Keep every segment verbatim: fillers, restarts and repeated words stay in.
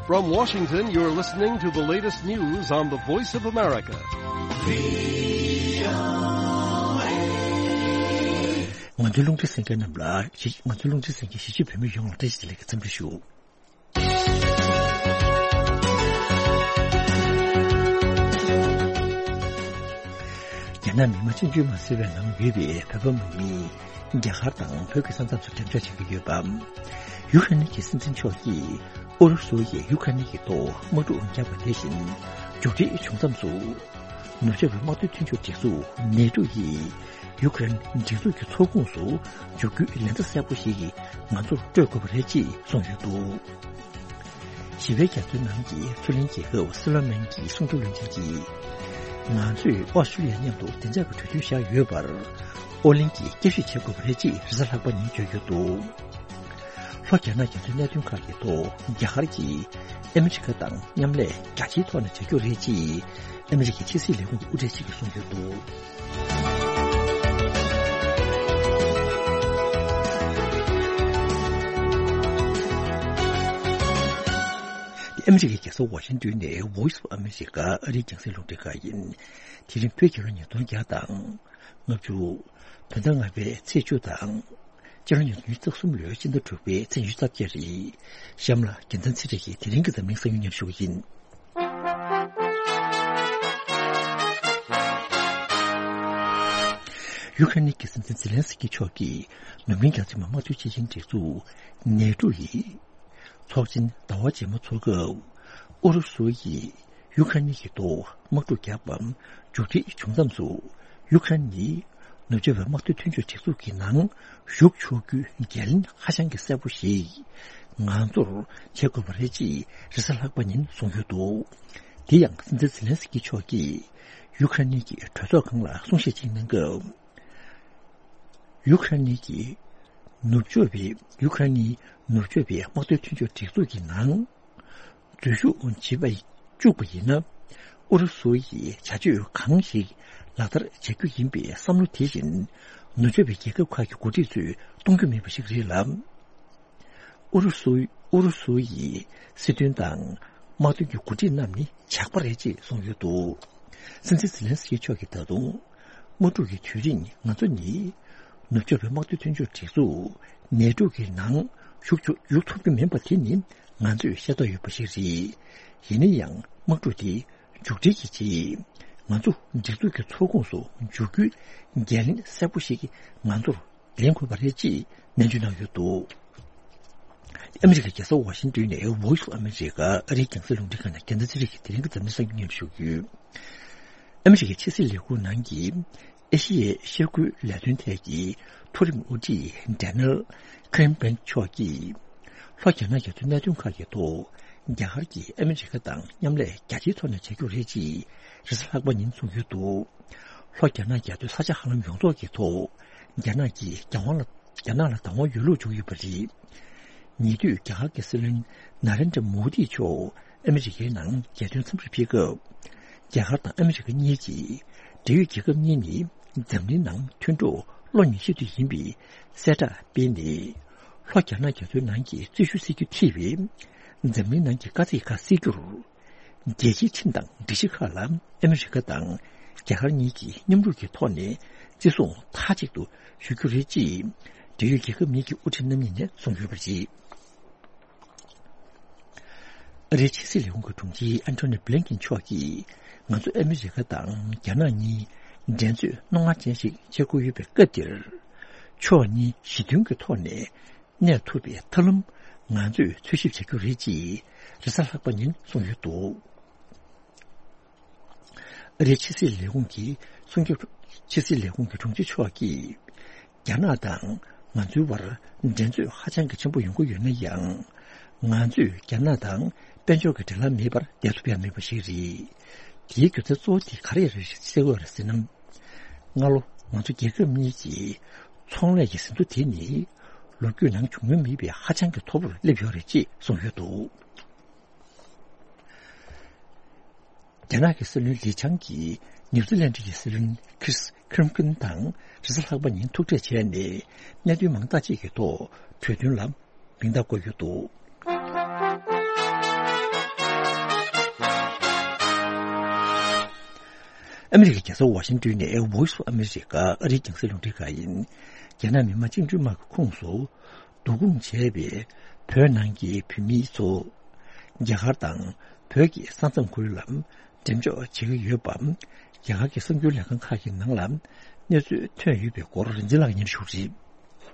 From Washington, you're listening to the latest news on the Voice of America. ང་ཚོའི་རླུང་འཕྲིན་གསན་མཁན་རྣམས་ལ་གཞིས། ང་ཚོའི་རླུང་འཕྲིན་གསན་མཁན་གཞིས་བྱེས་བོད་མི་ཡོངས་ལ་བཀྲ་ཤིས་བདེ་ལེགས་ཀྱི་འཚམས་འདྲི་ཞུ། རྒྱ་ནག་མི་དམངས་སྤྱི་འཐུས་མ་ཟེར་བའི་ནང་ཡོད་པའི་བོད་པ་མང་མིས་རྒྱ་གར་དང་བོད་ཀྱི་ས་མཚམས་སུ་འགྲེམས་འཇོག་བྱེད་ཀྱི་ཡོད་པ། ཡུ་ཁ་རེན་གྱི་སྲིད་འཛིན་མཆོག་གིས་ཨུ་རུ་སུ་ཡིས་ཡུ་ཁ་རེན་གྱི་ཐོག་དམག་འཁྲུག་བརྒྱབ་པ་དེ་བཞིན། མཇུག་སྒྲིལ་བྱུང་མཚམས་སུ། ནུབ་ཕྱོགས་པའི་དམག་དོན་མཐུན་ཕྱོགས་སྒྲིག་འཛུགས་ནེ་ཏོ་ཡིས་ཡུ་ཁ་རེན་སྒྲིག་འཛུགས་ཀྱི་ཚོགས་ཁོངས་སུ་འཇུག་རྒྱུའི་ལན་ཐ་གསལ་པོ་ཞིག་ང་ཚོར་སྤྲོད་དགོས་པ་རེད་ཅེས་གསུངས་ཡོད་འདུག། ཞི་བའི་རྒྱ་མཚོའི་ནང་གི་མཚོ་གླིང་རྒྱལ་ཁབ་སི་ལོ་མན་གྱི་སྲུང་སྐྱོབ་བློན་ཆེན་གྱིས། ང་ཚོས་ཨོ་སི་ཀྲི་ལི་ཡ་མཉམ་དུ་བདེ་འཇགས་ཀྱི་གྲོས་མཐུན་བཞག་ཡོད་པར། ཨོ་གླིང་གིས་བསྐྱར་ཞིབ་བྱེད་དགོས་པ་རེད་ཅེས་རེས་གཟའ་ལྷག་པ་ཉིན་བརྗོད་ཡོད་འདུག། ལྷོ་རྒྱ་ནག་རྒྱ་མཚོའི་གནད་དོན་ཁག་གི་ཐོག་རྒྱ་གར་གྱིས་ཨ་མི་རི་ཀ་དང་མཉམ་ལས་རྒྱ་ཆེའི་ཐོག་ནས་བྱ་རྒྱུ་རེད་ཅེས་ཨ་མི་རི་ཀའི་ཕྱི་སྲིད་ལས་ཁུངས་ཀྱི་དབུ་ཁྲིད་ཅིག་གིས་གསུངས་ཡོད་འདུག། ཨ་མི་རི་ཀའི་རྒྱལ་ས་ཝ་ཤིང་ཏོན་ནས་Voice of America ཨ་རིའི་རྒྱང་སྲིང་རླུང་འཕྲིན་ཁང་ཡིན། དེ་རིང་བོད་རྒྱལ་ལོ་ཉིས་སྟོང་བརྒྱ་དང་ལྔ་བཅུ། བོད་ཟླ་ལྔ་པའི་ཚེས་བཅུ་དང་། སྤྱི་ལོ་ཉིས་སྟོང་ཉི་ཤུ་རྩ་གསུམ་ལོའི་སྤྱི་ཟླ་དྲུག་པའི་ཚེས་ཉི་ཤུ་རྩ་བརྒྱད་རེད། གཤམ་ལ་རྒྱལ་མཚན་ཚེ་རིང་གིས་དེ་རིང་གི་འཛམ་གླིང་གསར་འགྱུར་སྙན་ཞུ་བ་ཡིན། ཡུ་ཁ་རེན་གྱི་སྲིད་འཛིན་ཛེ་ལན་སི་ཀི་མཆོག་གིས་ནུབ་གླིང་རྒྱ་མཚོའི་མ་དམག་དོན་སྤྱི་ཆིངས་སྒྲིག་འཛུགས་ནེ་ཏོ་ཡི་ཚོགས་ཆེན་ཟླ་བ་རྗེས་མ་འཚོགས་སྐབས། ཨུ་རུ་སུ་ཡིས་ཡུ་ཁ་རེན་གྱི་ཐོག་དམག་འཁྲུག་བརྒྱབ་པ་མཇུག་སྒྲིལ་བྱུང་མཚམས་སུ། ཡུ་ཁ་རེན་ནི་ནུབ་ཕྱོགས་པའི་དམག་དོན་མཐུན་ཕྱོགས་སྒྲིག་འཛུགས་ཀྱི་ནང་ཞུགས་ཆོག་རྒྱུའི་འགན་ལེན་ཧ་ཅང་གི་གསལ་པོ་ཞིག་ང་ཚོར་བྱེད་དགོས་པ་རེད་ཅེས་རེས་གཟའ་ལྷག་པ་ཉིན་གསུངས་ཡོད་འདུག། དེ་ཡང་སྲིད་འཛིན་ཛེ་ལན་སི་ཀི་མཆོག་གིས་ཡུ་ཁ་རེན་གྱི་གྲོས་ཚོགས་ཁང་ལ་གསུང་བཤད་ཅིག་གནང་སྐབས། ཡུ་ཁ་རེན་གྱི་ནུབ་ཕྱོགས་པའི་ཡུ་ཁ་རེན་ནི་ནུབ་ཕྱོགས་པའི་དམག་དོན་མཐུན་ཕྱོགས་སྒྲིག་འཛུགས་ཀྱི་ནང་འཛུལ་ཞུགས་བྱེད་པ་བཅུག་པ་ཡིན་ན། ཨུ་རུ་སུ་ཡིས་བྱ་སྤྱོད་གང་ཞིག་ལག་བསྟར་བྱ་རྒྱུ་ཡིན་པའི་བསམ་བློ་དེ་བཞིན་ནུབ་ཕྱོགས་པའི་རྒྱལ་ཁབ་ཁག་གི་འགོ་ཁྲིད་ཚོས་གཏོང་རྒྱུ་མེད་པ་ཞིག་རེད་ལ། ཨུ་རུ་སུ། ཨུ་རུ་སུ་ཡི་སྲིད་དོན་དང་དམག་དོན་གྱི་འགོ་ཁྲིད་རྣམས་ནི་ཇག་པ་རེད་ཅེས་གསུངས་ཡོད་འདུག། སྲིད་འཛིན་ཛེ་ལན་སི་ཀི་མཆོག་གིས་ད་དུང་། དམག་འཁྲུག་གི་དུས་རིང་ང་ཚོ་ནི་ནུབ་ཕྱོགས་པའི་དམག་དོན་མཐུན་ཕྱོགས་སྒྲིག་འཛུགས་ནེ་ཏོ་གི་ནང་ཞུགས་ཆོག་ཞུགས་ཐུབ་ཀྱི་མིན་པ་དེ་ནི་ང་ཚོས་ཤེས་རྟོགས་ཡོད་པ་ཞིག་རེད། ཡིན་ན་ཡང་དམག་འཁྲུག་དེ་མཇུག་སྒྲིལ་གྱི་རྗེས་ང་ཚོ་སྒྲིག་འཛུགས་ཀྱི་ཚོགས་ཁོངས་སུ་འཇུག་རྒྱུའི་འགན་ལེན་གསལ་པོ་ཞིག་ང་ཚོར་ལེན་དགོས་པ་རེད་ཅེས་ནན་བརྗོད་གནང་ཡོད་འདུག། ཨ་མི་རི་ཀའི་རྒྱལ་ས་ཝ་ཤིང་ཏོན་ནས་Voice of America ཨ་རིའི་རྒྱང་སྲིང་རླུང་འཕྲིན་ཁང་ནས་རྒྱལ་མཚན་ཚེ་རིང་གིས་དེ་རིང་གི་འཛམ་གླིང་གསར་འགྱུར་སྙན་ཞུ་ཞུ་གི་ཡོད། ཨ་མི་རི་ཀའི་ཕྱི་སྲིད་ལས་ཁུངས་ནང་གི་ཨེ་ཤི་ཡའི་ཤར་ཁུལ་ལས་དོན་ཐད་ཀྱི་མཐོ་རིམ་དབུ་ཁྲིད་Daniel Kritenbrink མཆོག་གིས། ལྷོ་རྒྱ་ནག་རྒྱ་མཚོའི་གནད་དོན་ཁག་གི་ཐོག་རྒྱ་གར་གྱིས་ཨ་མི་རི་ཀ་དང་མཉམ་ལས་རྒྱ་ཆེའི་ཐོག་ནས་བྱ་རྒྱུ་རེད་ཅེས་རེས་གཟའ་ལྷག་པ་ཉིན་གསུངས་ཡོད་འདུག། ལྷོ་རྒྱ་ནག་རྒྱ་མཚོའི་ས་ཆ་ཧ་ལམ་ཡོངས་རྫོགས་ཀྱི་ཐོག་རྒྱ་ནག་གིས་རྒྱ་དབང་ལ། རྒྱ་ནག་ལ་བདག་དབང་ཡོད་ལུགས་བརྗོད་ཡོད་པ་རེད། ཉེ་དུས་རྒྱ་གར་གྱི་སྲིད་བློན་ན་རེན་དྲ་མོ་དི་མཆོག་ཨ་མི་རི་ཀའི་ནང་རྒྱལ་དོན་འཚམས་འདྲིར་ཕེབས་སྐབས། རྒྱ་གར་དང་ཨ་མི་རི་ཀ་གཉིས་ཀྱིས་འབྲེལ་ཡོད་རྒྱལ་ཁབ་གཉིས་ནི་འཛམ་གླིང་ནང་མཐུན་གྲོགས་བློ་ཉེ་ཤོས་དེ་ཡིན་པའི་གསལ་བསྒྲགས་སྤེལ་ནས། ལྷོ་རྒྱ་ནག་རྒྱ་མཚོའི་ནང་གི་རྩོད་གཞི་སེལ་རྒྱུ་ཐེ་བའི་འཛམ་གླིང་ནང་གི་དཀའ་ཚེགས་ཁག་སེལ་རྒྱུར། རྒྱལ་སྤྱིའི་ཁྲིམས་དང་སྒྲིག་གཞི་ཁག་ལ་ཨ་མི་རི་ཀ་དང་རྒྱ་གར་གཉིས་ཀྱིས་མཉམ་རུབ་ཀྱི་ཐོག་ནས་བརྩི་སྲུང་མཐའ་གཅིག་ཏུ་ཞུ་རྒྱུ་རེད་ཅེས་འབྲེལ་ཡོད་རྒྱལ་ཁབ་གཉིས་ཀྱི་དབུ་ཁྲིད་རྣམ་གཉིས་ནས་གསུངས་ཡོད་པ་རེད། ཨ་རིའི་ཕྱི་སྲིད་ལས་ཁུངས་ཀྱི་དྲུང་ཆེ་ཨན་ཐོ་ནི་བྷི་ལིན་ཀིན་མཆོག་གིས་ང་ཚོ་ཨ་མི་རི་ཀ་དང་རྒྱ་ནག་གཉིས་འགྲན་རྩོད་རྣོ་ངར་ཅན་ཞིག་བྱེད་དགོས་ཡོད་པའི་སྐབས་འདིར། ཕྱོགས་གཉིས་ཞི་མཐུན་གྱི་ཐོག་ནས། གནས་ཐུབ་པའི་ཐབས་ལམ་ང་ཚོས་འཚོལ་ཞིབ་བྱ་རྒྱུ་རེད་ཅེས་རེས་གཟའ་ལྷག་པ་ཉིན་གསུངས་ཡོད་འདུག། ཨ་རིའི་ཕྱི་སྲིད་ལས་ཁུངས་ཀྱི་གསུང་སྐྱོབ། ཕྱི་སྲིད་ལས་ཁུངས་ཀྱི་དྲུང་ཆེ་མཆོག་གིས། རྒྱ་ནག་དང་ང་ཚོའི་བར་འགྲན་རྩོད་ཧ་ཅང་གི་ཆེན་པོ་ཡོང་གི་ཡོད་ན་ཡང་། ང་ཚོས་རྒྱ་ནག་དང་དཔལ་འབྱོར་གྱི་འབྲེལ་ལམ་མེད་པར་བསྡད་ཐུབ་ཡ་མེད་པ་ཞིག་རེད། དེའི་རྒྱུ་མཚན་གཙོ་བོ་དེ་ག་རེ་རེད་ཟེར་དགོས་རེད་ཟེར་ན། སྔ་ལོ་ང་ཚོ་རྒྱལ་ཁབ་གཉིས་ཀྱི་ཚོང་ལས་ཀྱི་ཟིན་ཐོ་དེ་ནི་ལོ་རྒྱུས་ནང་བྱུང་མྱོང་མེད་པའི་ཧ་ཅང་གི་མཐོ་པོར་སླེབས་ཡོད་རེད་ཅེས་གསུངས་ཡོད་འདུག། རྒྱ་ནག་གི་སྲིད་བློན་ལི་ཆང་གིས་ནིའུ་ཛི་ལན་ཌི་ཡི་སྲིད་བློན་ཁྲིས་ཁིར་ཀིན་དང་རེས་གཟའ་ལྷག་པ་ཉིན་ཐུག་འཕྲད་བྱས་ནས་གནད་དོན་མང་དག་ཅིག་གི་ཐོག་གྲོས་མཐུན་ལ་མིང་རྟགས་བཀོད་ཡོད་འདུག། ཨ་མི་རི་ཀའི་རྒྱལ་ས་ཝ་ཤིང་ཏོན་ནས་Voice of America ཨ་རིའི་རྒྱང་སྲིང་རླུང་འཕྲིན་ཁང་ཡིན། རྒྱ་ནག་མི་དམངས་བཅིངས་འགྲོལ་དམག་གི་ཁོངས་སུ་བསྡུ་སྐོང་བྱས་པའི་བོད་ནང་གི་བོད་མི་ཚོ་རྒྱ་གར་དང་བོད་ཀྱི་ས་མཚམས་ཁུལ་ལ་འགྲེམས་འཇོག་བྱེད་ཀྱི་ཡོད་པ། རྒྱ་གར་གྱི་གསར་འགྱུར་ལས་ཁང་ཁག་གི་ནང་ལ་གནས་ཚུལ་ཐོན་ཡོད་པའི་སྐོར་རིན་འཛིན་ལགས་ཀྱིས་སྙན་ཞུ་རེད།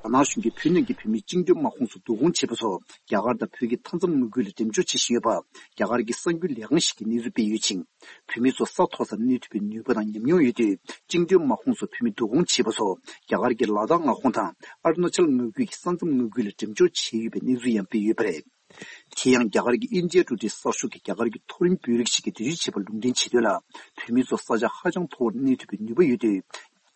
རྒྱ་ནག་གཞུང་གིས་བོད་ནང་གི་བོད་མི་བཅིངས་འགྲོལ་དམག་ཁོངས་སུ་བསྡུ་སྐོང་བྱས་པ་སོགས་རྒྱ་གར་དང་བོད་ཀྱི་མཐའ་མཚམས་མངའ་ཁུལ་ལ་འགྲེམས་འཇོག་བྱེད་བཞིན་ཡོད་པ། རྒྱ་གར་གྱི་གསར་འགྱུར་ལས་ཁང་ཞིག་གིས་གནས་ཚུལ་སྤེལ་ཡོད་ཅིང་། བོད་མི་ཚོ་ས་མཐོ་སར་གནས་ཐུབ་པའི་ནུས་པ་དང་ཉམས་མྱོང་ཡོད་དུས། བཅིངས་འགྲོལ་དམག་ཁོངས་སུ་བོད་མི་བསྡུ་སྐོང་བྱས་པ་སོགས་རྒྱ་གར་གྱི་ལ་དྭགས་མངའ་ཁོངས་དང་ཨ་རུ་ན་ཅལ་མངའ་ཁུལ་གྱི་ས་མཚམས་མངའ་ཁུལ་ལ་འགྲེམས་འཇོག་བྱས་ཡོད་པའི་གནས་ཚུལ་ཡང་སྤེལ་ཡོད་པ་རེད། དེ་ཡང་རྒྱ་གར་གྱི་ཨིན་ཇིའི་འགྲོ་འགྲུལ་གསར་ཤོག་གིས་རྒྱ་གར་གྱི་མཐོ་རིམ་དཔོན་རིགས་ཤིག་གིས་འགྲེལ་བརྗོད་བྱས་པར་ལུང་འདྲེན་བྱས་དོན་ལ། བོད་མི་ཚོ་ས་ཆ་ཧ་ཅང་མཐོ་བོར་གནས་ཐུབ་པའི་ནུས་པ་ཡོད་དུས།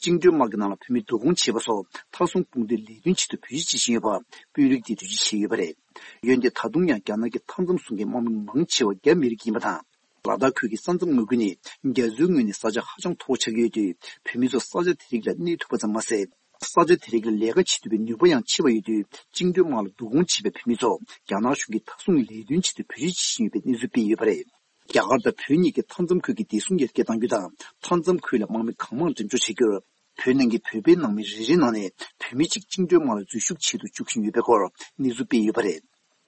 བཅིངས་འགྲོལ་དམག་གི་ནང་ལ་བོད་མི་བསྡུ་སྐོང་བྱས་པ་སོགས་མཐའ་སྲུང་དཔུང་སྡེའི་ལས་དོན་ཆེད་དུ་བེད་སྤྱོད་བྱེད་བཞིན་ཡོད་པ་དཔོན་རིགས་དེས་འགྲེལ་བརྗོད་བྱས་ཡོད་པ་རེད། འོན་ཏེ་ད་དུང་ཡང་རྒྱ་ནག་གི་མཐའ་མཚམས་སྲུང་མཁན་དམག་མི་མང་ཆེ་བ་རྒྱ་མི་རིགས་ཡིན་པ་དང་། ལ་དྭགས་ཁུལ་གྱི་ས་མཚམས་མངའ་ཁུལ་ནི་རྒྱ་མཚོའི་ངོས་ནས་ས་ཆ་ཧ་ཅང་མཐོ་བོ་ཆགས་ཀྱི་ཡོད་དུས། བོད་མི་ཚོ་ས་ཆ་དེ་རིགས་ལ་གནས་ཐུབ་པ་ཙམ་མ་ཟད། ས་ཆ་དེ་རིགས་ལ་ལས་ཀ་བྱེད་ཐུབ་པའི་ནུས་པ་ཡང་ཆེ་བ་ཡོད་དུས། བཅིངས་འགྲོལ་དམག་ལ་བསྡུ་སྐོང་བྱས་པའི་བོད་མི་ཚོ་རྒྱ་ནག་གཞུང་གིས་མཐའ་སྲུང་ལས་དོན་ཆེད་དུ་བེད་སྤྱོད་བྱེད་བཞིན་ཡོད་པའི་གནས་ཚུལ་སྤེལ་ཡོད་པ་རེད། རྒྱ་གར་དང་བོད་གཉིས་ཀྱི་མཐའ་མཚམས་ཁུལ་གྱི་བདེ་སྲུང་ཡར་རྒྱས་གཏང་རྒྱུ་དང་། མཐའ་མཚམས་ཁུལ་ལ་དམག་མི་གང་མང་འགྲེམས་འཇོག་བྱེད་རྒྱུར། བོད་ནང་གི་བོད་པའི་ནང་མི་རེ་རེའི་ནང་ནས་བོད་མི་གཅིག་བཅིངས་འགྲོལ་དམག་ལ་འཛུལ་ཞུགས་ཆེད་དུ་འཇུག་བཞིན་ཡོད་པའི་སྐོར་གནས་ཚུལ་སྤེལ་ཡོད་པ་རེད།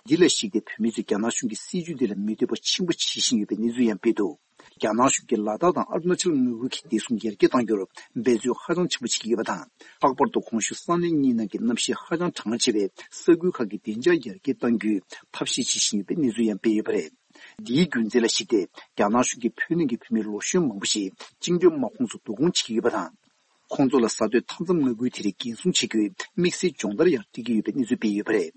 འདི་ལ་གཞིགས་ཏེ། བོད་མི་ཚོས་རྒྱ་ནག་གཞུང་གི་སྲིད་ཇུས་འདི་ལ་མི་འདོད་པ་ཆེན་པོ་བྱེད་བཞིན་ཡོད་པའི་གནས་ཚུལ་ཡང་སྤེལ་འདུག་རྒྱ་ནག་གཞུང་གིས་ལ་དྭགས་དང་ཨ་རུ་ན་ཅལ་མངའ་ཁུལ་གྱི་བདེ་སྲུང་ཡར་རྒྱས་གཏང་རྒྱུར་འབད་རྩོལ་ཧ་ཅང་ཆེན་པོ་བྱེད་ཀྱི་ཡོད་པ་དང་། ལྷག་པར་དུ་གོང་ཞུས་ས་གནས་གཉིས་ནང་གི་གནམ་གཤིས་ཧ་ཅང་གྲང་ཆེ་བས། ས་ཁུལ་ཁག་གི་བདེ་འཇགས་ཡར་རྒྱས་གཏང་རྒྱུའི་ཐབས་ཤེས་བྱེད་བཞིན་ཡོད་པའི་གནས་ཚུལ་ཡང་སྤེལ་ཡོད་པ་རེད། འདིའི་རྒྱུ་མཚན་ལ་གཞིགས་ཏེ། རྒྱ་ནག་གཞུང་གིས་བོད་ནང་གི་བོད་མི་ལོ་གཞོན་མང་པོ་ཞིག་བཅིངས་འགྲོལ་དམག་ཁོངས་སུ་བསྡུ་སྐོང་བྱེད་ཀྱི་ཡོད་པ་དང་། ཁོང་ཚོ་ལ་གཟའ་སྟོད་མཐའ་མཚམས་མངའ་ཁུལ་དེ་རིགས་འགན་སྲུང་བྱེད་རྒྱུའི་དམིགས་བསལ་སྦྱོང་བརྡར་ཡང་སྤྲད་ཀྱི་ཡོད་པའི་གནས་ཚུལ་སྤེལ་ཡོད་པ་རེད།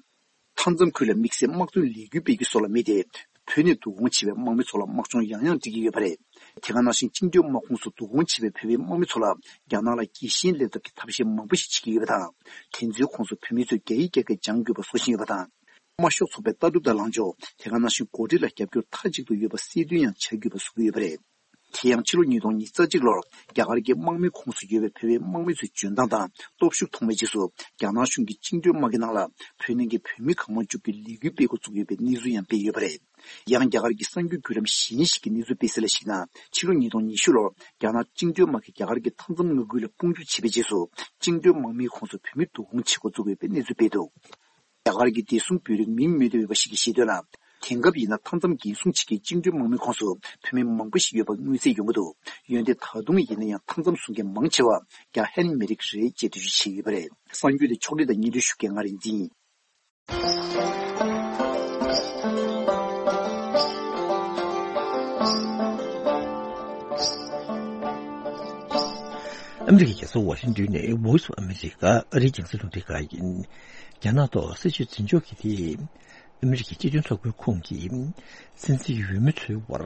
མཐའ་མཚམས་ཁུལ་ལ་དམིགས་བསལ་དམག་དོན་ལས་འགུལ་སྤེལ་རྒྱུ་སོགས་ལ་དམིགས་ཏེ། བོད་ནས་བསྡུ་སྐོང་བྱས་པའི་དམག་མི་ཚོ་ལ་དམག་སྦྱོང་ཡང་ཡང་སྤྲད་ཀྱི་ཡོད་པ་རེད། དེ་ག་ནང་བཞིན་བཅིངས་འགྲོལ་དམག་ཁོངས་སུ་བསྡུ་སྐོང་བྱས་པའི་བོད་པའི་དམག་མི་ཚོ་ལ་རྒྱ་ནག་ལ་རྒྱལ་ཞེན་སླེབས་ཐབས་ཀྱི་ཐབས་ཤེས་མང་པོ་ཞིག་བྱེད་ཀྱི་ཡོད་པ་དང་། དེ་ཚོའི་ཁོངས་སུ་བོད་མི་ཚོས་རྒྱ་ཡིག་རྒྱ་སྐད་སྦྱང་དགོས་པ་སོགས་ཤིག་ཡོད་པ་དང་། དམར་ཤོག་ཚོགས་པའི་ལྟ་གྲུབ་དང་ལངས་ཕྱོགས། དེ་ག་ནང་བཞིན་འགོ་ཁྲིད་ལ་རྒྱབ་སྐྱོར་མཐའ་གཅིག་ཏུ་ཡོད་པ་གསལ་སྟོན་ཡང་བྱ་དགོས་པ་བཟོ་གི་ཡོད་པ་རེད། དེ་ཡང་ཕྱི་ལོ་ཉིས་སྟོང་ཉི་ཤུ་རྩ་གཅིག་ལོར་རྒྱ་གར་གྱི་དམག་མིའི་ཁོངས་སུ་ཡོད་པའི་བོད་པའི་དམག་མི་ཚོའི་འཇོན་ཐང་དང་སྟོབས་ཤུགས་མཐོང་བའི་རྗེས་སུ། རྒྱ་ནག་གཞུང་གིས་བཅིངས་འགྲོལ་དམག་གི་ནང་ལ་བོད་ནང་གི་བོད་མི་གང་མང་བཅུག་རྒྱུའི་ལས་འགུལ་སྤེལ་འགོ་བཙུགས་ཡོད་པའི་གནས་ཚུལ་ཡང་སྤེལ་ཡོད་པ་རེད། ཡང་རྒྱ་གར་གྱི་གསར་འགྱུར་བརྒྱུད་ལམ་གཞན་ཞིག་གིས་གནས་ཚུལ་སྤེལ་གསལ་ལ་གཞིགས་ན། ཕྱི་ལོ་ཉིས་སྟོང་ཉི་ཤུ་ལོར་རྒྱ་ནག་བཅིངས་འགྲོལ་དམག་གིས་རྒྱ་གར་གྱི་མཐའ་མཚམས་མངའ་ཁུལ་ལ་དཔུང་འཇུག་བྱས་པའི་རྗེས་སུ། བཅིངས་འགྲོལ་དམག་མིའི་ཁོངས་སུ་བོད་མི་བསྡུ་སྐོང་བྱེད་འགོ་བཙུགས་ཡོད་པའི་གནས་ཚུལ་སྤེལ་འདུག་རྒྱ་གར་གྱི་བདེ་སྲུང་དཔོན་རིགས་མིང་མི་འདོན་པ་ཞིག་གིས་བཤད་དོན་ལ། དེང་སྐབས་ཡིན་ན་མཐའ་མཚམས་འགན་སྲུང་བྱེད་མཁན་བཅིངས་འགྲོལ་དམག་མིའི་ཁོངས་སུ་བོད་མི་མང་པོ་ཞིག་ཡོད་པ་མངོན་གསལ་ཡོང་གི་འདུག་འོན་ཏེ་ད་དུང་ཡིན་ན་ཡང་མཐའ་མཚམས་སྲུང་མཁན་མང་ཆེ་བ་རྒྱ་ཧན་མི་རིགས་རེད་ཅེས་འགྲེལ་བརྗོད་བྱས་ཡོད་པ་རེད། གསར་འགྱུར་དེ་ཕྱོགས་སྒྲིག་དང་སྙན་སྒྲོན་ཞུ་མཁན་ང་རིག་འཛིན་ཡིན། ཨ་མི་རི་ཀའི་རྒྱལ་ས་ཝ་ཤིང་ཏོན་ནས་Voice of America ཨ་རིའི་རྒྱང་སྲིང་རླུང་འཕྲིན་ཁང་ཡིན། རྒྱ་ནག་ཐོག་སྲིད་བྱུས་འཛིན་སྐྱོང་གི་ཐད། ཨ་མི་རི་ཀའི་སྤྱི་མཐུན་ཚོགས་པའི་ཁོངས་ཀྱི་སྲིད་འཛིན་འོས་མི་ཚོའི་དབར་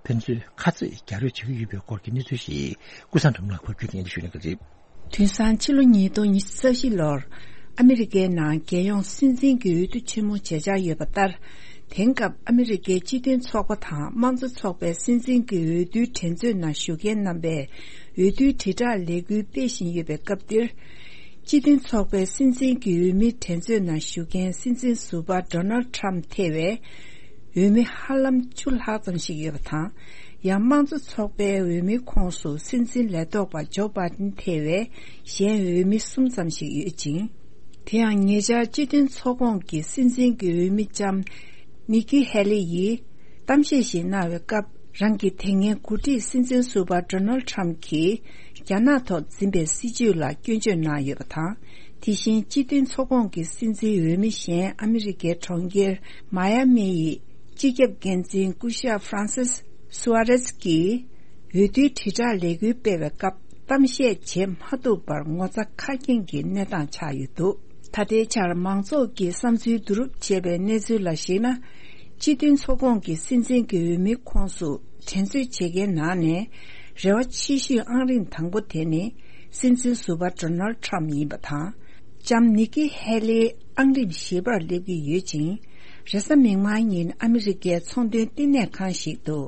ཕན་ཚུན་ཁ་རྩོད་རྒྱག་རེས་བྱེད་ཀྱི་ཡོད་པའི་སྐོར་གྱི་གནས་ཚུལ་ཞིག་ཀུན་བཟང་སྒྲོལ་མ་ལགས་ཕབ་སྒྱུར་གྱིས་སྙན་སྒྲོན་ཞུ་གནང་གི་རེད། དུས་སང་ཕྱི་ལོ་ཉིས་སྟོང་ཉི་ཤུ་རྩ་བཞི་ལོར་ཨ་མི་རི་ཀའི་ནང་རྒྱལ་ཡོངས་སྲིད་འཛིན་གྱི་འོས་བསྡུ་ཆེན་མོ་བྱེད་འཆར་ཡོད་པ་ལྟར། དེང་སྐབས་ཨ་མི་རི་ཀའི་སྤྱི་མཐུན་ཚོགས་པ་དང་དམངས་གཙོ་ཚོགས་པའི་སྲིད་འཛིན་གྱི་འོས་བསྡུའི་འགྲན་རྩོད་ནང་ཞུགས་མཁན་རྣམ་པས་འོས་བསྡུའི་དྲིལ་བསྒྲགས་ལས་འགུལ་སྤེལ་བཞིན་ཡོད་པའི་སྐབས་འདིར། སྤྱི་མཐུན་ཚོགས་པའི་སྲིད་འཛིན་གྱི་འོས་མིའི་འགྲན་རྩོད་ནང་ཞུགས་མཁན་སྲིད་འཛིན་ཟུར་པ་Donald Trump ཐེ་བའི་འོས་མི་ཧ་ལམ་བཅུ་ལྷག་ཙམ་ཞིག་ཡོད་པ་དང་། ཡང་དམངས་གཙོ་ཚོགས་པའི་འོས་མིའི་ཁོངས་སུ་སྲིད་འཛིན་ལས་ཐོག་པ་ཇོ་བྷ་དན་ཐེ་བའི་གཞན་འོས་མི་གསུམ་ཙམ་ཞིག་ཡོད་ཅིང་། དེ་ཡང་ཉེ་ཆར་སྤྱི་མཐུན་ཚོགས་ཁོངས་ཀྱི་སྲིད་འཛིན་གྱི་འོས་མི་ལྕམ་ནི་ཀི་ཧེ་ལི་ཡིས་གཏམ་བཤད་ཞིག་གནང་བའི་སྐབས། རང་གི་དེ་སྔའི་འགོ་ཁྲིད་སྲིད་འཛིན་ཟུར་པ་Donald Trump གྱིས་རྒྱ་ནག་ཐོག་འཛིན་པའི་སྲིད་བྱུས་ལ་སྐྱོན་བརྗོད་གནང་ཡོད་པ་དང་། དེ་བཞིན་སྤྱི་མཐུན་ཚོགས་ཁོངས་ཀྱི་སྲིད་འཛིན་འོས་མི་གཞན་ཨ་མི་རི་ཀའི་གྲོང་ཁྱེར་མཱ་ཡ་མི་ཡི་སྤྱི་ཁྱབ་འགན་འཛིན་སྐུ་ཞབས་Francis Suarez གྱིས་འོས་བསྡུའི་དྲིལ་བསྒྲགས་ལས་འགུལ་སྤེལ་བའི་སྐབས། གཏམ་བཤད་བྱེད་མ་ཐུབ་པར་ངོ་ཚ་ཁ་སྐྱེངས་ཀྱི་གནས་སྟངས་ཆགས་ཡོད་འདུག་ད་ལྟའི་ཆར་མང་ཚོགས་ཀྱིས་བསམ་ཚུལ་བསྡུ་རུབ་བྱས་པའི་གནས་ཚུལ་ལ་གཞིགས་ན། སྤྱི་མཐུན་ཚོགས་ཁོངས་ཀྱི་སྲིད་འཛིན་གྱི་འོས་མིའི་ཁོངས་སུ་འགྲན་རྩོད་བྱེད་མཁན་ནང་ནས་རེ་བ་ཆེ་ཤོས་ཨང་རིམ་དང་པོ་དེ་ནི་སྲིད་འཛིན་ཟུར་པ་Donald Trump ཡིན་པ་དང་། ལྕམ་ནི་ཀི་ཧེ་ལི་ཨང་རིམ་བཞི་པར་སླེབས་ཀྱི་ཡོད་ཅིང་། རེས་གཟའ་མིག་དམར་ཉིན་ཨ་མི་རི་ཀའི་ཚོང་དོན་བསྟི་གནས་ཁང་ཞིག་ཏུ།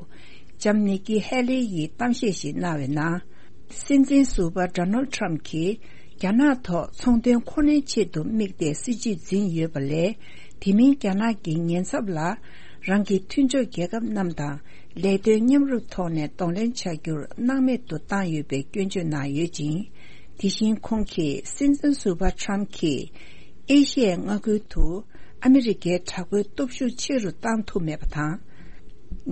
ལྕམ་ནི་ཀི་ཧེ་ལི་ཡིས་གཏམ་བཤད་ཞིག་གནང་བའི་ནང་། སྲིད་འཛིན་ཟུར་པ་Donald Trump གྱིས་རྒྱ་ནག་ཐོག་ཚོང་དོན་མཁོ་སྣོན་ཆེད་དུ་དམིགས་ཏེ་སྲིད་བྱུས་འཛིན་ཡོད་པ་ལས། དེ་མིན་རྒྱ་ནག་གི་ཉེན་ཚབས་ལ། རང་གི་མཐུན་ཕྱོགས་རྒྱལ་ཁབ་རྣམས་དང་ལས་དོན་མཉམ་རུབ་ཐོག་ནས་གདོང་ལེན་བྱ་རྒྱུར་སྣང་མེད་དུ་བཏང་ཡོད་པའི་སྐྱོན་བརྗོད་གནང་ཡོད་ཅིང་། དེ་བཞིན་ཁོང་གིས་སྲིད་འཛིན་ཟུར་པ་ཊམ་གྱིས་ཨེ་ཤི་ཡའི་མངའ་ཁུལ་དུ་ཨ་མི་རི་ཀའི་དྲག་པོའི་སྟོབས་ཤུགས་ཆེ་རུ་བཏང་ཐུབ་མེད་པ་དང་།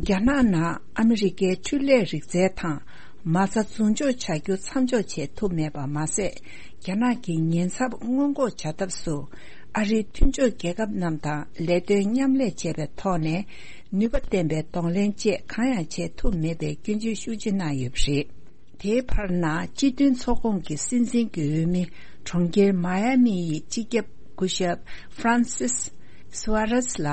རྒྱ་ནག་ནང་ཨ་མི་རི་ཀའི་འཕྲུལ་ལས་རིག་རྩལ་དང་མ་རྩ་རྫོང་འཇོག་བྱ་རྒྱུ་མཚམས་འཇོག་བྱེད་ཐུབ་མེད་པ་མ་ཟད། རྒྱ་ནག་གི་ཉེན་ཚབས་སྔོན་འགོག་བྱ་ཐབས་སུ་ཨ་རིའི་མཐུན་ཕྱོགས་རྒྱལ་ཁབ་རྣམས་དང་ལས་དོན་མཉམ་ལས་བྱས་པའི་ཐོག་ནས་ནུས་པ་ལྡན་པའི་གདོང་ལེན་བཅས་གང་ཡང་བྱེད་ཐུབ་མེད་པའི་སྐྱོན་བརྗོད་ཤུགས་ཆེ་གནང་ཡོད་པ་རེད། དེའི་བར་ན་སྤྱི་མཐུན་ཚོགས་ཁོངས་ཀྱི་སྲིད་འཛིན་གྱི་འོས་མི་གྲོང་ཁྱེར་མ་ཡ་མི་ཡི་སྤྱི་ཁྱབ་སྐུ་ཞབས་ཧྥ་རན་སིས་སུ་ཨ་རེས་ལ།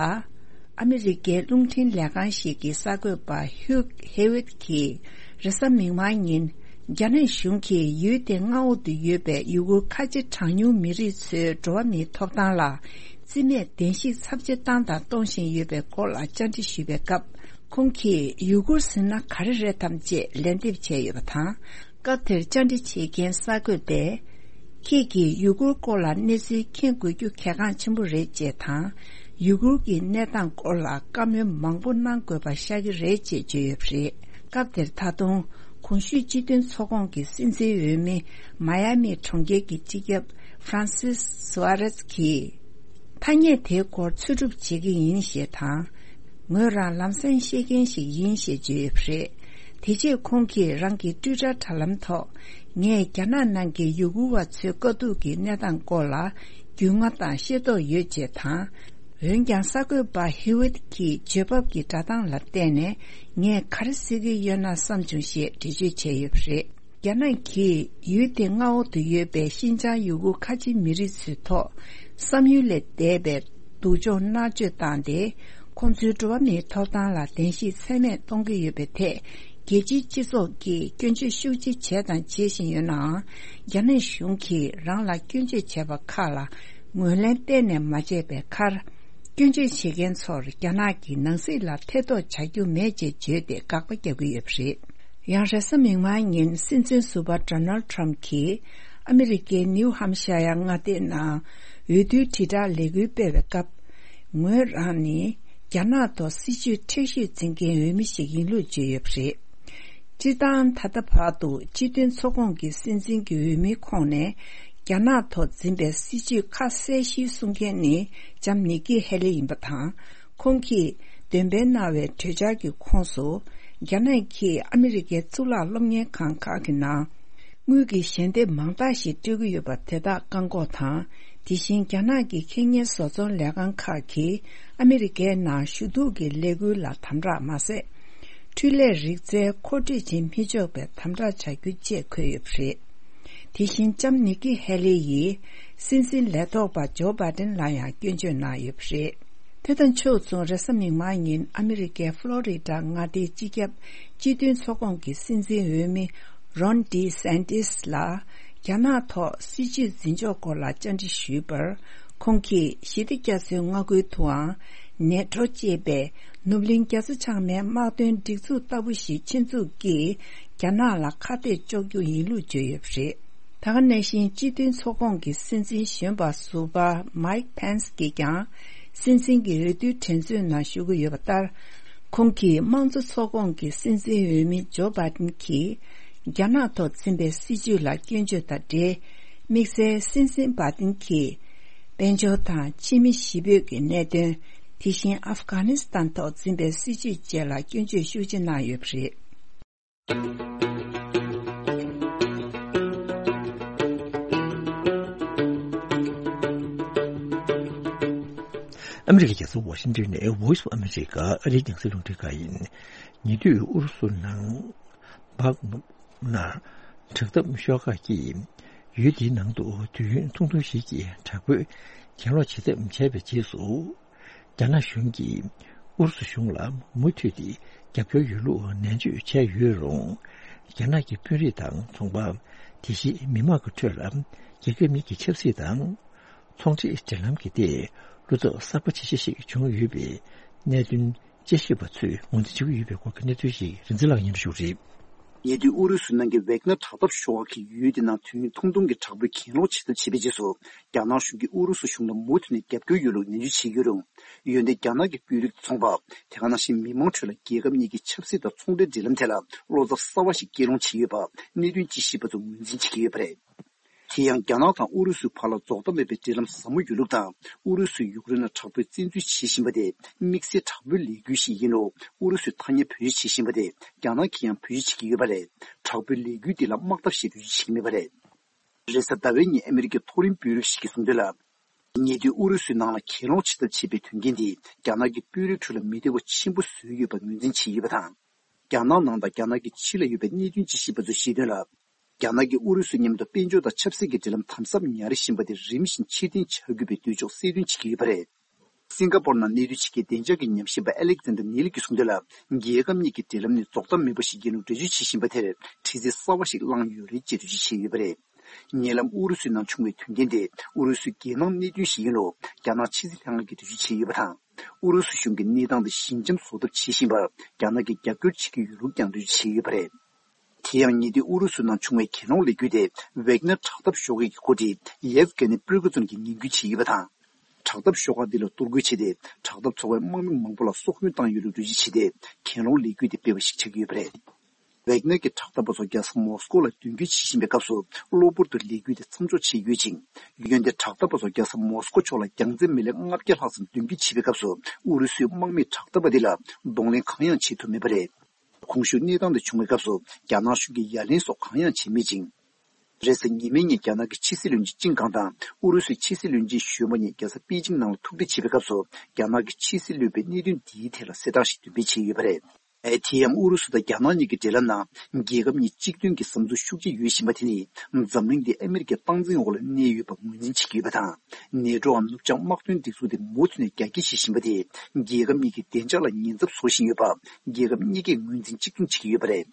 ཨ་མི་རི་ཀའི་རླུང་འཕྲིན་ལས་ཁང་ཞིག་གི་གསར་འགོད་པ་ཧིའུ་ཧེ་ཝིད་ཀྱིས་རེས་གཟའ་མིག་དམར་ཉིན། རྒྱ་ནག་གཞུང་གིས་ཡུལ་དེའི་མངའ་འོག་ཏུ་ཡོད་པའི་ཡུ་གུར་ཁ་ཆེ་གྲངས་ཉུང་མི་རིགས་ཚོའི་འགྲོ་བ་མིའི་ཐོབ་ཐང་ལ་རྩིས་མེད་བདེན་བཤིག་ཚབས་ཆེ་བཏང་དང་གཏོང་བཞིན་ཡོད་པའི་སྐོར་ལ་བཅར་འདྲི་ཞུས་པའི་སྐབས། ཁོང་གིས་ཡུ་གུར་ཟེར་ན་ག་རེ་རེད་དམ་ཅེས་ལན་འདེབས་བྱས་ཡོད་པ་དང་། སྐབས་དེར་བཅར་འདྲི་བྱེད་མཁན་གསར་འགོད་པས། ཁྱེད་ཀྱིས་ཡུ་གུར་སྐོར་ལ་གནས་ཚུལ་མཁྱེན་དགོས་རྒྱུ་གལ་འགངས་ཆེན་པོ་རེད་ཅེས་དང་། ཡུ་གུར་གྱི་གནས་སྟངས་སྐོར་ལ་བཀའ་མོལ་མང་པོ་གནང་དགོས་པ་ཤར་གྱི་རེད་ཅེས་བརྗོད་ཡོད་པ་རེད། སྐབས་དེར་ད་དུང་གོང་ཞུས་སྤྱི་མཐུན་ཚོགས་ཁོངས་ཀྱི་སྲིད་འཛིན་འོས་མི་མ་ཡ་མི་གྲོང་ཁྱེར་གྱི་སྤྱི་ཁྱབ་ཧྥ་རན་སིས་སུ་ཨ་རེས་ཀྱིས། ཐ་སྙད་དེའི་སྐོར་འཚོལ་སྒྲུབ་བྱེད་ཀྱི་ཡིན་ཞེས་དང་། ངོས་རང་ལམ་སེང་ཤེས་མཁན་ཞིག་ཡིན་ཞེས་བརྗོད་ཡོད་པ་རེད། དེ་རྗེས་ཁོང་གིས་རང་གི་ཊུའི་ཊར་དྲ་ལམ་ཐོག་ངས་རྒྱ་ནག་ནང་གི་ཡུ་གུར་བ་ཚོའི་དཀའ་སྡུག་གི་གནས་སྟངས་སྐོར་ལ་རྒྱུས་མངའ་དང་ཤེས་རྟོགས་ཡོད་ཅེས་དང་། འོན་ཀྱང་གསར་འགོད་པ་ཧི་ཝིད་ཀྱི་བརྗོད་བབ་ཀྱི་སྒྲ་གདངས་ལ་བལྟས་ནས་ངས་ག་རེ་ཟེར་གྱི་ཡོད་ན་བསམ་བྱུང་ཞེས་འགྲེལ་བརྗོད་བྱས་ཡོད་པ་རེད། རྒྱ་ནག་གིས་ཡུལ་དེའི་མངའ་འོག་ཏུ་ཡོད་པའི་ཤིན་ཅང་ཡུ་གུར་ཁ་ཆེ་མི་རིགས་ཚོའི་ཐོག་བསམ་ཡུལ་ལས་འདས་པའི་སྡུག་སྦྱོང་མནར་གཅོད་བཏང་སྟེ། ཁོང་ཚོའི་འགྲོ་བ་མིའི་ཐོབ་ཐང་ལ་བདེན་བཤིག་ཚད་མེད་གཏོང་གི་ཡོད་པའི་ཐད། རྒྱལ་སྤྱིའི་སྤྱི་ཚོགས་ཀྱིས་སྐྱོན་བརྗོད་ཤུགས་ཆེ་བྱས་དང་བྱེད་བཞིན་ཡོད་ནའང་། རྒྱ་ནག་གཞུང་གིས་རང་ལ་སྐྱོན་བརྗོད་བྱས་པ་ཁག་ལ་ངོས་ལེན་གཏན་ནས་མ་བྱས་པའི་ཁར། སྐྱོན་བརྗོད་བྱེད་མཁན་ཚོར་རྒྱ་ནག་གི་ནང་སྲིད་ལ་ཐེ་གཏོགས་བྱ་རྒྱུ་མེད་ཅེས་བརྗོད་དེ་དགག་པ་རྒྱག་གི་ཡོད་པ་རེད། ཡང་རེས་གཟའ་མིག་དམར་ཉིན་སྲིད་འཛིན་ཟུར་པ་ཌོ་ནལ་ཊམ་གྱིས་ཨ་མི་རི་ཀའི་ནིའུ་ཧམ་ཤ་ཡ་མངའ་སྡེའི་ནང་འོས་བསྡུའི་དྲིལ་བསྒྲགས་ལས་འགུལ་སྤེལ་བའི་སྐབས། ངོས་རང་ནི་རྒྱ་ནག་ཐོག་སྲིད་ཇུས་མཁྲེགས་ཤོས་འཛིན་མཁན་འོས་མི་ཞིག་ཡིན་ལུགས་བརྗོད་ཡོད་པ་རེད། སྤྱིར་བཏང་ད་ལྟ་བར་དུ་སྤྱི་མཐུན་ཚོགས་ཁོངས་ཀྱི་སྲིད་འཛིན་གྱི་འོས་མིའི་ཁོངས་ནས་རྒྱ་ནག་ཐོག་འཛིན་པའི་སྲིད་ཇུས་ཁ་གསལ་ཞིག་གསུང་མཁན་ནི་ལྕམ་ནིག་ཀི་ཧེ་ལི་ཡིན་པ་དང་། ཁོང་གིས་འདོན་སྤེལ་གནང་བའི་གྲོས་འཆར་གྱི་ཁོངས་སུ། རྒྱ་ནག་གིས་ཨ་མི་རི་ཀའི་གཙུག་ལག་སློབ་གཉེར་ཁང་ཁག་གི་ནང་། དངུལ་གྱི་ཞལ་འདེབས་མང་དག་ཞིག་སྤྲོད་ཀྱི་ཡོད་པ་དེ་དག་བཀག་འགོག་དང་། དེ་བཞིན་རྒྱ་ནག་གི་ཁེ་གཉེར་བཟོ་ཚོང་ལས་ཁང་ཁག་གིས་ཨ་མི་རི་ཀའི་ནང་ཞུ་གཏུག་གི་ལས་འགུལ་ལ་དམ་དྲག་མ་ཟད། འཕྲུལ་ལས་རིག་རྩལ་མཁོ་སྤྲོད་བྱེད་མི་ཆོག་པའི་དམ་དྲག་བྱ་རྒྱུ་བཅས་འཁོད་ཡོད་པ་རེད། དེ་བཞིན་ལྕམ་ནིག་ཀི་ཧེ་ལི་ཡིས་སྲིད་འཛིན་ལས་ཐོག་པ་ཇོ་བྷའི་ཏིན་ལ་ཡང་སྐྱོན་བརྗོད་གནང་ཡོད་པ་རེད། དེ་དང་ཕྱོགས་མཚུངས་རེས་གཟའ་མིག་དམར་ཉིན་ཨ་མི་རི་ཀའི་ཕློ་རི་ཌ་མངའ་སྡེའི་སྤྱི་ཁྱབ་སྤྱི་མཐུན་ཚོགས་ཁོངས་ཀྱི་སྲིད་འཛིན་འོས་མི་རོན་ཌི་སན་ཏིས་ལ་རྒྱ་ནག་ཐོག་སྲིད་ཇུས་འཛིན་ཕྱོགས་སྐོར་ལ་བཅར་འདྲི་ཞུས་པར། ཁོང་གིས་ཞི་བདེ་རྒྱ་མཚོའི་མངའ་ཁུལ་དུའང་ནེ་ཊོ་ཅེས་པའི་ནུབ་གླིང་རྒྱ་མཚོ་བྱང་མའི་དམག་དོན་སྒྲིག་འཛུགས་ལྟ་བུ་ཞིག་ཆེད་འཛུགས་ཀྱིས་རྒྱ་ནག་ལ་ཁ་གཏད་གཅོག་རྒྱུ་ཡིན་ལུགས་བརྗོད་ཡོད་པ་རེད། ད་ག་ནང་བཞིན་སྤྱི་མཐུན་ཚོགས་ཁོངས་ཀྱི་སྲིད་འཛིན་གཞོན་པ་ཟུར་པ་མའིག་ཕེན་སི་གིས་ཀྱང་སྲིད་འཛིན་གྱི་འོས་བསྡུའི་འགྲན་རྩོད་ནང་ཞུགས་ཀྱི་ཡོད་པ་ལྟར། ཁོང་གིས་དམངས་གཙོ་ཚོགས་ཁོངས་ཀྱི་སྲིད་འཛིན་འོས་མི་ཇོ་བྷའི་ཏིན་གྱིས་རྒྱ་ནག་ཐོག་འཛིན་པའི་སྲིད་ཇུས་ལ་སྐྱོན་བརྗོད་དང་འབྲེལ། དམིགས་བསལ་སྲིད་འཛིན་བྷའི་ཏིན་གྱིས་དཔལ་འབྱོར་དང་ཕྱི་མི་གཞིས་སྤོས་ཀྱི་གནད་དོན། དེ་བཞིན་ཨབ་གྷ་ནི་སི་ཐན་ཐོག་འཛིན་པའི་སྲིད་ཇུས་བཅས་ལ་སྐྱོན་བརྗོད་ཤུགས་ཆེ་གནང་ཡོད་པ་རེད། ཨ་མི་རི་ཀའི་རྒྱལ་ས་ཝ་ཤིང་ཏོན་ནས་Voice of America ཨ་རིའི་རྒྱང་སྲིང་རླུང་འཕྲིན་ཁང་ཡིན། ཉེ་དུས་ཨུ་རུ་སུ་ནང་བྷག་མུག་ན་དྲག་འཐབ་ཤོག་ཁག་གིས་ཡུལ་དེའི་ནང་དུ་དུས་ཡུན་ཐུང་ཐུང་ཞིག་གི་དྲག་པོའི་གྱེན་ལོག་བྱེད་ཐབས་བྱས་པའི་རྗེས་སུ། རྒྱ་ནག་གཞུང་གིས་ཨུ་རུ་སུ་གཞུང་ལ་མུ་མཐུད་དེ་རྒྱབ་སྐྱོར་ཡོད་ལུགས་ནན་བརྗོད་བྱས་ཡོད་རུང་། རྒྱ་ནག་གི་དཔོན་རིགས་དང་ཚོང་པ། དེ་བཞིན་མི་མང་གི་ཁྲོད་ལ་རྒྱལ་ཁབ་གཉིས་ཀྱི་ཆབ་སྲིད་དང་ཚོང་འབྲེལ་འབྲེལ་ལམ་གྱི་ཐད་བློ་འཚབ་གསར་པ་ཇེ་ཆེ་ཞིག་བྱུང་ཡོད་པའི་གནད་དོན་དཔྱད་ཞིབ་པ་ཚོས་ངོས་འཛིན་བྱེད་ཀྱི་ཡོད་པའི་སྐོར་གྱི་གནས་ཚུལ་ཞིག་རིག་འཛིན་ལགས་སྙན་སྒྲོན་ཞུ་གི་རེད། ཉེ་དུས་ཨུ་རུ་སུའི་ནང་གི་ཝེག་ནར་དྲག་འཐབ་ཤོག་ཁག་གི་ཡུལ་དེ་ནང་དུས་ཡུན་ཐུང་ཐུང་གི་དྲག་པོའི་གྱེན་ལོག་བྱེད་ཐབས་བྱས་པའི་རྗེས་སུ། རྒྱ་ནག་གཞུང་གིས་ཨུ་རུ་སུ་གཞུང་ལ་མུ་མཐུད་ནས་རྒྱབ་སྐྱོར་ཡོད་ལུགས་ནན་བརྗོད་བྱས་ཡོད་རུང་། འོན་ཏེ་རྒྱ་ནག་གི་དཔོན་རིགས་དང་ཚོང་པ། དེ་ག་ནང་བཞིན་མི་མང་ཁྲོད་ལ་རྒྱལ་ཁབ་གཉིས་ཀྱི་ཆབ་སྲིད་དང་ཚོང་འབྲེལ་འབྲེལ་ལམ་ཐད་ལ་བློ་འཚབ་གསར་བ་ཞིག་སྐྱེས་སློང་བྱས་ཡོད་པ་གནད་དོན་དཔྱད་ཞིབ་པ་ཚོས་ངོས་འཛིན་བྱེད་ཀྱི་ཡོད་པ་རེད། དེ་ཡང་རྒྱ་ནག་དང་ཨུ་རུ་སུའི་བར་ལ་རྫོགས་མཐའ་མེད་པའི་འབྲེལ་ལམ་ཟབ་མོ་ཡོད་ལུགས་དང་། ཨུ་རུ་སུས་ཡུཀ་རེན་ལ་དྲག་པོའི་བཙན་འཛུལ་བྱེད་བཞིན་པ་དེ་དམིགས་བསལ་དྲག་པོའི་ལས་འགུལ་ཞིག་ཡིན་ལུགས་ཨུ་རུ་སུས་ཐ་སྙད་བེད་སྤྱོད་བྱེད་བཞིན་པ་དེ་རྒྱ་ནག་གིས་ཡང་བེད་སྤྱོད་བྱེད་ཀྱི་ཡོད་པ་རེད། དྲག་པོའི་ལས་འགུལ་འདི་ལ་དམག་འཐབ་ཞེས་འགྲེལ་བརྗོད་བྱེད་ཀྱི་མེད་པ་རེད། རེས་གཟའ་ཟླ་བའི་ཉིན་ཨ་མི་རི་ཀའི་མཐོ་རིམ་དཔོན་རིགས་ཤིག་གིས་གསུངས་དོན་ལ། ཉེ་དུས་ཨུ་རུ་སུའི་ནང་ལ་གྱེན་ལོག་བྱེད་ཐབས་བྱེད་པའི་དོན་རྐྱེན་འདིས་རྒྱ་ནག་གི་དཔོན་རིགས་ཁྲོད་ལ་མི་བདེ་བ་ཆེན་པོ་བཟོས་ཡོད་པ་ངོས་འཛིན་བྱས་ཡོད་པ་དང་། རྒྱ་ནག་ནང་དང་རྒྱ་ནག་གི་ཕྱི་ལ་ཡོད་པའི་གནད་དོན་དཔྱད་ཞིབ་པ་ཚོས་བཤད་དོན་ལ། རྒྱ་ནག་གིས་ཨུ་རུ་སུའི་མཉམ་དུ་དཔལ་འབྱོར་དང་ཆབ་སྲིད་ཀྱི་འབྲེལ་ལམ་དམ་ཟབ་ཉར་བཞིན་པ་དེ་རིམ་བཞིན་ཕྱིར་འཐེན་བྱ་དགོས་པའི་འདོད་ཕྱོགས་གསལ་སྟོན་བྱེད་ཀྱི་ཡོད་པ་རེད། སིང་ག་པོར་ནང་གནས་སྡོད་བྱེད་མཁན་བདེ་འཇགས་ཀྱི་ཉམས་ཞིབ་པ་ཨེ་ལེག་ཛན་ཌར་ནེ་ལི་གིས་གསུངས་དོན་ལ། རྒྱལ་ཁབ་གཉིས་ཀྱི་འབྲེལ་ལམ་ནི་རྫོགས་མཐའ་མེད་པ་ཞིག་ཡིན་ལུགས་འགྲེལ་བརྗོད་བྱེད་བཞིན་པ་དེར་དྲི་རྩད་གསར་བ་ཞིག་བསླངས་ཡོད་རེད་ཅེས་འགྲེལ་བརྗོད་བྱས་ཡོད་པ་རེད། ཉེ་ལམ་ཨུ་རུ་སུའི་ནང་བྱུང་བའི་དོན་རྐྱེན་དེ་ཨུ་རུ་སུའི་རྒྱལ་ནང་གནད་དོན་ཞིག་ཡིན་ལུགས་རྒྱ་ནག་ཕྱི་སྲིད་ལྷན་ཁང་གིས་འགྲེལ་བརྗོད་བྱས་ཡོད་པ་དང་། ཨུ་རུ་སུ་གཞུང་གིས་གནས་སྟངས་དེ་ཞི་འཇམ་བཟོ་ཐབས་བྱེད་བཞིན་པར་རྒྱ་ནག་གིས་རྒྱབ་སྐྱོར་བྱེད་ཀྱི་ཡོད་ལུགས་ཀྱང་འགྲེལ་བརྗོད་བྱས་ཡོད་པ་རེད། དེ་ཡང་ཉེ་དུས་ཨུ་རུ་སུ་ནང་བྱུང་བའི་གྱེན་ལོག་ལས་འགུལ་དེ་ཝེག་ནར་དྲག་འཐབ་ཤོག་ཁག་གི་འགོ་ཁྲིད་ཡེབ་གྷེ་ནི་པྲི་གོ་ཛིན་གྱིས་ངན་སྐུལ་བྱས་ཡོད་པ་དང་། དྲག་འཐབ་ཤོག་ཁག་འདི་ལ་གཏོར་རྒོལ་བྱས་ཏེ་དྲག་འཐབ་ཚོགས་པའི་དམག་མི་མང་པོ་ལ་སྲོག་སྐྱོན་བཏང་ཡོད་ལུགས་འགྲེལ་བརྗོད་བྱས་ཏེ་གྱེན་ལོག་ལས་འགུལ་དེ་སྤེལ་བ་ཞིག་ཆགས་ཀྱི་ཡོད་པ་རེད། ཝེག་ནར་གྱི་དྲག་འཐབ་པ་ཚོ་རྒྱལ་ས་མོ་སི་ཀོ་ལ་མདུན་སྐྱོད་བྱེད་བཞིན་པའི་སྐབས་སུ་གློ་བུར་དུ་ལས་འགུལ་དེ་མཚམས་འཇོག་བྱས་ཡོད་ཅིང་། འོན་ཏེ་དྲག་འཐབ་པ་ཚོ་རྒྱལ་ས་མོ་སི་ཀོ་ཕྱོགས་ལ་རྒྱང་ཚད་མི་ལེ་ལྔ་བརྒྱ་ལྷག་ཙམ་མདུན་སྐྱོད་བྱེད་པའི་སྐབས་སུ་ཨུ་རུ་སུའི་དམག་མིས་དྲག་འཐབ་པ་འདི་ལ་གདོང་ལེན་གང་ཡང་བྱེད་ཐུབ་མེད་པ་རེད། གོང་ཞུས་གནས་སྟངས་དེ་བྱུང་བའི་སྐབས་སུ་རྒྱ་ནག་གཞུང་གིས་ཡ་ལན་སོགས་གང་ཡང་བྱས་མེད་ཅིང་། རེས་གཟའ་ཉི་མའི་ཉིན་རྒྱ་ནག་གི་ཕྱི་སྲིད་བློན་ཆེན་ཅིན་ཀང་དང་ཨུ་རུ་སུའི་ཕྱི་སྲིད་བློན་ཆེན་གཞོན་པ་གཉིས་རྒྱལ་ས་པེ་ཅིང་ནང་ལ་ཐུག་འཕྲད་བྱེད་པའི་སྐབས་སུ་རྒྱ་ནག་གི་ཕྱི་སྲིད་བློན་པོས་གནད་དོན་འདིའི་ཐད་ལ་གསལ་བསྒྲགས་ཤིག་འདོན་སྤེལ་བྱས་ཡོད་པ་རེད། དེ་ཡང་ཨུ་རུ་སུ་དང་རྒྱ་ནག་གཉིས་ཀྱི་འབྲེལ་ལམ་ནང་རྒྱལ་ཁབ་གཉིས་གཅིག་མཐུན་གྱི་བསམ་ཚུལ་ཤུགས་ཆེ་ཡོད་བཞིན་པ་དེ་ནི་འཛམ་གླིང་འདི་ཨ་མི་རི་ཀའི་སྟངས་འཛིན་འོག་ལ་གནས་ཡོད་པ་ངོས་འཛིན་བྱེད་ཀྱི་ཡོད་པ་དང་། ནེ་ཊོའམ་ནུབ་བྱང་དམག་དོན་སྒྲིག་འཛུགས་དེ་མུ་མཐུད་ནས་རྒྱ་སྐྱེད་བྱེད་བཞིན་པ་དེས་རྒྱལ་ཁབ་གཉིས་ཀྱི་བདེ་འཇགས་ལ་ཉེན་ཚབས་བཟོ་བཞིན་ཡོད་པ་རྒྱལ་ཁབ་གཉིས་ཀས་ངོས་འཛིན་གཅིག་མཚུངས་བྱེད་ཀྱི་ཡོད་པ་རེད།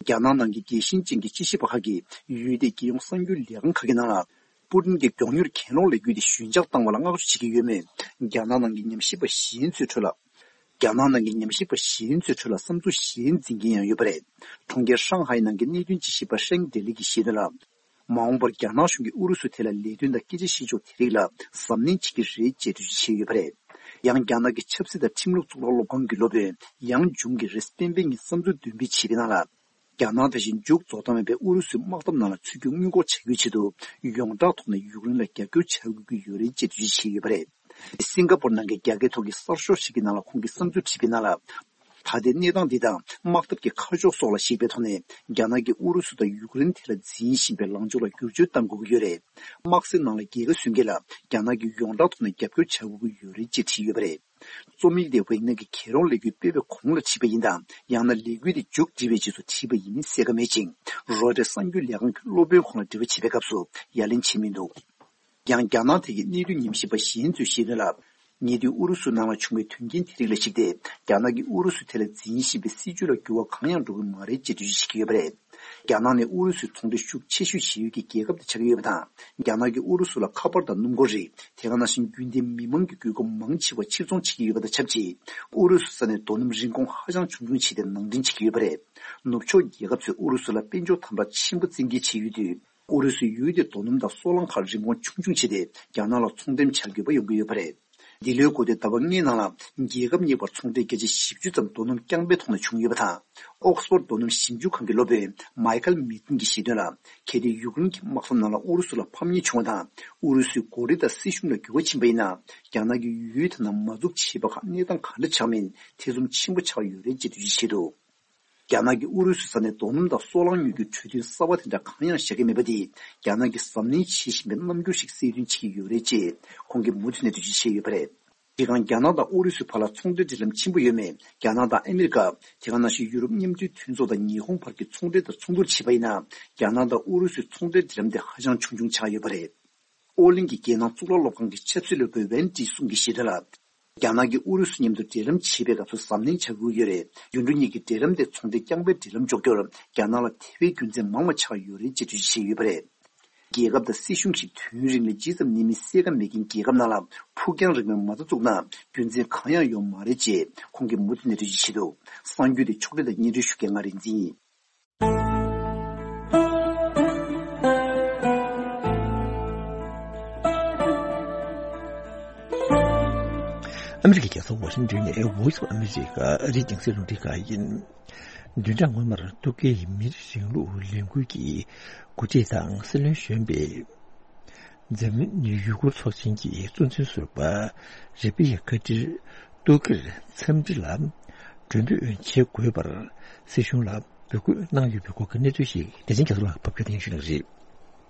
རྒྱ་ནག་ནང་གི་རྒྱལ་ཞེན་ཅན་གྱི་དཔྱད་ཞིབ་པ་ཁག་གིས་ཡུལ་དེའི་རྒྱལ་ཡོངས་གསར་འགྱུར་ལས་ཁང་ཁག་གི་ནང་ལ། པུ་ཏིན་གྱིས་མགྱོགས་མྱུར་གྱེན་ལོག་ལས་འགུལ་དེ་ཞོད་འཇགས་བཏང་བ་ལ་བསྔགས་བརྗོད་བྱེད་ཀྱི་ཡོད་མོད། རྒྱ་ནག་ནང་གི་ཉམས་ཞིབ་པ་གཞན་ཚོའི་ཁྲོད་ལ། རྒྱ་ནག་ནང་གི་ཉམས་ཞིབ་པ་གཞན་ཚོའི་ཁྲོད་ལ་བསམ་ཚུལ་གཞན་འཛིན་མཁན་ཡང་ཡོད་པ་རེད། གྲོང་ཁྱེར་ཧྲང་ཧའེ་ནང་གི་གནད་དོན་དཔྱད་ཞིབ་པ་ཧྲེང་ཏེ་ལི་གིས་བཤད་དོན་ལ། མ་འོངས་པར་རྒྱ་ནག་གཞུང་གིས་ཨུ་རུ་སུའི་ཐད་ལ་ལས་དོན་དང་སྐད་ཆ་བཤད་ཕྱོགས་དེ་རིགས་ལ་གཟབ་ནན་བྱེད་ཀྱི་རེད་ཅེས་འགྲེལ་བརྗོད་བྱས་ཡོད་པ་རེད། ཡང་རྒྱ་ནག་གི་ཆབ་སྲིད་དང་ཁྲིམས་ལུགས་གཙུག་ལག་སློབ་ཁང་གི་སློབ་དཔོན་ཡང་ཇུང་གིས་རེས་གཟའ་སྤེན་པའི་ཉིན་བསམ་ཚུལ་འདོན་སྤེལ་བྱས་པའི་ནང་ལ། རྒྱ་ནག་དེ་བཞིན་མཇུག་རྫོགས་མཐའ་མེད་པའི་ཨུ་རུ་སུའི་དམག་འཐབ་ནང་ལ་ཚུད་རྒྱུ་དངུལ་འགོག་བྱ་རྒྱུའི་ཆེད་དུ་ཡོངས་གྲགས་ཐོག་ནས་ཡུཀ་རེན་ལ་རྒྱབ་སྐྱོར་བྱ་དགོས་ཀྱི་ཡོད་རེད་ཅེས་འགྲེལ་བརྗོད་བྱས་ཡོད་པ་རེད། སིང་ག་པོར་ནང་གི་རྒྱ་སྐད་ཐོག་གི་གསར་ཤོག་ཞིག་གི་ནང་ལ་ཁོང་གིས་བསམ་ཚུལ་བྲིས་པའི་ནང་ལ། ད་ལྟའི་གནས་སྟངས་འདི་དང་དམག་འཐབ་ཀྱི་ཁ་ཕྱོགས་སོགས་ལ་གཞིགས་པའི་ཐོག་ནས་རྒྱ་ནག་གིས་ཨུ་རུ་སུ་དང་ཡུཀ་རེན་ཐད་ལ་འཛིན་བཞིན་པའི་ལངས་ཕྱོགས་ལ་བསྒྱུར་བཅོས་གཏང་དགོས་ཀྱི་ཡོད་རེད། དམག་སའི་ནང་ལ་རྒྱལ་ཁ་སོན་མཁན་ལ་རྒྱ་ནག་གིས་ཡོངས་གྲགས་ཐོག་ནས་རྒྱབ་སྐྱོར་བྱ་དགོས་ཀྱི་ཡོད་རེད་ཅེས་བྲིས་ཡོད་པ་རེད། རྩོམ་ཡིག་དེ་ཝེག་ནར་གྱི་གྱེན་ལོག་ལས་འགུལ་སྤེལ་བའི་གོང་ལ་བྲིས་པ་ཡིན་དང་། ཡང་ན་ལས་འགུལ་དེ་མཇུག་བསྒྲིལ་བའི་རྗེས་སུ་བྲིས་པ་ཡིན་མིན་གསལ་ཁ་མེད་ཅིང་། རོའི་ཊར་གསར་འགྱུར་ལས་ཁང་གི་སློབ་དཔོན་ཁོང་ལ་འདྲི་བ་བྱེད་པའི་སྐབས་སུ་ཡ་ལན་བྱས་མི་འདུག་ཡང་རྒྱ་ནག་ཐད་ཀྱི་གནད་དོན་ཉམས་ཞིབ་པ་གཞན་ཚོས་བཤད་དོན་ལ། ཉེ་དུས་ཨུ་རུ་སུ་ནང་ལ་བྱུང་བའི་དོན་རྐྱེན་དེ་རིགས་ལ་གཞིགས་ཏེ། རྒྱ་ནག་གིས་ཨུ་རུ་སུའི་ཐད་ལ་འཛིན་བཞིན་པའི་སྲིད་བྱུས་ལ་འགྱུར་བ་གང་ཡང་འགྲོ་གི་མ་རེད་ཅེས་འགྲེལ་བརྗོད་བྱེད་ཀྱི་ཡོད་པ་རེད། རྒྱ་ནག་ནི་ཨུ་རུ་སུའི་ཚོང་འབྲེལ་ཤུགས་ཆེ་ཤོས་བྱེད་ཡུལ་གྱི་རྒྱལ་ཁབ་དེ་ཆགས་ཀྱི་ཡོད་པ་དང་། རྒྱ་ནག་གིས་ཨུ་རུ་སུ་ལ་ཁ་པར་དང་སྣུམ་འཁོར་རིགས། དེ་ག་ནང་བཞིན་རྒྱུན་ལྡན་མི་མང་གི་དགོས་མཁོ་མང་ཆེ་བ་ཕྱིར་ཚོང་བྱེད་ཀྱི་ཡོད་པ་དང་ཆབས་ཅིག་ཨུ་རུ་སུ་ས་ནས་རྡོ་སྣུམ་རིན་གོང་ཧ་ཅང་ཆུང་ཆུང་བྱས་ཏེ་ནང་འདྲེན་བྱེད་ཀྱི་ཡོད་པ་རེད། ནུབ་ཕྱོགས་རྒྱལ་ཁབ་ཚོས་ཨུ་རུ་སུ་ལ་དཔལ་འབྱོར་དམ་དྲག་ཆེན་པོ་བཙན་འགེལ་བྱས་ཡོད་དུས། ཨུ་རུ་སུའི་ཡུལ་དེར་རྡོ་སྣུམ་དང་སོལ་རླངས་ཁག་རིན་གོང་ཆུང་ཆུང་བྱས་ཏེ་རྒྱ་ནག་ལ་ཚོང་འགྲེམས་བྱ་དགོས་པ་ཡོང་གི་ཡོད་པ་རེད། འདི་ལོའི་འགོ་སྟོད་ཟླ་བ་ལྔའི་ནང་ལ་རྒྱལ་ཁབ་གཉིས་བར་ཚོང་འབྲེལ་བརྒྱ་ཆ་བཞི་བཅུ་ཙམ་རྡོ་སྣུམ་རྐྱང་པའི་ཐོག་ནས་བྱུང་ཡོད་པ་དང་། ཨོག་སི་ཕོར་རྡོ་སྣུམ་ཞིབ་འཇུག་ཁང་གི་སློབ་དཔོན་མའི་ཁལ་མི་ཏིན་གྱིས་བཤད་དོན་ལ། གལ་ཏེ་ཡུཀ་རེན་གྱི་དམག་ས་ནང་ལ་ཨུ་རུ་སུ་ལ་ཕམ་ཉེས་བྱུང་བ་དང་། ཨུ་རུ་སུའི་འགོ་ཁྲིད་དང་སྲིད་གཞུང་ལ་འགྱུར་བ་ཕྱིན་པ་ཡིན་ན། རྒྱ་ནག་གིས་ཡུལ་དེ་ནང་མ་འཛུགས་བྱས་པ་ཁག་གནས་སྟངས་ག་འདྲ་ཆགས་མིན་ཐེ་ཚོམ་ཆེན་པོ་ཆགས་ཡོད་རེད་ཅེས་འགྲེལ་བརྗོད་བྱས་འདུག་རྒྱ་ནག་གིས་ཨུ་རུ་སུའི་ས་ནས་རྡོ་སྣུམ་དང་སོལ་རླངས་ཉོ་རྒྱུའི་གྲོས་མཐུན་གསར་བ་དེ་འདྲ་གང་ཡང་བཞག་གི་མེད་པ་དེས། རྒྱ་ནག་གིས་གཟབ་ནན་བྱེད་བཞིན་པའི་རྣམ་འགྱུར་ཞིག་གསལ་སྟོན་བྱེད་ཀྱི་ཡོད་རེད་ཅེས་ཁོང་གིས་མུ་མཐུད་ནས་འགྲེལ་བརྗོད་བྱས་ཡོད་པ་རེད། དེ་སྒང་རྒྱ་ནག་དང་ཨུ་རུ་སུའི་བར་ལ་ཚོང་འབྲེལ་འབྲེལ་ལམ་ཆེན་པོ་ཡོད་མེད། རྒྱ་ནག་དང་ཨ་མི་རི་ཀ། དེ་ག་ནང་བཞིན་ཡུ་རོབ་མཉམ་འབྲེལ་མཐུན་ཚོགས་དང་ཉི་ཧོང་བར་གྱི་ཚོང་འབྲེལ་དང་མཚུངས་བསྡུར་བྱས་པ་ཡིན་ན། རྒྱ་ནག་དང་ཨུ་རུ་སུའི་ཚོང་འབྲེལ་འབྲེལ་ལམ་དེ་ཧ་ཅང་ཆུང་ཆུང་ཆགས་ཡོད་པ་རེད། ཨོ་གླིང་གི་རྒྱལ་ནང་གཙུག་ལག་སློབ་ཁང་གི་ཆབ་སྲིད་སློབ་དཔོན་ཝན་ཏི་སུང་གིས་བཤད་དོན་ལ། རྒྱ་ནག་གིས་ཨུ་རུ་སུ་མཉམ་དུ་འབྲེལ་ལམ་བྱེད་པའི་སྐབས་སུ་གཟབ་ནན་བྱ་དགོས་ཀྱི་ཡོད་རེད། རྒྱུ་འབྲས་གཉིས་ཀྱི་འབྲེལ་ལམ་དེ་ཚོང་འབྲེལ་རྐྱང་པའི་འབྲེལ་ལམ་འཇོག་རྒྱུར་རྒྱ་ནག་ལ་དེ་བས་རྒྱུ་མཚན་མང་བ་ཆགས་ཡོད་རེད་ཅེས་འགྲེལ་བརྗོད་བྱས་ཡོད་པ་རེད། རྒྱལ་ཁབ་དང་སྲིད་གཞུང་ཞིག་དུས་ཡུན་རིང་ལ་ཇི་ཙམ་གནས་མིན་གསལ་ཁ་མེད་མཁན་རྒྱལ་ཁབ་ནང་ལ་ཕུགས་རྒྱང་རིང་བའི་མ་རྩ་བཙུགས་ན་རྒྱུ་མཚན་གང་ཡང་ཡོད་མ་རེད་ཅེས་ཁོང་གིས་མུ་མཐུད་ནས་འགྲེལ་བརྗོད་བྱས་འདུག་གསར་འགྱུར་དེ་ཕྱོགས་སྒྲིག་དང་སྙན་སྒྲོན་ཞུ་མཁན་ང་རིག་འཛིན་ཡིན། ཨ་མི་རི་ཀའི་རྒྱལ་ས་ཝ་ཤིང་ཊོན་ནས་Voice of America ཨ་རིའི་རྒྱང་སྲིང་རླུང་འཕྲིན་ཁང་ཡིན། བདུན་ཕྲག་སྔོན་མར་ཏུར་ཀིའི་མི་རིགས་རིང་ལུགས་ལས་འགུལ་གྱི་འགོ་ཁྲིད་དང་སྲིད་བློན་གཞོན་པས་འཛམ་གླིང་ཡུ་གུར་ཚོགས་ཆེན་གྱི་གཙོ་འཛིན་ཟུར་པ་རེ་བི་ཡ་ཁ་ཏིར་ཏུར་ཀིར་འཚམས་འདྲི་ལ་མགྲོན་འབོད་བྱེད་དགོས་པར་སྲིད་གཞུང་ལ་འབོད་སྐུལ་གནང་ཡོད་པའི་སྐོར་གྱི་གནས་ཚུལ་ཞིག་བདེ་ཆེན་རྒྱ་མཚོ་ལགས་ཕབ་སྒྱུར་གནང་ཞུ་གནང་རེད།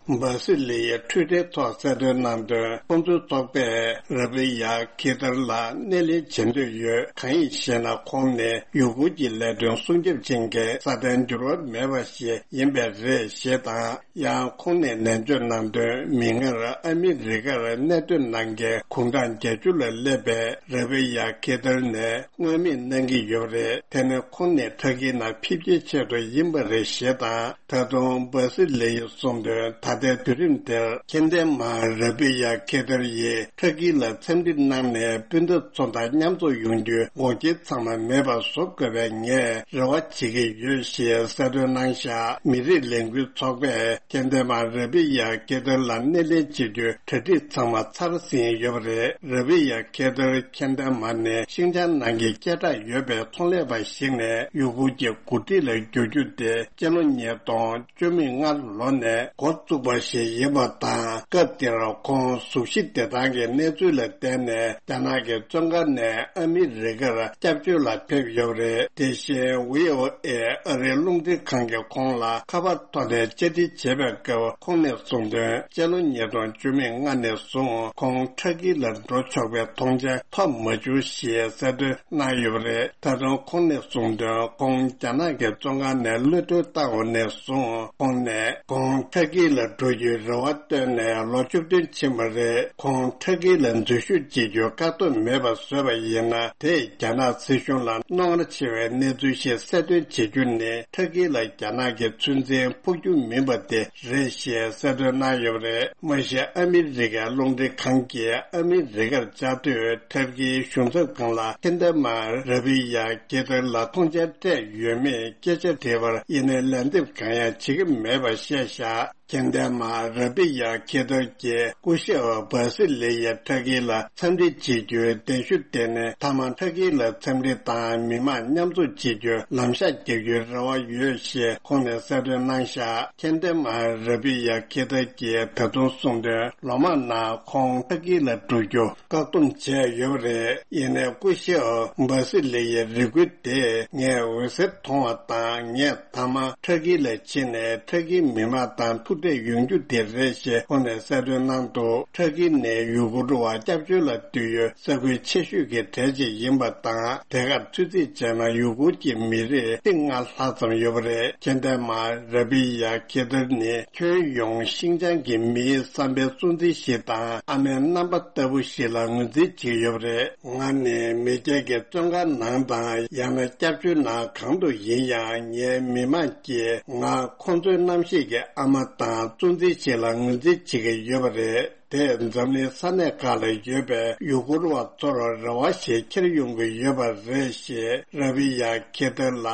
འབར་སི་ལི་ཡའི་ཊུའི་ཊར་ཐོག་གསལ་སྟོན་གནང་དོན། ཁོང་ཚོའི་ཚོགས་པས་ར་བི་ཡ་ཁེ་ཐར་ལ་སྣེ་ལེན་བྱེད་འདོད་ཡོད། གང་ཡིན་ཞེ་ན། ཁོང་ནི་ཡུ་གུར་གྱི་ལས་དོན་སྲུང་སྐྱོབ་ཅན་གྱི་སྲ་བརྟན་འགྱུར་བ་མེད་པ་ཞིག་ཡིན་པས་རེད་ཞེས་དང་། ཡང་ཁོང་ནས་ནན་བརྗོད་གནང་དོན། མིག་སྔར་ཨ་མི་རི་ཀར་གནད་དོན་ནང་གི་དགུང་གྲངས་བརྒྱད་ཅུ་ལ་སླེབས་པའི་ར་བི་ཡ་ཁེ་ཐར་ནས་མངོན་མེད་གནང་གི་ཡོད་རེད། དེ་ནི་ཁོང་ནས་ཕྲ་གིའི་ནང་ཕེབས་རྒྱའི་ཆེད་དུ་ཡིན་པ་རེད་ཞེས་དང་། ད་དུང་འབར་སི་ལི་ཡིས་གསུངས་དོན། ད་ལྟའི་དུས་རིམ་དེར་མཁྱེན་ལྡན་མ་ར་བི་ཡ་ཁེ་ཐར་ཡིས་ཕྲ་གི་ལ་འཚམས་འདྲི་གནང་ནས་སྤུན་ཟླ་ཚོ་དང་མཉམ་འཛོམས་ཡོང་རྒྱུའི་འགོག་རྐྱེན་ཚང་མ་མེད་པ་བཟོ་དགོས་པའི་ངས་རེ་བ་བྱེད་ཀྱི་ཡོད་ཞེས་གསལ་སྟོན་གནང་བཞག། མི་རིགས་ལས་འགུལ་ཚོགས་པས་མཁྱེན་ལྡན་མ་ར་བི་ཡ་ཁེ་ཐར་ལ་སྣེ་ལེན་བྱེད་རྒྱུའི་གྲ་སྒྲིག་ཚང་མ་ཚར་ཟིན་ཡོད་པ་རེད། ར་བི་ཡ་ཁེ་ཐར་མཁྱེན་ལྡན་མ་ནི་ཤིང་ཅང་ནང་གི་སྐད་གྲགས་ཡོད་པའི་ཚོང་ལས་པ་ཞིག་ནས་ཡུ་གུར་གྱི་འགོ་ཁྲིད་ལ་འགྱུར་རྒྱུ་དེ་སྤྱི་ལོ་ཉིས་སྟོང་བཅུ་མེད་ལྔ་ལོ་ནས་འགོ་བཙུགས་པ་ཞིག་ཡིན་པ་དང་། སྐབས་དེར་ཁོང་གཟུགས་གཞི་བདེ་ཐང་གི་གནས་ཚུལ་ལ་བརྟེན་ནས་རྒྱ་ནག་གི་བཙོན་ཁང་ནས་ཨ་མི་རི་ཀར་སྐྱབས་བཅོལ་ལ་ཕེབས་ཡོད་པ་རེད། དེ་བཞིན་ཝི་ཨོ་ཨེ་ཨ་རིའི་རླུང་འཕྲིན་ཁང་གིས་ཁོང་ལ་ཁ་པར་ཐོག་ནས་བཅར་འདྲི་བྱེད་པའི་སྐབས་ཁོང་ནས་གསུངས་དོན། སྤྱི་ལོ་ཉིས་སྟོང་བཅུ་མེད་ལྔ་ནས་བཟུང་ཁོང་ཕྲ་གི་ལ་འགྲོ་ཆོག་པའི་མཐོང་མཆན་ཐོབ་མ་བྱུང་ཞེས་གསལ་སྟོན་གནང་ཡོད་པ་རེད། ད་དུང་ཁོང་ནས་གསུངས་དོན། ཁོང་རྒྱ་ནག་གི་བཙོན་ཁང་ནས་གློད་གྲོལ་བཏང་བ་ནས་བཟུང་ཁོང་ནས་ཁོང་ཕྲ་གི་ལ་འགྲོ་རྒྱུའི་རེ་བ་བཏོན་ནས་ལོ་བཅུ་བདུན་ཕྱིན་པ་རེད། ཁོང་ཕྲ་གི་ལ་འཛུལ་ཞུགས་བྱེད་རྒྱུའི་བཀག་སྡོམ་མེད་པ་བཟོས་པ་ཡིན་ན། དེས་རྒྱ་ནག་སྲིད་གཞུང་ལ་རྣོ་ངར་ཆེ་བའི་གནས་ཚུལ་ཞིག་གསལ་སྟོན་བྱེད་རྒྱུ་ནི་ཕྲ་གི་ལ་རྒྱ་ནག་གི་ཚོད་འཛིན་ཕོག་རྒྱུ་མིན་པ་དེ་རེད་ཞེས་གསལ་སྟོན་གནང་ཡོད་པ་རེད། མ་གཞི་ཨ་མི་རི་ཀའི་རླུང་འཕྲིན་ཁང་གིས་ཨ་མི་རི་ཀར་བཅའ་སྡོད་ཐབས་ཀྱི་གཞུང་ཚབ་ཁང་ལ་མཁྱེན་ལྡན་མ་ར་བི་ཡ་ཁེ་ཐར་ལ་མཐོང་མཆན་སྤྲད་ཡོད་མེད་སྐད་ཆ་དྲིས་པར་ཡིན་ནའི་ལན་འདེབས་གང་ཡང་བྱེད་ཀྱི་མེད་པ་བཤད་བཞག། མཁྱེན་ལྡན་མ་ར་བི་ཡ་ཁེ་ཐར་གྱིས་སྐུ་ཞབས་བྷ་སི་ལི་ཡ་ཕྲ་གི་ལ་འཚམས་འདྲི་བྱེད་རྒྱུའི་གདན་ཞུ་དེ་ནི་མཐའ་མ་ཕྲ་གི་ལ་འཚམས་འདྲི་དང་མི་མང་མཉམ་འཛོམས་བྱེད་རྒྱུའི་ལམ་ཤག་རྒྱག་རྒྱུའི་རེ་བ་ཡོད་ཞེས་ཁོང་ནས་གསལ་སྟོན་གནང་བཞག། མཁྱེན་ལྡན་མ་ར་བི་ཡ་ཁེ་ཐར་གྱིས་ད་དུང་གསུངས་དོན། ལོ་མང་ནང་ཁོང་ཕྲ་གི་ལ་འགྲོ་རྒྱུ་བཀག་སྡོམ་བྱས་ཡོད་པ་རེད། ཡིན་ནའི་སྐུ་ཞབས་བྷ་སི་ལི་ཡའི་རེ་སྐུལ་དེ་ངས་འོད་ཟེར་མཐོང་བ་དང་། ངས་མཐའ་མ་ཕྲ་གི་ལ་ཕྱིན་ནས་ཕྲ་གིའི་མི་མང་དང་ཐུག་འཕྲད་ཡོང་རྒྱུ་དེ་རེད་ཞེས་ཁོང་ནས་གསལ་སྟོན་གནང་འདུག། ཕྲ་གི་ནི་ཡུ་གུར་བ་སྐྱབས་བཅོལ་ལ་འདུས་ཡོད་ས་ཁུལ་ཆེ་ཤོས་ཀྱི་གྲས་གཅིག་ཡིན་པ་དང་། དེ་གར་ཚོད་རྩིས་བྱས་ན་ཡུ་གུར་གྱི་མི་རིགས་ཁྲི་ལྔ་ལྷག་ཙམ་ཡོད་པ་རེད། མཁྱེན་ལྡན་མ་ར་བི་ཡ་ཁེ་ཐར་ནི་ཁྱོན་ཡོངས་ཤིང་ཅང་གི་མིའི་བསམ་པའི་གཙོ་འཛིན་ཞིག་དང་ཨ་མའི་རྣམ་པ་ལྟ་བུ་ཞིག་ལ་ངོས་འཛིན་བྱེད་ཀྱི་ཡོད་པ་རེད། ང་ནི་མི་སྒེར་གྱི་བཙོན་ཁང་ནང་དང་ཡང་ན་སྐྱབས་བཅོལ་ནང་གང་དུ་ཡིན་ཡང་ངའི་མི་མང་གིས་ང་ཁོང་ཚོའི་རྣམ་ཤེས་ཀྱི་ཨ་མ་དང་གཙོ་འཛིན་ཞིག་ལ་ངོས་འཛིན་བྱེད་ཀྱི་ཡོད་པ་རེད། དེས་འཛམ་གླིང་ས་གནས་ཁག་ལ་ཡོད་པའི་ཡུ་གུར་བ་ཚོར་རེ་བ་ཞིག་འཁྱེར་ཡོང་གི་ཡོད་པ་རེད་ཞེས་ར་བི་ཡ་ཁེ་ཐར་ལ་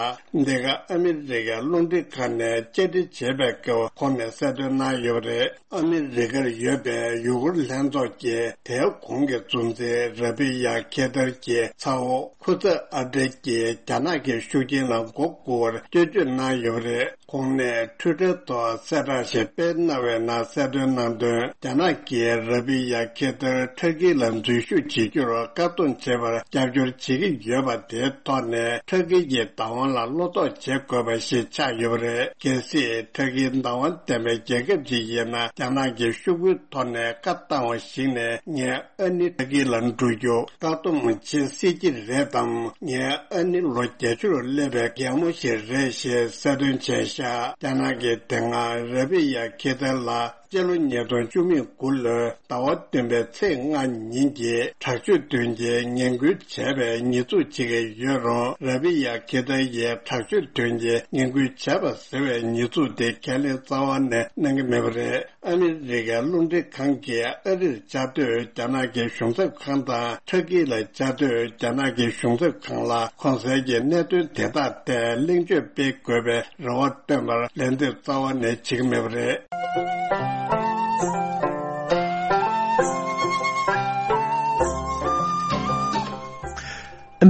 འདི་ག་ཨ་མི་རི་ཀའི་རླུང་འཕྲིན་ཁང་ནས་བཅར་འདྲི་བྱས་པའི་སྐབས་ཁོང་ནས་གསལ་སྟོན་གནང་ཡོད་པ་རེད། ཨ་མི་རི་ཀར་ཡོད་པའི་ཡུ་གུར་ལྷན་ཚོགས་ཀྱི་དེའི་གོང་གི་གཙོ་འཛིན་ར་བི་ཡ་ཁེ་ཐར་གྱི་ཚ་བོ་ཁུ་ཚ་ཨ་ཏྲེ་གྱིས་རྒྱ་ནག་གི་ཤུགས་རྐྱེན་ལ་མགོ་སྒུར་བར་སྐྱོན་བརྗོད་གནང་ཡོད་པ་རེད། ཁོང་ནས་ཊུའི་ཊར་ཐོག་གསལ་བསྒྲགས་ཤིག་སྤེལ་གནང་བའི་ནང་གསལ་སྟོན་གནང་དོན། རྒྱ་ནག་གིས་ར་བི་ཡ་ཁེ་ཐར་ཕྲ་གི་ལ་འཛུལ་ཞུགས་བྱེད་རྒྱུར་བཀག་སྡོམ་བྱེད་པར་རྒྱབ་སྐྱོར་བྱེད་ཀྱི་ཡོད་པ་དེའི་ཐོག་ནས་ཕྲ་གི་གི་བདག་དབང་ལ་བློ་དོགས་བྱེད་དགོས་པ་ཞིག་ཆགས་ཡོད་པ་རེད། གལ་སྲིད་ཕྲ་གིའི་བདག་དབང་ལྡན་པའི་རྒྱལ་ཁབ་ཅིག་ཡིན་ན། རྒྱ་ནག་གི་ཤོག་བུའི་ཐོག་ནས་བཀའ་བཏང་བ་ཞིག་ནས་ངའི་ཨ་ནེ་ཕྲ་གི་ལ་འགྲོ་རྒྱུ་བཀག་སྡོམ་བྱེད་སྲིད་ཀྱི་རེད་དམ། ངའི་ཨ་ནེ་ལོ་བརྒྱད་ཅུར་སླེབས་པའི་རྒན་མོ་ཞིག་རེད་ཞེས་གསལ་སྟོན་བྱས་ཤག། རྒྱ་ནག་གིས་དེ་སྔ་ར་བི་ཡ་ཁེ་ཐར་ལ་སྤྱི་ལོ་ཉིས་སྟོང་བཅུ་མེད་དགུ་ལོའི་ཟླ་བ་བདུན་པའི་ཚེས་ལྔ་ཉིན་གྱི་དྲག་སྤྱོད་དོན་གྱི་ངན་སྐུལ་བྱས་པའི་ཉེས་འཛུགས་བྱེད་ཀྱི་ཡོད་རུང་། ར་བི་ཡ་ཁེ་ཐར་ཡིས་དྲག་སྤྱོད་དོན་གྱི་ངན་སྐུལ་བྱས་པ་ཟེར་བའི་ཉེས་འཛུགས་དེ་ཁས་ལེན་རྩ་བ་ནས་གནང་གི་མེད་པ་རེད། ཨ་མི་རི་ཀའི་རླུང་འཕྲིན་ཁང་གིས་ཨ་རིར་བཅའ་སྡོད་རྒྱ་ནག་གི་གཞུང་ཚབ་ཁང་དང་ཕྲ་གི་ལ་བཅའ་སྡོད་རྒྱ་ནག་གི་གཞུང་ཚབ་ཁང་ལ་གོང་གསལ་གྱི་གནད་དོན་དེ་དག་ཐད་གླེང་བརྗོད་སྤེལ་དགོས་པའི་རེ་བ་བཏོན་པར་ལན་འདེབས་རྩ་བ་ནས་བྱེད་ཀྱི་མེད་པ་རེད།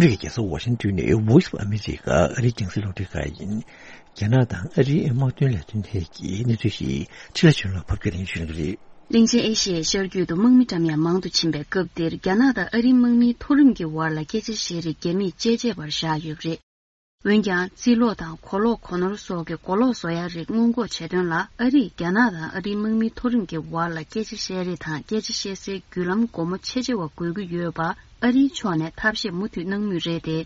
ཨ་མི་རི་ཀའི་རྒྱལ་ས་ཝ་ཤིང་ཏོན་ནས་Voice of America ཨ་རིའི་རྒྱང་སྲིང་རླུང་འཕྲིན་ཁང་ཡིན། རྒྱ་ནག་དང་ཨ་རིའི་དམག་དོན་ལས་དོན་ཐད་ཀྱི་གནས་ཚུལ་ཞིག་ཕྱི་ལ་ཕྱི་ལ་ཕབ་སྐད་ལེན་ཞུ་གི་རེད། གླིང་ཆེན་ཨེ་ཤི་ཡའི་ཤར་རྒྱུད་དུ་དམག་མི་འགྲམ་ཡང་མང་དུ་ཕྱིན་པའི་སྐབས་འདིར་རྒྱ་ནག་དང་ཨ་རིའི་དམག་མིའི་མཐོ་རིམ་གྱི་བར་ལ་སྐད་ཆ་བཤད་རེས་རྒྱ་མིས་བཅད་རྗེས་པར་བཞག་ཡོད་པ་རེད། འོན་ཀྱང་རྩིས་ལོག་དང་གོ་ལོག་གོ་ནོར་སོགས་ཀྱི་གོ་ལོག་བཟོ་ཡ་རིགས་སྔོན་འགོག་བྱེད་དོན་ལ་ཨ་རིས་རྒྱ་ནག་དང་ཨ་རིའི་དམག་མི་མཐོ་རིམ་གྱི་བར་ལ་སྐད་ཆ་བཤད་རེས་དང་སྐད་ཆ་བཤད་སའི་བརྒྱུད་ལམ་སྒོ་མོ་ཕྱེ་ཕྱེ་བ་དགོས་ཀྱི་ཡོད་པ་ཨ་རིའི་ཕྱོགས་ནས་ཐབས་ཤེས་མུ་མཐུད་གནང་མུས་རེད་དེ།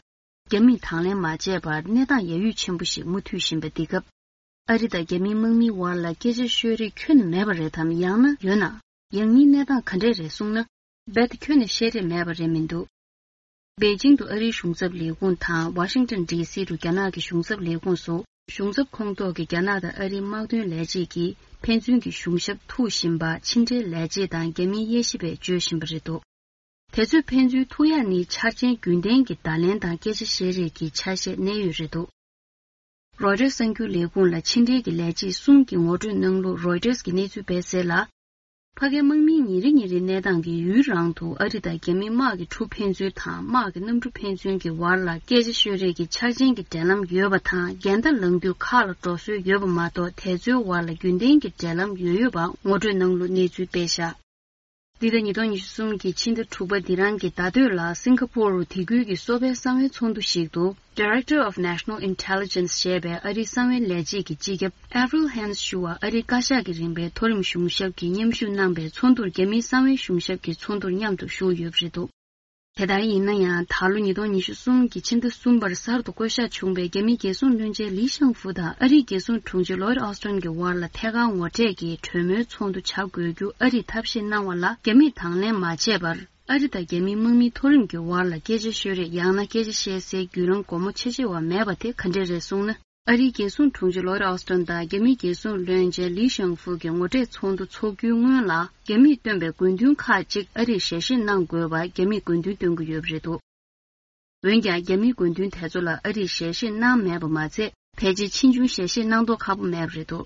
རྒྱ་མིས་དང་ལེན་མ་བྱས་པར་གནས་སྟངས་ཡ་ཡུད་ཆེན་པོ་ཞིག་མུ་མཐུད་བཞིན་པ་འདི་སྐབས། ཨ་རི་དང་རྒྱ་མིའི་དམག་མིའི་བར་ལ་སྐད་ཆ་ཤོད་རེས་ཁྱོན་ནས་མེད་པ་རེད་དམ། ཡང་ན་ཡོད་ན། ཡང་སྙིང་གནས་སྟངས་ག་འདྲས་རེད་གསུངས་ན། རྦད་དེ་ཁྱོན་ནས་བཤད་རེས་མེད་པ་རེད་མི་འདུག་པེ་ཅིང་དུ་ཨ་རིའི་གཞུང་ཚབ་ལས་ཁུངས་དང་ཝ་ཤིང་ཏོན་ཌི་སི་དུ་རྒྱ་ནག་གི་གཞུང་ཚབ་ལས་ཁུངས་སུ་གཞུང་ཚབ་ཁོངས་གཏོགས་ཀྱི་རྒྱ་ནག་དང་ཨ་རིའི་དམག་དོན་ལས་བྱེད་ཀྱིས་ཕན་ཚུན་གྱི་གཞུང་ཞབས་ཐུག་བཞིན་པ་ཕྱི་འབྲེལ་ལས་བྱེད་དང་རྒྱ་མིའི་དབྱེ་ཞིབ་པས་བརྗོད་བཞིན་པ་རེད་འདུག་དེ་ཚོས་ཕན་ཚུན་ཐུག་ཡག་ནི་འཆར་ཅན་རྒྱུན་ལྡན་གྱི་བརྡ་ལན་དང་སྐད་ཆ་བཤད་རེས་ཀྱི་ཆ་ཤས་གནས་ཡོད་རེད་འདུག་རོའི་ཊར་གསར་འགྱུར་ལས་ཁུངས་ལ་ཕྱི་འབྲེལ་གྱི་ལས་བྱེད་གསུམ་གྱིས་ངོ་སྤྲོད་གནང་ལུགས་རོའི་ཊར་གྱིས་གནས་ཚུལ་སྤེལ་གསལ་ལ། ཕ་གིའི་དམག་མིའི་ཉིན་རེ་ཉིན་རེའི་གནས་སྟངས་ཀྱི་ཡུན་རིང་དུ་ཨ་རི་དང་རྒྱ་མིའི་དམག་གི་གྲུ་ཕན་ཚུན་དང་དམག་གི་གནམ་གྲུ་ཕན་ཚུན་གྱི་བར་ལ་སྐད་ཆ་ཤོད་རེས་ཀྱི་འཆར་ཅན་གྱི་འབྲེལ་ལམ་ཡོད་པ་དང་འགལ་ཟླ་ལངས་དུས་ཁ་ལ་འགྲོ་སྲོལ་ཡོད་པ་མ་གཏོགས་དེ་ཚོའི་བར་ལ་རྒྱུན་ལྡན་གྱི་འབྲེལ་ལམ་ཡོད་ཡོད་པ་ངོ་སྤྲོད་གནང་ལུགས་གནས་ཚུལ་སྤེལ་བཞག་འདི་ལྟར་ཉིས་སྟོང་ཉི་ཤུ་གསུམ་གྱི་ཕྱི་ཟླ་དྲུག་པ་འདི་རང་གི་ཟླ་སྟོད་ལ་སིང་ག་པོར་རུ་དེ་ཁུལ་གྱི་གསོ་བའི་གསང་བའི་ཚོགས་འདུ་ཞིག་ཏུ། Director of National Intelligence ཞེས་པའི་ཨ་རིའི་གསང་བའི་ལས་བྱེད་ཀྱི་སྤྱི་ཁྱབ་Avril Haines ཞུ་བ་ཨ་རིའི་བཀའ་ཤག་གི་རིམ་པའི་མཐོ་རིམ་གཞུང་ཞབས་ཀྱིས་མཉམ་ཞུགས་གནང་པའི་ཚོགས་འདུར་རྒྱ་མིའི་གསང་བའི་གཞུང་ཞབས་ཀྱི་ཚོགས་འདུར་མཉམ་དུ་ཞུགས་ཡོད་པ་རེད་འདུག་དེ་ལྟར་ཡིན་ན་ཡང་ད་ལོ་ཉིས་སྟོང་ཉི་ཤུ་གསུམ་གྱི་ཕྱི་ཟླ་གསུམ་པར་གསར་དུ་བསྐོ་གཞག་བྱུང་བའི་རྒྱ་མིའི་རྒྱལ་སྲུང་བློན་ཆེན་ལི་ཤང་ཧྥུ་དང་ཨ་རིའི་རྒྱལ་སྲུང་དྲུང་ཆེ་ལོའིད་ཨོ་སི་ཊོན་གྱི་དབར་ལ་ཐད་ཀར་ངོ་འཕྲད་ཀྱིས་གྲོས་མོལ་ཚོགས་འདུ་བྱ་དགོས་རྒྱུ་ཨ་རིས་ཐབས་ཤེས་གནང་བ་ལ་རྒྱ་མིས་དང་ལེན་མ་བྱས་པར། ཨ་རི་དང་རྒྱ་མིའི་དམག་མིའི་མཐོ་རིམ་གྱི་དབར་ལ་སྐད་ཆ་ཤོད་རེས་ཡང་ན་སྐད་ཆ་བཤད་སའི་བརྒྱུད་ལམ་སྒོ་མོ་ཕྱེ་ཕྱེ་བ་མེད་པ་དེ་ག་འདྲས་རེད་གསུངས་ན། ཨ་རིའི་རྒྱལ་སྲུང་དྲུང་ཆེ་ལོའིད་ཨོ་སི་ཊོན་དང་རྒྱ་མིའི་རྒྱལ་སྲུང་བློན་ཆེན་ལི་ཤང་ཧྥུ་གྱི་ངོ་འཕྲད་ཚོགས་འདུ་འཚོགས་རྒྱུའི་སྔོན་ལ། རྒྱ་མིས་བཏོན་པའི་དགོས་འདུན་ཁག་ཅིག་ཨ་རིས་ཞལ་བཞེས་གནང་དགོས་པ་རྒྱ་མིས་དགོས་འདུན་བཏོན་གྱི་ཡོད་པ་རེད་འདུག་འོན་ཀྱང་རྒྱ་མིའི་དགོས་འདུན་དེ་ཚོ་ལ་ཨ་རིས་ཞལ་བཞེས་གནང་མེད་པ་མ་ཚད། ཕལ་ཆེར་ཕྱིས་འབྱུང་ཞལ་བཞེས་གནང་མདོག་ཁ་པོ་མེད་པ་རེད་འདུག་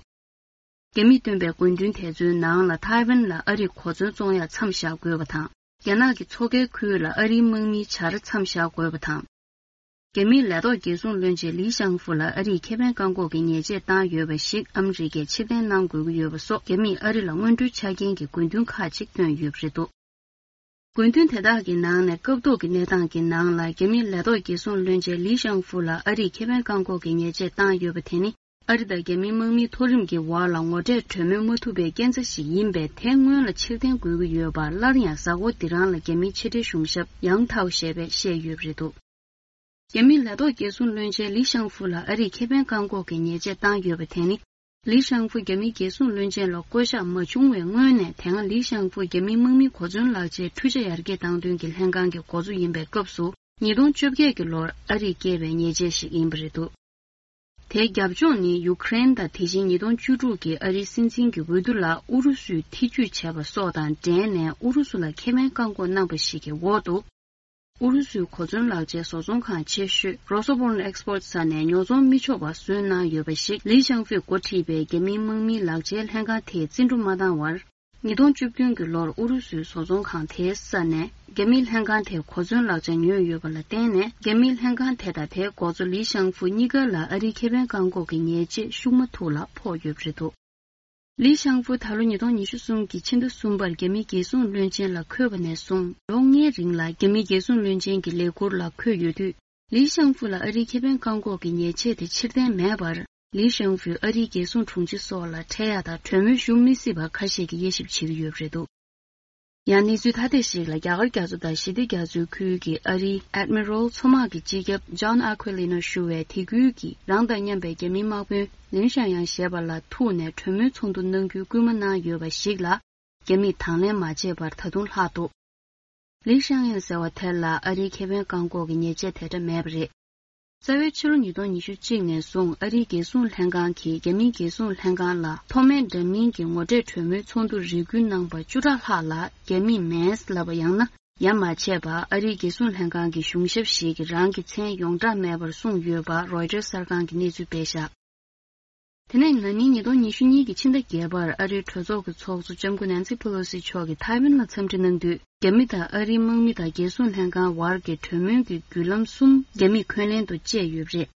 རྒྱ་མིས་བཏོན་པའི་དགོས་འདུན་དེ་ཚོའི་ནང་ལ་ཐའེ་ཝན་ལ་ཨ་རིས་གོ་མཚོན་བཙོང་ཡག་མཚམས་བཞག་དགོས་པ་དང་། རྒྱ་ནག་གི་མཚོ་ཁའི་ཁུལ་ལ་ཨ་རིའི་དམག་མིའི་བྱ་ར་མཚམས་བཞག་དགོས་པ་དང་། རྒྱ་མིའི་ལས་ཐོག་རྒྱལ་སྲུང་བློན་ཆེན་ལི་ཤང་ཧྥུ་ལ་ཨ་རིས་ཁེ་ཕན་བཀག་འགོག་གི་ཉེས་ཆད་བཏང་ཡོད་པ་ཞིག་ཨ་མི་རི་ཀས་ཕྱིར་འཐེན་གནང་དགོས་ཀྱི་ཡོད་པ་སོགས་རྒྱ་མིས་ཨ་རི་ལ་སྔོན་འགྲོའི་ཆ་རྐྱེན་གྱི་དགོས་འདུན་ཁག་ཅིག་བཏོན་ཡོད་པ་རེད་འདུག་དགོས་འདུན་དེ་དག་གི་ནང་ནས་སྐབས་ཐོག་གི་གནས་སྟངས་ཀྱི་ནང་ལ་རྒྱ་མིའི་ལས་ཐོག་རྒྱལ་སྲུང་བློན་ཆེན་ལི་ཤང་ཧྥུ་ལ་ཨ་རིས་ཁེ་ཕན་བཀག་འགོག་གི་ཉེས་ཆད་བཏང་ཡོད་པ་དེ་ནི་ཨ་རི་དང་རྒྱ་མིའི་དམག་མིའི་མཐོ་རིམ་གྱི་བར་ལ་ངོ་འཕྲད་གྲོས་མོལ་མ་ཐུབ་པའི་རྐྱེན་རྩ་ཞིག་ཡིན་པས་དེ་སྔོན་ལ་ཕྱིར་འཐེན་དགོས་ཀྱི་ཡོད་པ་སླར་ཡང་གཟའ་འཁོར་འདི་རང་ལ་རྒྱ་མིའི་ཕྱི་འབྲེལ་གཞུང་ཞབས་ཡང་ཐའོ་ཞེས་པས་བཤད་ཡོད་པ་རེད་འདུག་རྒྱ་མིའི་ལས་ཐོག་རྒྱལ་སྲུང་བློན་ཆེན་ལི་ཤང་ཧྥུ་ལ་ཨ་རིས་ཁེ་ཕན་བཀག་འགོག་གི་ཉེས་ཆད་བཏང་ཡོད་པ་དེ་ནི། ལི་ཤང་ཧྥུ་རྒྱ་མིའི་རྒྱལ་སྲུང་བློན་ཆེན་ལ་བསྐོ་གཞག་མ་བྱུང་བའི་སྔོན་ནས་དེ་སྔ་ལི་ཤང་ཧྥུ་རྒྱ་མིའི་དམག་མི་གོ་མཚོན་ལག་ཆའི་འཕྲུལ་ཆ་ཡར་རྒྱས་གཏང་འདུན་གྱི་ལྷན་ཁང་གི་འགོ་གཙོ་ཡིན་པའི་སྐབས་སུ་ཉིས་སྟོང་བཅོ་བརྒྱད་ཀྱི་ལོར་ཨ་རིས་བཀལ་བའི་ཉེས་ཆད་ཞིག་ཡིན་པ་རེད་འདུག་དེའི་རྒྱབ་ལྗོངས་ནི་ཡུ་ཀེ་རེན་དང་དེ་བཞིན་ཉིས་སྟོང་བཅུ་དྲུག་གི་ཨ་རིའི་སྲིད་འཛིན་གྱི་འོས་བསྡུ་ལ་ཨུ་རུ་སུས་ཐེ་ཇུས་བྱས་པ་སོགས་དང་འབྲེལ་ནས་ཨུ་རུ་སུ་ལ་ཁེ་ཕན་བཀག་འགོག་གནང་པ་ཞིག་གི་འོག་ཏུ། ཨུ་རུ་སུའི་གོ་མཚོན་ལག་ཆའི་བཟོ་ཚོང་ཁང་ཆེ་ཤོས་Rosoboronexport ས་ནས་ཉོ་ཚོང་མི་ཆོག་པ་བཟོས་གནང་ཡོད་པ་ཞིག་ལི་ཤང་ཧྥུས་འགོ་ཁྲིད་པའི་རྒྱ་མིའི་དམག་མིའི་ལག་ཆའི་ལྷན་ཁང་དེས་བརྩི་འགྲོ་མ་བཏང་བར། ཉིས་སྟོང་བཅུ་བདུན་གྱི་ལོར་ཨུ་རུ་སུའི་བཟོ་ཚོང་ཁང་དེའི་ས་ནས་རྒྱ་མིའི་ལྷན་ཁང་དེས་གོ་མཚོན་ལག་ཆ་ཉོས་ཡོད་པ་ལ་བརྟེན་ནས་རྒྱ་མིའི་ལྷན་ཁང་དེ་དང་དེའི་འགོ་གཙོ་ལི་ཤང་ཧྥུ་གཉིས་ཀ་ལ་ཨ་རིའི་ཁེ་ཕན་བཀག་འགོག་གི་ཉེས་ཆད་ཤུགས་མ་ཐུག་ལ་ཕོག་ཡོད་པ་རེད་འདུག་ལི་ཤང་ཧྥུ་ད་ལོ་ཉིས་སྟོང་ཉི་ཤུ་གསུམ་གྱི་ཕྱི་ཟླ་གསུམ་པར་རྒྱ་མིའི་རྒྱལ་སྲུང་བློན་ཆེན་ལ་འཁོད་པ་ནས་བཟུང་ལོ་ལྔའི་རིང་ལ་རྒྱ་མིའི་རྒྱལ་སྲུང་བློན་ཆེན་གྱི་ལས་ཁུར་ལ་འཁོད་ཡོད་དུས། ལི་ཤང་ཧྥུ་ལ་ཨ་རིའི་ཁེ་ཕན་བཀག་འགོག་གི་ཉེས་ཆད་དེ་ཕྱིར་འཐེན་མེད་པར། ལི་ཤང་ཧྥུས་ཨ་རིའི་རྒྱལ་སྲུང་དྲུང་ཆེ་སོགས་ལ་འཕྲད་ཡག་དང་གྲོས་མོལ་ཞུ་མི་སྲིད་པ་ཁ་ཤས་ཀྱིས་དབྱེ་ཞིབ་བྱེད་ཀྱི་ཡོད་པ་རེད་འདུག་ཡང་གནས་ཚུལ་ཐ་དད་ཞིག་ལ་རྒྱ་གར་རྒྱ་མཚོ་དང་ཞི་བདེ་རྒྱ་མཚོའི་ཁུལ་གྱི་ཨ་རིའི་Admiral མཚོ་དམག་གི་སྤྱི་ཁྱབ་John Aquilino ཞུ་བས་དེ་ཁུལ་གྱི་རང་དང་མཉམ་པའི་རྒྱ་མིའི་དམག་དཔོན་ལིན་ཤང་ཡང་ཞེས་པ་ལ་ཐུག་ནས་གྲོས་མོལ་ཚོགས་འདུ་གནང་རྒྱུའི་སྐུལ་མ་གནང་ཡོད་པ་ཞིག་ལ་རྒྱ་མིས་དང་ལེན་མ་བྱས་པར་ད་དུང་ལྷག་འདུག་ལི་ཤང་ཡང་ཟེར་བ་དེ་ལ་ཨ་རིའི་ཁེ་ཕན་བཀག་འགོག་གི་ཉེས་ཆད་དེ་འདྲ་མེད་པ་རེད། རྩ་བའི་ཕྱི་ལོ་ཉིས་སྟོང་ཉི་ཤུ་གཅིག་ནས་བཟུང་ཨ་རིའི་རྒྱལ་སྲུང་ལྷན་ཁང་གིས་རྒྱ་མིའི་རྒྱལ་སྲུང་ལྷན་ཁང་ལ་མཐོ་དམན་འདྲ་མིན་གྱི་ངོ་འཕྲད་གྲོས་མོལ་ཚོགས་འདུ་རེ་སྐུལ་གནང་པ་བཅུ་ཕྲག་ལྷག་ལ་རྒྱ་མིས་མེད་ལབ་པ་ཡང་ན་ཡ་མ་བྱས་པ་ཨ་རིའི་རྒྱལ་སྲུང་ལྷན་ཁང་གི་གཞུང་ཞབས་ཤིག་གིས་རང་གི་མཚན་ཡོངས་གྲགས་མེད་པར་གསུངས་ཡོད་པ་Reuters གསར་ཁང་གིས་གནས་ཚུལ་སྤེལ་བཞག་དེ་ནས་ན་ནིང་ཉིས་སྟོང་ཉི་ཤུ་གཉིས་ཀྱི་ཕྱི་ཟླ་བརྒྱད་པར་ཨ་རིའི་གྲོས་ཚོགས་ཀྱི་ཚོགས་གཙོ་ལྕམ་སྐུ་ནན་སི་ཕེ་ལོ་སི་མཆོག་གིས་ཐའེ་ཝན་ལ་འཚམས་འདྲི་གནང་དུས། རྒྱ་མི་དང་ཨ་རིའི་དམག་མི་དང་རྒྱལ་སྲུང་ལྷན་ཁང་བར་གྱི་གྲོས་མོལ་གྱི་བརྒྱུད་ལམ་གསུམ་རྒྱ་མིས་འཁོན་ལན་དུ་བཅད་ཡོད་པ་རེད།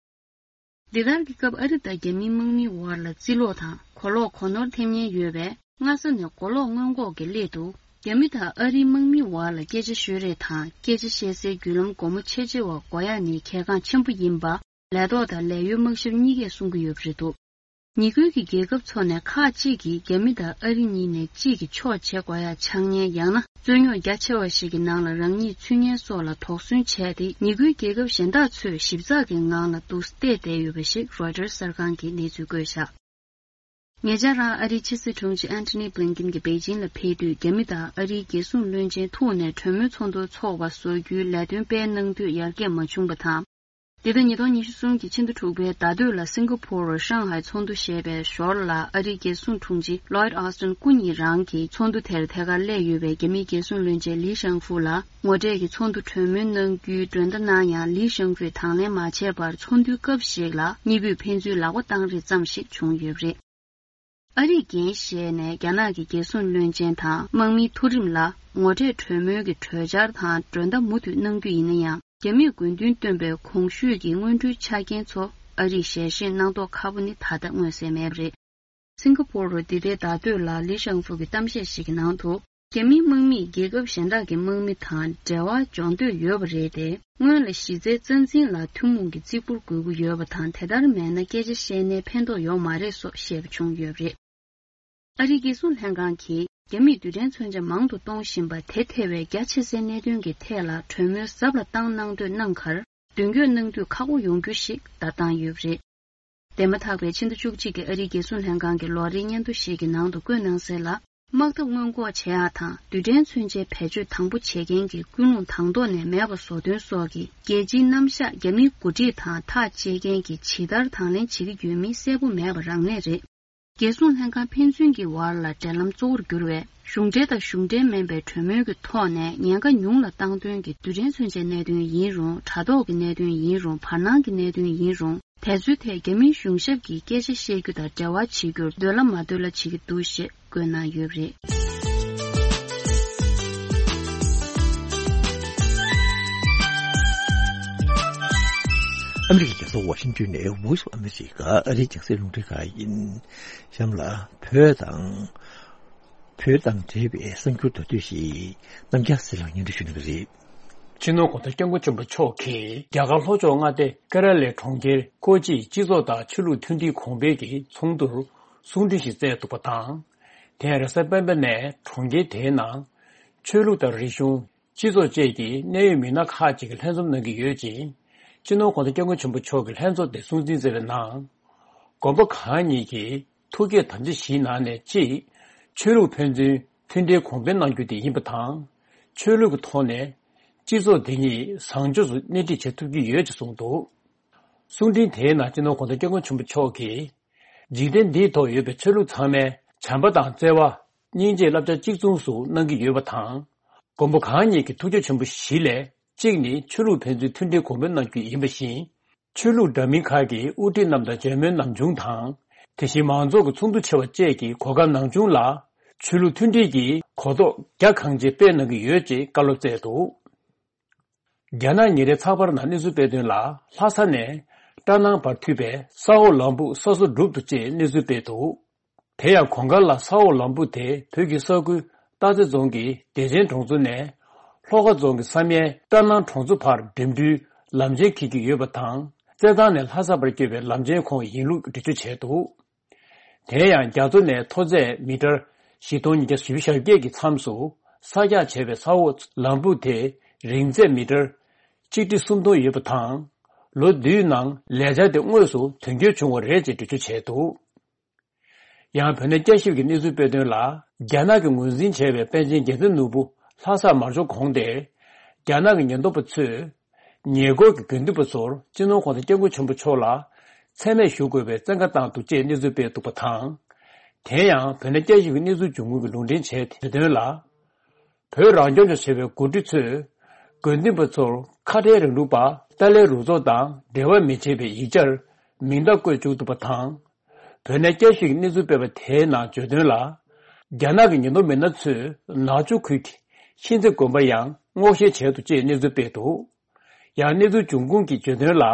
འདི་ལྟར་གྱི་སྐབས་ཨ་རི་དང་རྒྱ་མིའི་དམག་མིའི་བར་ལ་རྩིས་ལོག་དང་གོ་ལོག་གོ་ནོར་ཐེབས་ཉེན་ཡོད་པས། སྔ་ས་ནས་གོ་ལོག་སྔོན་འགོག་གི་སླད་དུ། རྒྱ་མི་དང་ཨ་རིའི་དམག་མིའི་བར་ལ་སྐད་ཆ་ཤོད་རེས་དང་སྐད་ཆ་བཤད་སའི་བརྒྱུད་ལམ་སྒོ་མོ་ཕྱེ་ཕྱེ་བ་དགོས་ཡག་ནི་གལ་འགངས་ཆེན་པོ་ཡིན་པ། ལས་ཐོག་དང་ལས་གཡོལ་དམག་ཞབས་གཉིས་ཀས་གསུང་གི་ཡོད་པ་རེད་འདུག་ཉེ་ཁུལ་གྱི་རྒྱལ་ཁབ་ཚོ་ནས་ཁག་ཅིག་གིས་རྒྱ་མི་དང་ཨ་རི་གཉིས་ནས་གཅིག་གི་ཕྱོགས་བྱེད་དགོས་ཡག་ཆགས་ཉེན་ཡང་ན་རྩོད་རྙོག་རྒྱ་ཆེ་བ་ཞིག་གི་ནང་ལ་རང་ཉིད་ཚུད་ཉེན་སོགས་ལ་དོགས་ཟོན་བྱས་ཏེ། ཉེ་ཁུལ་རྒྱལ་ཁབ་གཞན་དག་ཚོས་ཞིབ་ཚགས་ཀྱི་ངང་ལ་འདུག་སེ་བལྟས་བསྡད་ཡོད་པ་ཞིག་རོའི་ཊར་གསར་ཁང་གིས་གནས་ཚུལ་བཀོད་བཞག་ཉེ་ཆར་རང་ཨ་རིའི་ཕྱི་སྲིད་དྲུང་ཆེ་ཨན་ཐོ་ནི་བྷི་ལིན་ཀིན་གྱིས་པེ་ཅིན་ལ་ཕེབས་དུས། རྒྱ་མི་དང་ཨ་རིའི་རྒྱལ་སྲུང་བློན་ཆེན་ཐུག་ནས་གྲོས་མོལ་ཚོགས་འདུ་འཚོགས་པ་བཟོ་རྒྱུའི་ལས་དོན་སྤེལ་གནང་དུས་ཡར་རྒྱས་མ་བྱུང་བ་དང་། འདི་ཟླ་ཉིས་སྟོང་ཉི་ཤུ་གསུམ་གྱི་ཕྱི་ཟླ་དྲུག་པའི་ཟླ་སྟོད་ལ་སིང་ག་ཕོར་རུ་ཧྲང་ཧའེ་ཚོགས་འདུ་ཞེས་པའི་ཞོར་ལ། ཨ་རིའི་རྒྱལ་སྲུང་དྲུང་ཆེ་ལོའིད་ཨོ་སི་ཏན་སྐུ་ཉིད་རང་གིས་ཚོགས་འདུ་དེར་ཐད་ཀར་སླེབས་ཡོད་པའི་རྒྱ་མིའི་རྒྱལ་སྲུང་བློན་ཆེན་ལི་ཤང་ཧྥུ་ལ་ངོ་འཕྲད་ཀྱིས་ཚོགས་འདུ་གྲོས་མོལ་གནང་རྒྱུའི་མགྲོན་བརྡ་གནང་ཡང་། ལི་ཤང་ཧྥུས་དང་ལེན་མ་བྱས་པར། ཚོགས་འདུའི་སྐབས་ཤིག་ལ་གཉིས་པོས་ཕན་ཚུན་ལག་པ་བཏང་རེས་ཙམ་ཞིག་བྱུང་ཡོད་པ་རེད། ཨ་རིས་འགན་བཞེས་ནས་རྒྱ་ནག་གི་རྒྱལ་སྲུང་བློན་ཆེན་དང་དམག་མིའི་མཐོ་རིམ་ལ་ངོ་འཕྲད་གྲོས་མོལ་གྱི་གྲོས་འཆར་དང་མགྲོན་བརྡ་མུ་མཐུད་གནང་རྒྱུ་ཡིན་ན་ཡང་། རྒྱ་མིས་དགོས་འདུན་བཏོན་པའི་གོང་ཞུས་ཀྱི་སྔོན་འགྲོའི་ཆ་རྐྱེན་ཚོ་ཨ་རིས་ཞལ་བཞེས་གནང་མདོག་ཁ་པོ་ནི་ད་ལྟ་མངོན་གསལ་མེད་པ་རེད། སིང་ག་ཕོར་རུ་འདི་ཟླའི་ཟླ་སྟོད་ལ་ལི་ཤང་ཧྥུ་གི་གཏམ་བཤད་ཞིག་གི་ནང་དུ། རྒྱ་མིའི་དམག་མིས་རྒྱལ་ཁབ་གཞན་དག་གི་དམག་མི་དང་འབྲེལ་བ་སྦྱོང་འདོད་ཡོད་པ་རེད་དེ། སྔོན་ལ་གཞི་རྩའི་རྩ་འཛིན་ལ་ཐུན་མོང་གི་བརྩི་བཀུར་དགོས་ཀྱི་ཡོད་པ་དང་། དེ་ལྟར་མེད་ན་སྐད་ཆ་བཤད་ནའི་ཕན་ཐོགས་ཡོད་མ་རེད་སོགས་བཤད་པ་བྱུང་ཡོད་པ་རེད། ཨ་རིའི་རྒྱལ་སྲུང་ལྷན་ཁང་གིས་རྒྱ་མིས་རྡུལ་ཕྲན་མཚོན་ཆ་མང་དུ་གཏོང་བཞིན་པ་དེ་ཐེ་བའི་རྒྱ་ཆེ་སའི་གནད་དོན་གྱི་ཐད་ལ་གྲོས་མོལ་ཟབ་ལ་བཏང་གནང་འདོད་གནང་ཁར། མདུན་སྐྱོད་གནང་དུས་ཁག་པོ་ཡོང་རྒྱུ་ཞིག་བརྡ་བཏང་ཡོད་པ་རེད། འདས་མ་ཐག་པའི་ཕྱི་ཟླ་བཅུ་གཅིག་གི་ཨ་རིའི་རྒྱལ་སྲུང་ལྷན་ཁང་གི་ལོ་རེའི་སྙན་ཐོ་ཞིག་གི་ནང་དུ་བཀོད་གནང་གསལ་ལ། དམག་འཐབ་སྔོན་འགོག་བྱེད་ཡག་དང་རྡུལ་ཕྲན་མཚོན་ཆའི་བེད་སྤྱོད་དང་པོ་བྱེད་མཁན་གྱི་ཀུན་སློང་དང་ཐོག་ནས་མེད་པ་བཟོ་དོན་སོགས་ཀྱི་རྒྱལ་སྤྱིའི་རྣམ་གཞག་རྒྱ་མིའི་འགོ་ཁྲིད་དང་ཐག་བཅད་མཁན་གྱིས་ཇི་ལྟར་དང་ལེན་བྱེད་ཀྱི་ཡོད་མིན་གསལ་པོ་མེད་པ་རང་ལས་རེད། རྒྱལ་སྲུང་ལྷན་ཁང་ཕན་ཚུན་གྱི་བར་ལ་འབྲེལ་ལམ་གཙོ་བོར་གྱུར་བའི་གཞུང་འབྲེལ་དང་གཞུང་འབྲེལ་མིན་པའི་གྲོས་མོལ་གྱི་ཐོག་ནས་ཉེན་ཁ་ཉུང་ལ་བཏང་དོན་གྱི་རྡུལ་ཕྲན་མཚོན་ཆའི་གནད་དོན་ཡིན་རུང་། དྲ་ཐོག་གི་གནད་དོན་ཡིན་རུང་། བར་སྣང་གི་གནད་དོན་ཡིན་རུང་། དེ་ཚོའི་ཐད་རྒྱ་མིའི་གཞུང་ཞབས་ཀྱིས་སྐད་ཆ་བཤད་རྒྱུ་དང་འབྲེལ་བ་བྱེད་རྒྱུར་འདོད་ལ་མ་འདོད་ལ་བྱེད་ཀྱི་འདུག་ཞེས་བཀོད་གནང་ཡོད་པ་རེད། ཨ་མི་རི་ཀའི་རྒྱལ་ས་ཝ་ཤིང་ཏོན་ནས་Voice of America ཨ་རིའི་རྒྱང་སྲིང་རླུང་འཕྲིན་ཁང་ཡིན། གཤམ་ལ་བོད་དང་། བོད་དང་འབྲེལ་བའི་གསར་འགྱུར་མདོར་བསྡུས་ཤིག་རྣམ་རྒྱལ་སྲས་ལགས་སྙན་སྒྲོན་ཞུ་གནང་གི་རེད། སྤྱི་ནོར་༸གོང་ས་༸སྐྱབས་མགོན་ཆེན་པོ་མཆོག་གིས་རྒྱ་གར་ལྷོ་ཕྱོགས་མངའ་སྡེ་ཀེ་ར་ལའི་གྲོང་ཁྱེར་ཀོ་ཅིའི་སྤྱི་ཚོགས་དང་ཆོས་ལུགས་མཐུན་སྒྲིལ་གོང་འཕེལ་གྱི་ཚོགས་འདུར་གསུང་འཕྲིན་ཞིག་བསྩལ་འདུག་པ་དང་། དེ་ཡང་རེས་གཟའ་སྤེན་པ་ནས་གྲོང་ཁྱེར་དེའི་ནང་ཆོས་ལུགས་དང་རིག་གཞུང་། སྤྱི་ཚོགས་བཅས་ཀྱི་གནད་ཡོད་མི་སྣ་ཁག་ཅིག་གིས་ལྷན་འཛོམས་གནང་གི་ཡོད་ཅིང་། སྤྱི་ནོར་༸གོང་ས་༸སྐྱབས་མགོན་ཆེན་པོ་མཆོག་གིས་ལྷན་ཚོགས་དེ་སྲུང་བརྩི་མཛད་པའི་ནང་། དགོན་པ་གང་ཉིད་ཀྱི་ཐུགས་བསྐྱེད་དམ་བཅའ་བཞིའི་ནང་ནས་གཅིག་ཆོས་ལུགས་ཕན་ཚུན་མཐུན་སྒྲིལ་གོང་འཕེལ་གནང་རྒྱུ་དེ་ཡིན་པ་དང་། ཆོས་ལུགས་ཀྱི་ཐོག་ནས་སྤྱི་ཚོགས་འདི་ཉིད་བཟང་ཕྱོགས་སུ་སྣེ་ཁྲིད་བྱེད་ཐུབ་ཀྱི་ཡོད་ཅེས་གསུངས་འདུག། གསུང་འཕྲིན་དེའི་ནང་སྤྱི་ནོར་༸གོང་ས་༸སྐྱབས་མགོན་ཆེན་པོ་མཆོག་གིས། འཇིག་རྟེན་འདིའི་ཐོག་ཡོད་པའི་ཆོས་ལུགས་ཚང་མས་བྱམས་པ་དང་བརྩེ་བ། སྙིང་རྗེའི་བསླབ་བྱ་གཅིག་མཚུངས་སུ་གནང་གི་ཡོད་པ་དང་། མགོན་པོ་གང་ཉིད་ཀྱི་ཐུགས་རྗེ་ཆེན་པོ་བཞི་ལས་གཅིག་ནི་ཆོས་ལུགས་ཕན་ཚུན་མཐུན་སྒྲིལ་གོང་འཕེལ་གནང་རྒྱུ་ཡིན་པ་བཞིན། ཆོས་ལུགས་འདྲ་མིན་ཁག་གི་དབུ་ཁྲིད་རྣམས་དང་མཇལ་མོལ་ནམ་བྱུང་དང་། དེ་བཞིན་མང་ཚོགས་ཀྱི་ཚོགས་འདུ་ཆེ་བ་བཅས་ཀྱི་གོ་སྐབས་ནམ་བྱུང་ལ། ཆོས་ལུགས་མཐུན་སྒྲིལ་གྱི་གོ་རྟོགས་རྒྱ་གང་ཆེ་སྤེལ་གནང་གི་ཡོད་ཅེས་བཀའ་སློབ་སྩལ་འདུག། རྒྱ་ནག་ཉིན་རེའི་ཚགས་པར་ནང་གནས་ཚུལ་སྤེལ་དོན་ལ། ལྷ་ས་ནས་ཀྲ་ནང་བར་མཐུད་པའི་ས་འོག་ལམ་ཕུག་ས་སོ་འབྲུག་ཏུ་ཅེས་གནས་ཚུལ་སྤེལ་འདུག། དེ་ཡང་གོང་དཀར་ལ་ས་འོག་ལམ་ཕུག་དེ་བོད་ཀྱི་ས་ཁུལ་སྟག་རྩེ་རྫོང་གི་བདེ་ཆེན་གྲོང་ཚོ་ནས་ལྷོ་ཁ་རྫོང་གི་བསམ་ཡས་ཀྲ་ནང་གྲོང་ཚོ་བར་འགྲིམ་འགྲུལ་ལམ་ཆེན་འཁེལ་གྱི་ཡོད་པ་དང་། རྩེད་ཐང་ནས་ལྷ་ས་བར་སྐྱོད་པའི་ལམ་ཆེན་ཁོངས་ཡིན་ལུགས་འགྲེལ་བརྗོད་བྱས་འདུག། དེ་ཡང་རྒྱ་མཚོ་ནས་མཐོ་ཚད་མི་ཊར་བཞི་སྟོང་ཉིས་བརྒྱ་བཞི་བཅུ་ཞེ་བརྒྱད་ཀྱི་མཚམས་སུ་ས་རྒྱག་བྱས་པའི་ས་འོག་ལམ་ཕུག་དེ་རིང་ཚད་མི་ཊར་ཆིག་ཁྲི་སུམ་སྟོང་ཡོད་པ་དང་། ལོ་བདུན་ནང་ལས་འཆར་དེ་དངོས་སུ་དོན་འཁྱོལ་བྱུང་བ་རེད་ཅེས་འགྲེལ་བརྗོད་བྱས་འདུག། ཡང་བོད་གནས་བསྐྱར་ཞིབ་ཀྱི་གནས་ཚུལ་སྤེལ་དོན་ལ། རྒྱ་ནག་གིས་ངོས་འཛིན་བྱས་པའི་པཎ་ཆེན་རྒྱལ་མཚན་ནོར་བུ་ལྷ་སར་མར་འབྱོར་གོང་དེ། རྒྱ་ནག་གི་ཉེན་རྟོག་པ་ཚོས། ཉེ་འཁོར་གྱི་དགེ་འདུན་པ་ཚོར་སྤྱི་ནོར་༸གོང་ས་༸སྐྱབས་མགོན་ཆེན་པོ་མཆོག་ལ་མཚན་སྨད་ཞུ་དགོས་པའི་བཙན་བཀའ་བཏང་འདུག་ཅེས་གནས་ཚུལ་སྤེལ་འདུག་པ་དང་། དེ་ཡང་བོད་གནས་བསྐྱར་ཞིབ་ཀྱི་གནས་ཚུལ་བྱུང་ཁུངས་ཀྱིས་ལུང་འདྲེན་བྱས་དོན་ལ། བོད་རང་སྐྱོང་ལྗོངས་ཆེ་བའི་འགོ་ཁྲིད་ཚོས་དགེ་འདུན་པ་ཚོར་ཁ་བྲལ་རིང་ལུགས་པ་ཏཱ་ལའི་རུ་ཚོགས་དང་འབྲེལ་བ་མི་བྱེད་པའི་ཡིག་ཆར་མིང་རྟགས་བཀོད་བཅུག་འདུག་པ་དང་། བོད་ནས་བསྐྱར་ཞིབ་ཀྱི་གནས་ཚུལ་སྤེལ་བ་དེའི་ནང་བརྗོད་དོན་ལ། རྒྱ་ནག་གི་ཉེན་རྟོག་མི་སྣ་ཚོས་ནག་ཆུ་ཁུལ་གྱི་ཤིན་ཙེ་དགོན་པ་ཡང་སྔོག་བཤེར་བྱས་འདུག་ཅེས་གནས་ཚུལ་སྤེལ་འདུག་ཡང་གནས་ཚུལ་འབྱུང་ཁུངས་ཀྱི་བརྗོད་དོན་ལ།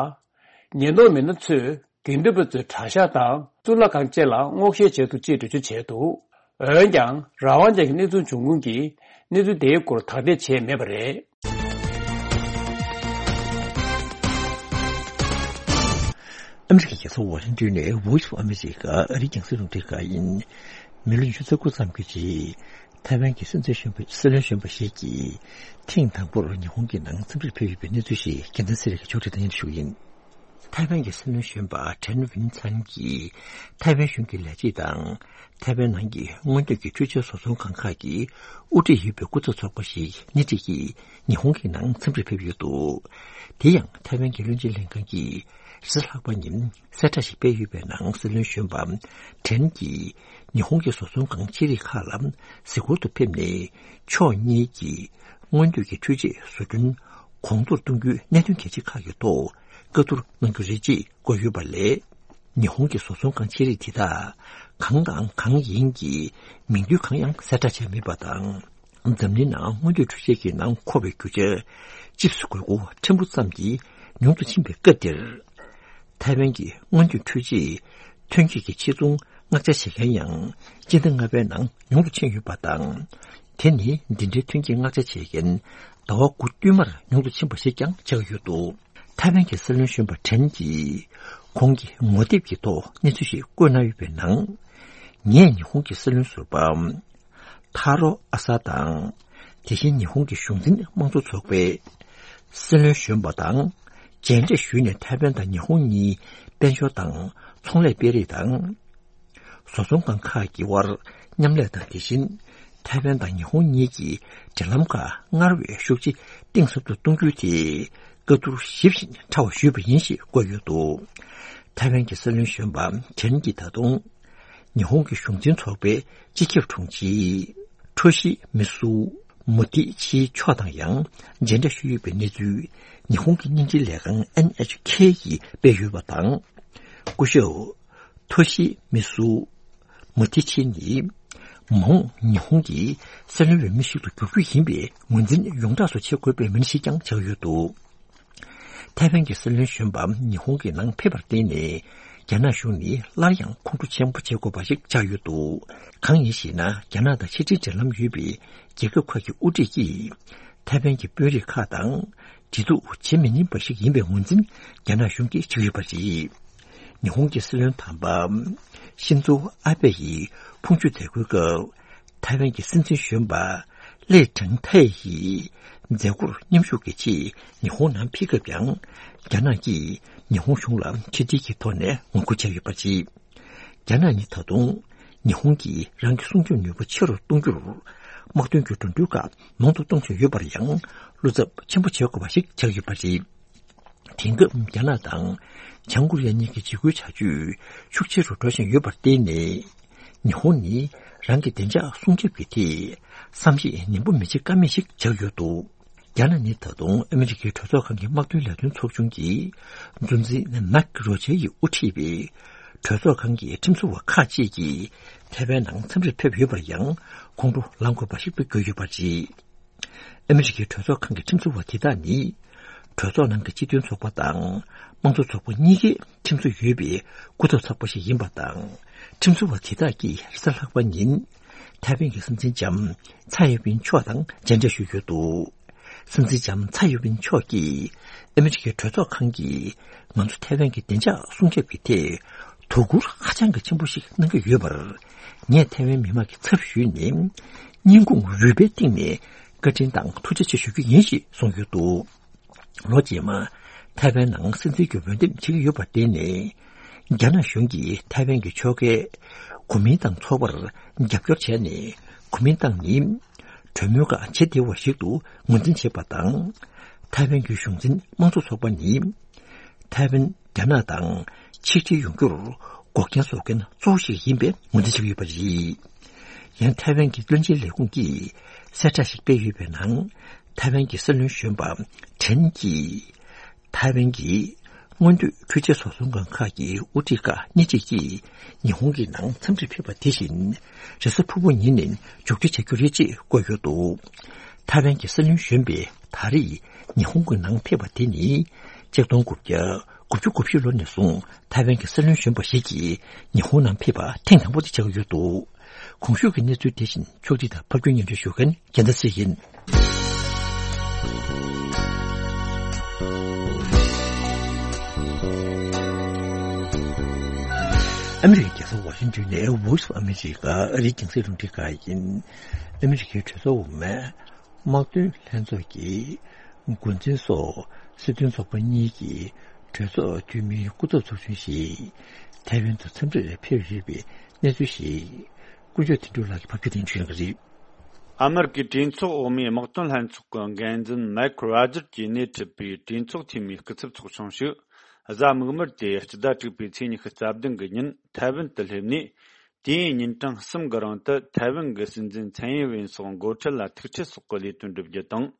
ཉེན་རྟོག་མི་སྣ་ཚོས་དགེ་འདུན་པ་ཚོའི་གྲྭ་ཤག་དང་གཙུག་ལག་ཁང་བཅས་ལ་སྔོག་བཤེར་བྱས་འདུག་ཅེས་འགྲེལ་བརྗོད་བྱས་འདུག་འོན་ཀྱང་རང་དབང་ཅན་གྱི་གནས་ཚུལ་འབྱུང་ཁུངས་ཀྱིས་གནས་ཚུལ་དེའི་སྐོར་དག་ཐེར་བྱས་མེད་པ་རེད། ཨ་མི་རི་ཀའི་རྒྱལ་ས་ཝ་ཤིང་ཏོན་ནས་Voice of America ཨ་རིའི་རྒྱང་སྲིང་རླུང་འཕྲིན་ཁང་ཡིན། མི་ལོ་ཉི་ཤུ་རྩ་དགུ་ཙམ་གྱི་རྗེས། ཐའེ་ཝན་གྱི་སྲིད་འཛིན་གཞོན་པ་སྲིད་བློན་གཞོན་པ་ཞིག་གིས་ཐེངས་དང་པོར་ཉི་ཧོང་གི་ནང་འཚམས་འདྲིར་ཕེབས་ཡོད་པའི་གནས་ཚུལ་ཞིག་རྒྱལ་མཚན་ཚེ་རིང་གིས་ཕྱོགས་སྒྲིག་དང་སྙན་སྒྲོན་ཞུ་གི་ཡིན། ཐའེ་ཝན་གྱི་སྲིད་བློན་གཞོན་པ་ཁྲེན་ཝིན་ཚན་གྱིས་ཐའེ་ཝན་གཞུང་གི་ལས་བྱེད་དང་། ཐའེ་ཝན་ནང་གི་སྔོན་ཐོན་གྱི་འཕྲུལ་ཆས་བཟོ་ཚོང་ཁང་ཁག་གི་དབུ་ཁྲིད་ཡོད་པའི་སྐུ་ཚབ་ཚོགས་པ་ཞིག་སྣེ་ཁྲིད་ཀྱིས་ཉི་ཧོང་གི་ནང་འཚམས་འདྲིར་ཕེབས་ཡོད་འདུག་དེ་ཡང་ཐའེ་ཝན་གྱི་བློན་ཆེན་ལྷན་ཁང་གིས་རེས་གཟའ་ལྷག་པ་ཉིན་གསལ་བསྒྲགས་ཤིག་སྤེལ་ཡོད་པའི་ནང་སྲིད་བློན་གཞོན་པ་ཁྲེན་གྱིས་ཉི་ཧོང་གི་བཟོ་ཚོང་ཁང་ཆེ་རིགས་ཁག་ལ་གཟིགས་སྐོར་དུ་ཕེབས་ནས། ཕྱོགས་གཉིས་ཀྱིས་སྔོན་ཐོན་གྱི་འཕྲུལ་ཆས་བཟོ་སྐྲུན་གོང་མཐོར་གཏོང་རྒྱུའི་གནད་དོན་གལ་ཆེ་ཁག་གི་ཐོག་བཀའ་བསྡུར་གནང་རྒྱུ་རེད་ཅེས་བཀོད་ཡོད་པ་ལས། ཉི་ཧོང་གི་བཟོ་ཚོང་ཁང་ཆེ་རིགས་དེ་དག་གང་དང་གང་ཡིན་གྱི་མིང་བསྡུས་གང་ཡང་གསལ་བསྒྲགས་བྱས་མེད་པ་དང་། འཛམ་གླིང་ནང་སྔོན་ཐོན་འཕྲུལ་ཆས་ཀྱི་ནང་མཁོ་བའི་རྒྱུ་ཆ་ཅིབ་སི་དགོས་མཁོ་ཕྲན་བུ་ཙམ་གྱིས་ཉུང་དུ་ཕྱིན་པའི་སྐབས་འདིར། ཐའེ་ཝན་གྱི་སྔོན་ཐོན་འཕྲུལ་ཆས་ཐོན་སྐྱེད་ཀྱི་ཆེད་ཚོང་མངགས་ཆ་བྱེད་མཁན་ཡང་སྤྱི་ཟླ་ལྔ་པའི་ནང་ཉུང་དུ་ཕྱིན་ཡོད་པ་དང་། དེ་ནི་འདི་འདྲའི་ཐོན་སྐྱེད་མངགས་ཆ་བྱེད་མཁན་ཟླ་བ་དགུ་བསྟུད་མར་ཉུང་དུ་ཕྱིན་པ་ཞིག་ཀྱང་ཆགས་ཡོད་འདུག་ཐའེ་ཝན་གྱི་སྲིད་བློན་གཞོན་པ་ཁྲེན་གྱིས་ཁོང་གི་ངོ་དེབ་ཀྱི་ཐོག་གནས་ཚུལ་ཞིག་བཀོད་གནང་ཡོད་པའི་ནང་། ངས་ཉི་ཧོང་གི་སྲིད་བློན་ཟུར་པ་ཐ་རོ་ཨ་ས་དང་། དེ་བཞིན་ཉི་ཧོང་གི་གཞུང་འཛིན་དམངས་གཙོ་ཚོགས་པའི་སྲིད་བློན་གཞོན་པ་དང་མཇལ་འཕྲད་ཞུས་ནས། ཐའེ་ཝན་དང་ཉི་ཧོང་གཉིས་དཔལ་འབྱོར་དང་ཚོང་ལས་སྤེལ་རེས་དང་། བཟོ་ཚོང་ཁང་ཁག་གི་དབར་མཉམ་ལས་དང་། དེ་བཞིན་ཐའེ་ཝན་དང་ཉི་ཧོང་གཉིས་ཀྱི་འབྲེལ་ལམ་ཁག་སྔར་བས་ཤུགས་ཆེ་གཏིང་ཟབ་ཏུ་གཏོང་རྒྱུ་དེ་བཀའ་བསྡུར་ཞིབ་ཞིང་ཕྲ་བ་ཞུས་པ་ཡིན་ཞེས་བཀོད་ཡོད་འདུག་ཐའེ་ཝན་གྱི་སྲིད་བློན་གཞོན་པ་ཁྲེན་གྱིས་ད་དུང་ཉི་ཧོང་གི་གཞུང་འཛིན་ཚོགས་པའི་སྤྱི་ཁྱབ་དྲུང་ཆེ་ཁྲོ་ཤི་མི་སུ་མུ་ཐི་ཆིའི་མཆོག་དང་ཡང་མཇལ་འཕྲད་ཞུས་ཡོད་པའི་གནས་ཚུལ་ཉི་ཧོང་གི་དབྱིན་ཇིའི་ལས་ཁང་ཨེན་ཨེཆ་ཁེ་ཡིས་སྤེལ་ཡོད་པ་དང་། སྐུ་ཞབས་ཐོ་ཤི་མི་སུ་མུ་ཐི་ཆི་ནི་མ་འོངས་ཉི་ཧོང་གི་སྲིད་བློན་འོས་མི་ཞིག་ཏུ་འགྱུར་རྒྱུ་ཡིན་པའི་ངོས་འཛིན་ཡོངས་གྲགས་སུ་བྱེད་དགོས་པའི་མི་སྣ་ཞིག་ཀྱང་ཆགས་ཡོད་འདུག་ཐའེ་ཝན་གྱི་སྲིད་བློན་གཞོན་པ་ཉི་ཧོང་གི་ནང་ཕེབས་པར་བརྟེན་ནས། རྒྱ་ནག་གཞུང་ནི་སླར་ཡང་ཁོང་ཁྲོ་ཆེན་པོ་བྱེད་དགོས་པ་ཞིག་ཆགས་ཡོད་འདུག་གང་ཡིན་ཞེ་ན། རྒྱ་ནག་དང་ཕྱི་འབྲེལ་འབྲེལ་ལམ་ཡོད་པའི་རྒྱལ་ཁབ་ཁག་གི་དབུ་ཁྲིད་ཀྱིས། ཐའེ་ཝན་གྱི་དཔོན་རིགས་ཁག་དང་འབྲེལ་གཏུག་བྱེད་མི་ཉན་པ་ཞིག་ཡིན་པའི་ངོས་འཛིན་རྒྱ་ནག་གཞུང་གིས་བྱེད་ཀྱི་ཡོད་པ་རེད། ཉི་ཧོང་གི་སྲིད་བློན་དམ་པ་ཤིན་ཛོ་ཨ་བྷེ་ཡིས་ཕུང་མཆོད་མཛད་སྒོའི་སྐབས། ཐའེ་ཝན་གྱི་སྲིད་འཛིན་གཞོན་པ་ལི་ཁྲེང་ཐའེ་ཡིས་མཛད་སྒོར་མཉམ་ཞུགས་ཀྱི་ཆེད་ཉི་ཧོང་ནང་ཕེབས་སྐབས་ཀྱང་། རྒྱ་ནག་གིས་ཉི་ཧོང་གཞུང་ལ་ཕྱི་འབྲེལ་གྱི་ཐོག་ནས་ངོ་རྒོལ་བྱས་ཡོད་པ་རེད། རྒྱ་ནག་ནི་ད་དུང་ཉི་ཧོང་གིས་རང་གི་སྲུང་སྐྱོབ་ནུས་པ་ཆེ་རུ་གཏོང་རྒྱུར་དམག་དོན་གྱི་འགྲོ་གྲོན་ཁག་མང་དུ་གཏོང་བཞིན་ཡོད་པར་ཡང་བློ་འཚབ་ཆེན་པོ་བྱེད་དགོས་པ་ཞིག་ཆགས་ཡོད་པ་རེད། དེང་སྐབས་རྒྱ་ནག་དང་བྱང་ཀོ་རི་ཡ་གཉིས་ཀྱི་འཇིགས་སྐུལ་བྱ་སྤྱོད་ཤུགས་ཆེ་རུ་འགྲོ་བཞིན་ཡོད་པར་བརྟེན་ནས། ཉི་ཧོང་ནི་རང་གི་བདེ་འཇགས་སྲུང་སྐྱོབ་ཀྱི་ཐད་བསམ་ཤེས་ནན་པོ་མི་བྱེད་ཀ་མེད་ཞིག་ཆགས་ཡོད་འདུག་རྒྱ་ནག་ནི་ད་དུང་ཨ་མི་རི་ཀའི་གྲོས་ཚོགས་ཁང་གི་དམག་དོན་ལས་དོན་ཚོགས་ཆུང་གི་གཙོ་འཛིན་མེག་རོ་ཇེ་ཡིས་དབུ་ཁྲིད་པའི་གྲོས་ཚོགས་ཁང་གི་ཁྲིམས་བཟོ་བ་ཁག་ཅིག་གིས་ཐའེ་ཝན་ནང་འཚམས་འདྲིར་ཕེབས་ཡོད་པར་ཡང་ཁོང་ཁྲོ་ལངས་དགོས་པ་ཞིག་ཏུ་གྱུར་ཡོད་པ་རེད། ཨ་མི་རི་ཀའི་གྲོས་ཚོགས་ཁང་གི་ཁྲིམས་བཟོ་བ་དེ་དག་ནི། གྲོས་ཚོགས་ནང་གི་སྤྱི་མཐུན་ཚོགས་པ་དང་དམངས་གཙོ་ཚོགས་པ་གཉིས་ཀས་ཁྲིམས་བཟོ་ཡོད་པའི་སྐུ་ཚབ་ཚོགས་པ་ཞིག་ཡིན་པ་དང་། ཁྲིམས་བཟོ་བ་དེ་དག་གིས་རེས་གཟའ་ལྷག་པ་ཉིན། ཐའེ་ཝན་གྱི་སྲིད་འཛིན་ལྕམ་ཚའེ་ཡིན་ཝིན་མཆོག་དང་མཇལ་འཕྲད་ཞུས་ཡོད་འདུག་སྲིད་འཛིན་ལྕམ་ཚའེ་ཡིན་ཝིན་མཆོག་གིས་ཨ་མི་རི་ཀའི་གྲོས་ཚོགས་ཁང་གིས་ང་ཚོ་ཐའེ་ཝན་གྱི་བདེ་འཇགས་སྲུང་སྐྱོབ་ཀྱི་ཐད་དོ་ཁུར་ཧ་ཅང་གི་ཆེན་པོ་ཞིག་གནང་གི་ཡོད་པར། ངས་ཐའེ་ཝན་མི་མང་གི་ཚབ་ཞུས་ནས་སྙིང་ཁུང་རུས་པའི་གཏིང་ནས་བཀའ་དྲིན་དང་ཐུགས་རྗེ་ཆེ་ཞུ་རྒྱུ་ཡིན་ཞེས་གསུངས་ཡོད་འདུག་ལོ་རྗེས་མ་ཐའེ་ཝན་ནང་སྲིད་འཛིན་གྱི་འོས་འདེམས་བྱེད་ཀྱི་ཡོད་པར་བརྟེན་ནས། རྒྱ་ནག་གཞུང་གིས་ཐའེ་ཝན་གྱི་ཕྱོགས་འགལ་གོ་མིན་ཏང་ཚོགས་པར་རྒྱབ་སྐྱོར་བྱས་ནས། གོ་མིན་ཏང་ནི་གྲོས་མོལ་ཁག་བྱེད་བདེ་བ་ཞིག་ཏུ་ངོས་འཛིན་བྱེད་པ་དང་། ཐའེ་ཝན་གྱི་གཞུང་འཛིན་དམངས་གཙོ་ཚོགས་པ་ནི་ཐའེ་ཝན་རྒྱ་ནག་དང་ཆིག་སྒྲིལ་ཡོང་རྒྱུར་འགོག་རྐྱེན་བཟོ་མཁན་གཙོ་བོ་ཞིག་ཡིན་པའི་ངོས་འཛིན་བྱེད་ཀྱི་ཡོད་པ་རེད། ཡང་ཐའེ་ཝན་གྱི་བློན་ཆེན་ལས་ཁུངས་ཀྱིས་གསལ་བསྒྲགས་ཤིག་སྤེལ་ཡོད་པའི་ནང་། ཐའེ་ཝན་གྱི་སྲིད་བློན་གཞོན་པ་ཁྲེན་གྱིས། ཐའེ་ཝན་གྱི་ སྔོན་དུས་འཕྲུལ་ཆས་བཟོ་ཚོང་ཁང་ཁག་གི་དབུ་ཁྲིད་ཁག་སྣེ་གཅིག་གིས་ཉི་ཧོང་གི་ནང་འཚམས་འདྲིར་ཕེབས་པ་དེ་བཞིན་རེས་གཟའ་ཕུར་བུ་ཉིན་ནས་མཇུག་སྒྲིལ་བྱ་རྒྱུ་རེད་ཅེས་བཀོད་ཡོད་འདུག་ཐའེ་ཝན་གྱི་སྲིད་བློན་གཞོན་པས་ད་རེས་ཉི་ཧོང་གི་ནང་ཕེབས་པ་དེ་ནི་ཆིག་སྟོང་དགུ་བརྒྱ་དགུ་བཅུ་གོ་བཞི་ལོ་ནས་བཟུང་ཐའེ་ཝན་གྱི་སྲིད་བློན་གཞོན་པ་ཞིག་གིས་ཉི་ཧོང་ནང་ཕེབས་པ་ཐེངས་དང་པོ་དེ་ཆགས་ཀྱི་ཡོད་འདུག་གོང་ཞུས་ཀྱི་གནས་ཚུལ་དེ་བཞིན་ཕྱོགས་སྒྲིག་དང་ཕབ་སྒྱུར་སྙན་སྒྲོན་ཞུ་མཁན་རྒྱལ་མཚན་ཚེ་ཡིན། ཨ་མི་རི་ཀའི་རྒྱལ་ས་ཝ་ཤིང་ཏོན་ནས་Voice of America ཨ་རིའི་རྒྱང་སྲིང་རླུང་འཕྲིན་ཁང་ཡིན། ཨ་མི་རི་ཀའི་གྲོས་ཚོགས་འོག་མའི་དམག་དོན་ལྷན་ཚོགས་ཀྱི་འགོ་འཛིན་སོགས་སྲིད་དོན་ཚོགས་པ་གཉིས་ཀྱི་གྲོས་ཚོགས་འཐུས་མིའི་སྐུ་ཚབ་ཚོགས་ཆུང་ཞིག་ཐའེ་ཝན་དུ་འཚམས་འདྲིར་ཕེབས་ཡོད་པའི་གནས་ཚུལ་ཞིག་དཀོན་མཆོག་དོན་གྲུབ་ལགས་ཀྱིས་ཕབ་སྒྱུར་དང་ཞུ་གནང་གི་རེད། ཨ་མེ་རི་ཀའི་གྲོས་ཚོགས་འོག་མའི་དམག་དོན་ལྷན་ཚོགས་ཀྱི་འགན་འཛིན་མའེ་ཁལ་རོ་ཇར་གྱིས་སྣེ་ཁྲིད་པའི་གྲོས་ཚོགས་འཐུས་མིའི་སྐུ་ཚབ་ཚོགས་ཆུང་ཞིག་གཟའ་མིག་དམར་ཏེ་སྤྱི་ཟླ་དྲུག་པའི་ཚེས་ཉི་ཤུ་རྩ་བདུན་གྱི་ཉིན་ཐའེ་ཝན་དུ་སླེབས་ནས། དུས་ཡུན་ཉིན་གྲངས་གསུམ་གྱི་རིང་དུ་ཐའེ་ཝན་གྱི་སྲིད་འཛིན་ཚན་ཡིན་ཝེན་སོགས་འགོ་ཁྲིད་ལ་ཐུག་འཕྲད་སོགས་ཀྱི་ལས་དོན་བསྒྲུབ་རྒྱུ་དང་།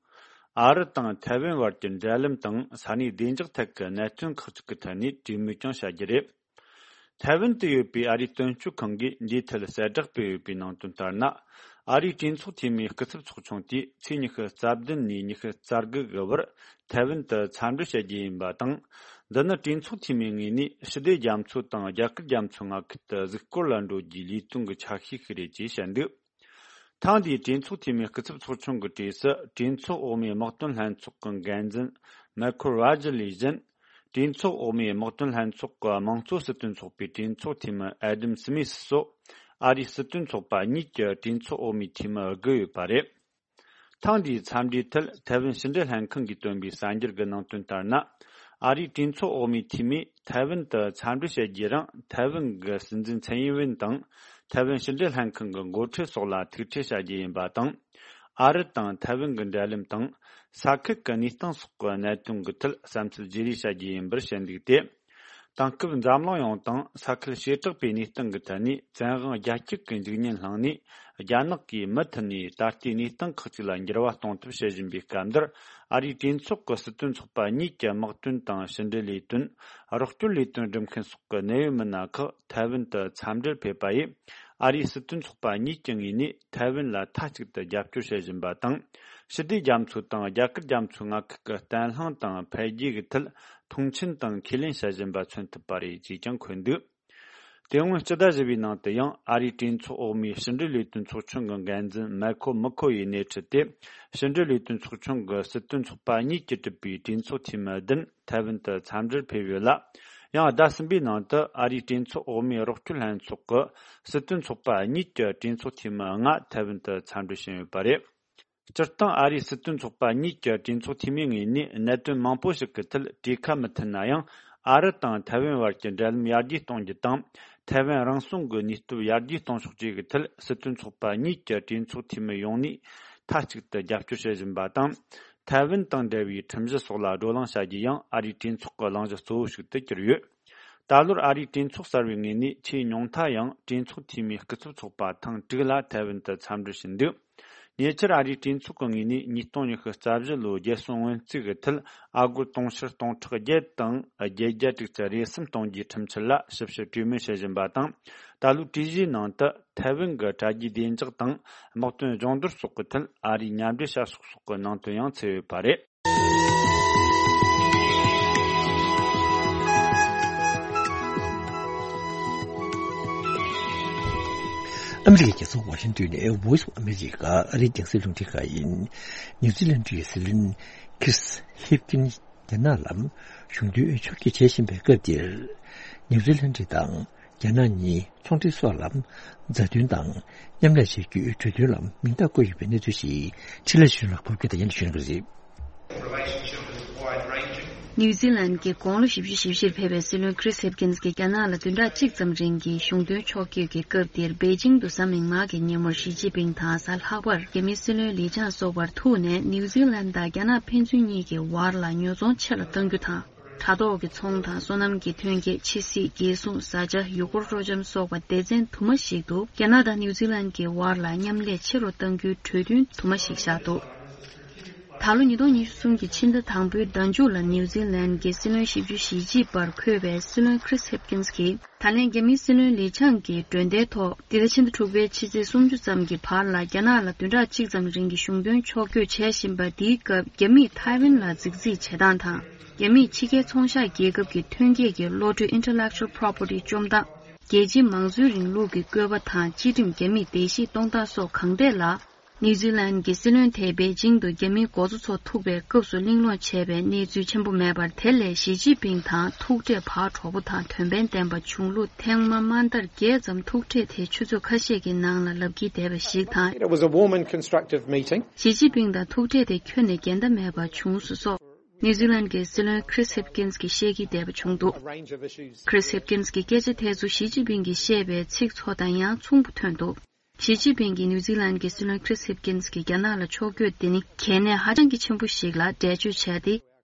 ཨ་རི་དང་ཐའེ་ཝན་བར་གྱི་འབྲེལ་ལམ་དང་ས་གནས་བདེ་འཇགས་ཐད་ཀྱི་གནད་དོན་ཁག་ཅིག་གི་ཐད་ནས་གྲོས་མོལ་ཀྱང་བྱ་རྒྱུ་རེད། ཐའེ་ཝན་དུ་ཡོད་པའི་ཨ་རིའི་དོན་གཅོད་ཁང་གིས་འདིའི་ཐད་གསལ་བསྒྲགས་སྤེལ་ཡོད་པའི་ནང་དོན་ལྟར་ན། ཨ་རིའི་གྲོས་ཚོགས་འཐུས་མིའི་སྐུ་ཚབ་ཚོགས་ཆུང་དེས་ཚེས་ཉི་ཤུ་རྩ་བདུན་ནས་ཉི་ཤུ་རྩ་དགུ་གི་བར་ཐའེ་ཝན་དུ་འཚམས་འདྲི་བྱ་རྒྱུ་ཡིན་པ་དང་། འདི་ནི་གྲོས་ཚོགས་འཐུས་མིའི་ངོས་ནས་ཞི་བདེ་རྒྱ་མཚོ་དང་རྒྱ་གར་རྒྱ་མཚོའི་མངའ་ཁུལ་དུ་གཟིགས་སྐོར་ལ་འགྲོ་རྒྱུའི་ལས་དོན་གྱི་ཆ་ཤས་ཤིག་རེད་ཅེས་བཤད་འདུག་ཐེངས་འདིའི་གྲོས་ཚོགས་འཐུས་མིའི་སྐུ་ཚབ་ཚོགས་ཆུང་གི་གྲས་སུ་གྲོས་ཚོགས་འོག་མའི་དམག་དོན་ལྷན་ཚོགས་ཀྱི་འགན་འཛིན་མའེ་ཁལ་རོ་ཇར་ལས་གཞན། གྲོས་ཚོགས་འོག་མའི་དམག་དོན་ལྷན་ཚོགས་ཀྱི་དམངས་གཙོ་སྲིད་དོན་ཚོགས་པའི་གྲོས་ཚོགས་འཐུས་མི་ཨེ་ཌམ་སི་མིས་སོགས་ཨ་རིའི་སྲིད་དོན་ཚོགས་པ་གཉིས་ཀྱི་གྲོས་ཚོགས་འོག་མའི་འཐུས་མི་དགུ་ཡོད་པ་རེད། ཐེངས་འདིའི་འཚམས་འདྲིའི་ཐད་ཐའེ་ཝན་ཕྱི་འབྲེལ་ལྷན་ཁང་གིས་བཏོན་པའི་གསར་འགྱུར་གྱི་ནང་དོན་ལྟར་ན། ཨ་རིའི་གྲོས་ཚོགས་འོག་མའི་འཐུས་མིས་ཐའེ་ཝན་དུ་འཚམས་འདྲི་བྱེད་རྒྱུའི་རིང་ཐའེ་ཝན་གྱི་སྲིད་འཛིན་ཚན་ཡིན་ཝེན་དང་། ཐའེ་ཝན་ཕྱི་འབྲེལ་ལྷན་ཁང་གི་འགོ་ཁྲིད་སོགས་ལ་ཐུག་འཕྲད་བྱ་རྒྱུ་ཡིན་པ་དང་། ཨ་རི་དང་ཐའེ་ཝན་གྱི་འབྲེལ་ལམ་དང་། ས་ཁུལ་གྱི་གནས་སྟངས་སོགས་ཀྱི་གནད་དོན་གྱི་ཐད་བསམ་ཚུལ་བརྗེ་རེས་བྱ་རྒྱུ་ཡིན་པར་བཤད་འདུག་སྟེ། དེང་སྐབས་འཛམ་གླིང་ཡོངས་དང་ས་ཁུལ་བྱེ་བྲག་པའི་གནས་སྟངས་ཀྱི་ཐད་ནས་བཙན་དབང་རྒྱ་སྐྱེད་ཀྱི་འཇིག་ཉེན་བསླངས་ནས། རྒྱ་ནག་གིས་མུ་མཐུད་ནས་ད་ལྟའི་གནས་སྟངས་ཁག་ཅིག་ལ་འགྱུར་བ་གཏོང་ཐབས་བྱེད་བཞིན་པའི་སྐབས་འདིར། ཨ་རིའི་གྲོས་ཚོགས་ཀྱི་སྲིད་དོན་ཚོགས་པ་གཉིས་ཀྱི་དམག་དོན་དང་ཕྱི་འབྲེལ་ལས་དོན། རོགས་སྐྱོར་ལས་དོན་སྒྲུབ་མཁན་སོགས་ཀྱི་གནད་ཡོད་མི་སྣ་ཁག་ཐའེ་ཝན་དུ་འཚམས་འདྲིར་ཕེབས་པ་ཡིས། ཨ་རིའི་སྲིད་དོན་ཚོགས་པ་གཉིས་ཀྱི་ངོས་ནས་ཐའེ་ཝན་ལ་མཐའ་གཅིག་ཏུ་རྒྱབ་སྐྱོར་བྱེད་བཞིན་པ་དང་། ཞི་བདེ་རྒྱ་མཚོ་དང་རྒྱ་གར་རྒྱ་མཚོའི་མངའ་ཁུལ་གྱི་བརྟན་ལྷིང་དང་འཕེལ་རྒྱས་ཀྱི་ཐད་མཐོང་ཆེན་དང་ཁས་ལེན་བྱེད་བཞིན་པ་མཚོན་ཐུབ་པ་རེད་ཅེས་ཀྱང་འཁོད་འདུག་དེ་སྔོན་སྤྱི་ཟླ་བཞི་པའི་ནང་དུ་ཡང་ཨ་རིའི་གྲོས་ཚོགས་འོག་མའི་ཕྱི་འབྲེལ་ལས་དོན་ཚོགས་ཆུང་གི་འགན་འཛིན་མའེ་ཁོ་མི་ཁོ་ཡིས་སྣེ་ཁྲིད་དེ། ཕྱི་འབྲེལ་ལས་དོན་ཚོགས་ཆུང་གི་སྲིད་དོན་ཚོགས་པ་གཉིས་ཀྱིས་གྲུབ་པའི་གྲོས་ཚོགས་འཐུས་མི་བདུན་ཐའེ་ཝན་དུ་འཚམས་འདྲིར་ཕེབས་ཡོད་ལ། ཡང་ཟླ་གསུམ་པའི་ནང་དུ་ཨ་རིའི་གྲོས་ཚོགས་འོག་མའི་རོགས་སྐྱོར་ལྷན་ཚོགས་ཀྱི་སྲིད་དོན་ཚོགས་པ་གཉིས་ཀྱི་གྲོས་ཚོགས་འཐུས་མི་ལྔ་ཐའེ་ཝན་དུ་འཚམས་འདྲིར་ཕྱིན་ཡོད་པ་རེད། སྤྱིར་བཏང་ཨ་རིའི་སྲིད་དོན་ཚོགས་པ་གཉིས་ཀྱི་གྲོས་ཚོགས་འཐུས་མིའི་ངོས་ནས་གནད་དོན་མང་པོ་ཞིག་གི་ཐད་གྲོས་ཁ་མི་མཐུན་ན་ཡང་། ཨ་རི་དང་ཐའེ་ཝན་བར་གྱི་འབྲེལ་ལམ་ཡར་རྒྱས་གཏོང་རྒྱུ་དང་། ཐའེ་ཝན་རང་སྲུང་གི་ནུས་སྟོབས་ཡར་རྒྱས་གཏོང་ཕྱོགས་བཅས་ཀྱི་ཐད་སྲིད་དོན་ཚོགས་པ་གཉིས་ཀྱི་གྲོས་ཚོགས་འཐུས་མི་ཡོངས་ནས་མཐའ་གཅིག་ཏུ་རྒྱབ་སྐྱོར་བྱེད་བཞིན་པ་དང་། ཐའེ་ཝན་དང་འབྲེལ་བའི་ཁྲིམས་གཞི་སོགས་ལ་བགྲོ་གླེང་བྱ་རྒྱུ་ཡང་ཨ་རིའི་གྲོས་ཚོགས་ཀྱི་གླེང་གཞི་གཙོ་བོ་ཞིག་ཏུ་གྱུར་ཡོད། ད་ལོར་ཨ་རིའི་གྲོས་ཚོགས་གསར་བའི་ངོས་ནས་ཆེས་ཉུང་མཐའ་ཡང་གྲོས་ཚོགས་འཐུས་མིའི་སྐུ་ཚབ་ཚོགས་པ་ཐེངས་དྲུག་ལ་ཐའེ་ཝན་དུ་འཚམས་འདྲི་ཞུས་འདུག་ཉེ་ཆར་ཨ་རིའི་གྲོས་ཚོགས་ཀྱི་ངོས་ནས་ཉིས་སྟོང་ཉི་ཤུ་རྩ་བཞི་ལོའི་རྒྱལ་སྲུང་སྔོན་རྩིས་ཀྱི་ཐད་ཨ་སྒོར་དུང་ཕྱུར་སྟོང་ཕྲག་བརྒྱད་དང་བརྒྱད་བརྒྱ་དྲུག་ཅུ་རེ་གསུམ་གཏོང་རྒྱུའི་ཁྲིམས་འཆར་ལ་ཞིབ་བཤེར་གྲོས་མོལ་བྱེད་བཞིན་པ་དང་། ད་ལོའི་གྲོས་གཞིའི་ནང་དུ་ཐའེ་ཝན་གྱི་དྲ་རྒྱའི་བདེ་འཇགས་དང་དམག་དོན་སྦྱོང་བརྡར་སོགས་ཀྱི་ཐད་ཨ་རིའི་མཉམ་འབྲེལ་བྱ་ཕྱོགས་སོགས་ཀྱི་ནང་དོན་ཡང་ཚུད་ཡོད་པ་རེད། ཨ་མི་རི་ཀའི་རྒྱལ་ས་ཝ་ཤིང་ཏོན་ནས་Voice of America ཨ་རིའི་རྒྱང་སྲིང་རླུང་འཕྲིན་ཁང་ཡིན། ནིའུ་ཛི་ལན་གྱི་སྲིད་བློན་Chris Hipkins རྒྱ་ནག་ལ་གཞུང་དོན་ཕྱོགས་བསྐྱོད་བྱེད་བཞིན་པའི་སྐབས་འདིར། ནིའུ་ཛི་ལན་དང་རྒྱ་ནག་གཉིས་ཚོང་འབྲེལ་སོགས་ལ་མཛའ་མཐུན་དང་མཉམ་ལས་བྱེད་རྒྱུའི་གྲོས་མཐུན་ལ་མིང་རྟགས་བཀོད་ཡོད་པའི་གནས་ཚུལ་ཞིག་འཕྲིན་ལས་ཆོས་ལ་ཕབ་སྒྱུར་དང་ཡང་ཞུ་གནང་གི་རེད། ནིའུ་ཛི་ལན་གྱི་དགུང་ལོ་བཞི་བཅུ་ཞེ་བཞིར་ཕེབས་པའི་སྲིད་བློན་Chris Hipkins གྱིས་རྒྱ་ནག་ལ་བདུན་ཕྲག་གཅིག་ཙམ་རིང་གི་གཞུང་དོན་ཕྱོགས་བསྐྱོད་ཀྱི་སྐབས་འདིར་པེ་ཅིང་དུ་གཟའ་མིག་དམར་གྱི་ཉིན་མོར་ཞི་ཅིན་ཕིང་དང་གཟའ་ལྷག་པར་རྒྱ་མིའི་སྲིད་བློན་ལི་ཅང་སོགས་པར་ཐུག་ནས་ནིའུ་ཛི་ལན་དང་རྒྱ་ནག་ཕན་ཚུན་གཉིས་ཀྱི་བར་ལ་ཉོ་ཚོང་ཆེ་རུ་གཏང་རྒྱུ་དང་། དྲ་ཐོག་གི་ཚོང་དང་སོ་ནམ་གྱི་ཐོན་སྐྱེད། ཕྱི་སྲིད། རྒྱལ་སྲུང་། བཟའ་བཅའ། ཡུལ་སྐོར་སྤྲོ་འཆམ་སོགས་པ་སྡེ་ཚན་དུ་མ་ཞིག་ཏུ་རྒྱ་ནག་དང་ནིའུ་ཛི་ལན་གྱི་བར་ལ་མཉམ་ལས་ཆེ་རུ་གཏང་རྒྱུའི་གྲོས་མཐུན་དུ་མ་ཞིག་བཞག་འདུག་ད་ལོ་ཉིས་སྟོང་ཉི་ཤུ་གསུམ་གྱི་ཕྱི་ཟླ་དང་པོའི་ཟླ་མཇུག་ལ་ནིའུ་ཛི་ལན་གྱི་སྲིད་བློན་བཞི་བཅུ་ཞེ་གཅིག་པར་འཁོད་པའི་སྲིད་བློན་Chris Hipkins་གྱིས་ད་ལན་རྒྱ་མིའི་སྲིད་བློན་ལི་ཆང་གི་མགྲོན་བརྡའི་ཐོག་འདི་ཟླ་ཕྱི་ཟླ་དྲུག་པའི་ཕྱི་ཚེས་སུམ་ཅུ་ཙམ་གྱི་བར་ལ་རྒྱ་ནག་ལ་བདུན་ཕྲག་གཅིག་ཙམ་རིང་གི་གཞུང་དོན་ཕྱོགས་བསྐྱོད་བྱེད་བཞིན་པ་འདིའི་སྐབས་རྒྱ་མིས་ཐའེ་ཝན་ལ་རྫིག་རྫིག་བྱེད་སྟངས་དང་། རྒྱ་མིས་ཕྱི་རྒྱལ་ཚོང་ཤག་རྒྱལ་ཁབ་ཀྱི་ཐོན་སྐྱེད་ཀྱི་བློ་གྲོས་Intellectual Property་བཅོམ་སྟངས། རྒྱལ་སྤྱིའི་མང་གཙོའི་རིང་ལུགས་ཀྱི་བཀོད་པ་དང་སྤྱི་ཁྲིམས་རྒྱ་མིས་བརྡལ་བཤིག་གཏོང་སྟངས་སོགས་གང་ཐད་ལ། ནིའུ་ཛི་ལན་གྱི་སྲིད་བློན་དེས་པེ་ཅིང་དུ་རྒྱ་མིའི་འགོ་གཙོ་ཚོ་ཐུག་པའི་སྐབས་སུ་གླེང་སློང་བྱས་པའི་གནས་ཚུལ་ཆེན་པོ་མེད་པར། དེ་ལས་ཞི་ཅིན་ཕིང་དང་ཐུག་འཕྲད་བག་གྲོགས་པོ་དང་དོན་ཕན་ལྡན་པ་བྱུང་ལུགས། ཐེངས་མ་མ་ལྟར་བརྒྱད་ཙམ་ཐུག་འཕྲད་དེ་ཆུ་ཚོད་ཁ་ཤས་ཀྱི་ནང་ལ་ལབ་ཀྱིན་བསྡད་པ་ཞིག་དང་། It was a warm and constructive meeting. ཞི་ཅིན་ཕིང་དང་ཐུག་འཕྲད་དེ་ཁྱོན་ནས་འགལ་ཟླ་མེད་པ་བྱུང་སོང་སོགས། ནིའུ་ཛི་ལན་གྱི་སྲིད་བློན་Chris Hipkins་གྱིས་བཤད་ཀྱིན་བསྡད་པ་བྱུང་འདུག A range of issues. Chris Hipkins་གྱི་སྐད་ཆ་དེ་ཚོ་ཞི་ཅིན་ཕིང་གིས་བཤད་པའི་ཚིག་ཚོ་དང་ཡང་མཚུངས་པོ་ཐོན་འདུག་ཞི་ཅིན་ཕིང་གིས་ནིའུ་ཛི་ལན་གྱི་སྲིད་བློན་Chris Hipkins་གྱིས་རྒྱ་ནག་ལ་ཕྱོགས་བསྐྱོད་དེ་ནི་གལ་གནད་ཧ་ཅང་གི་ཆེན་པོ་ཞིག་ལ་འགྲེལ་བརྗོད་བྱས་ཏེ།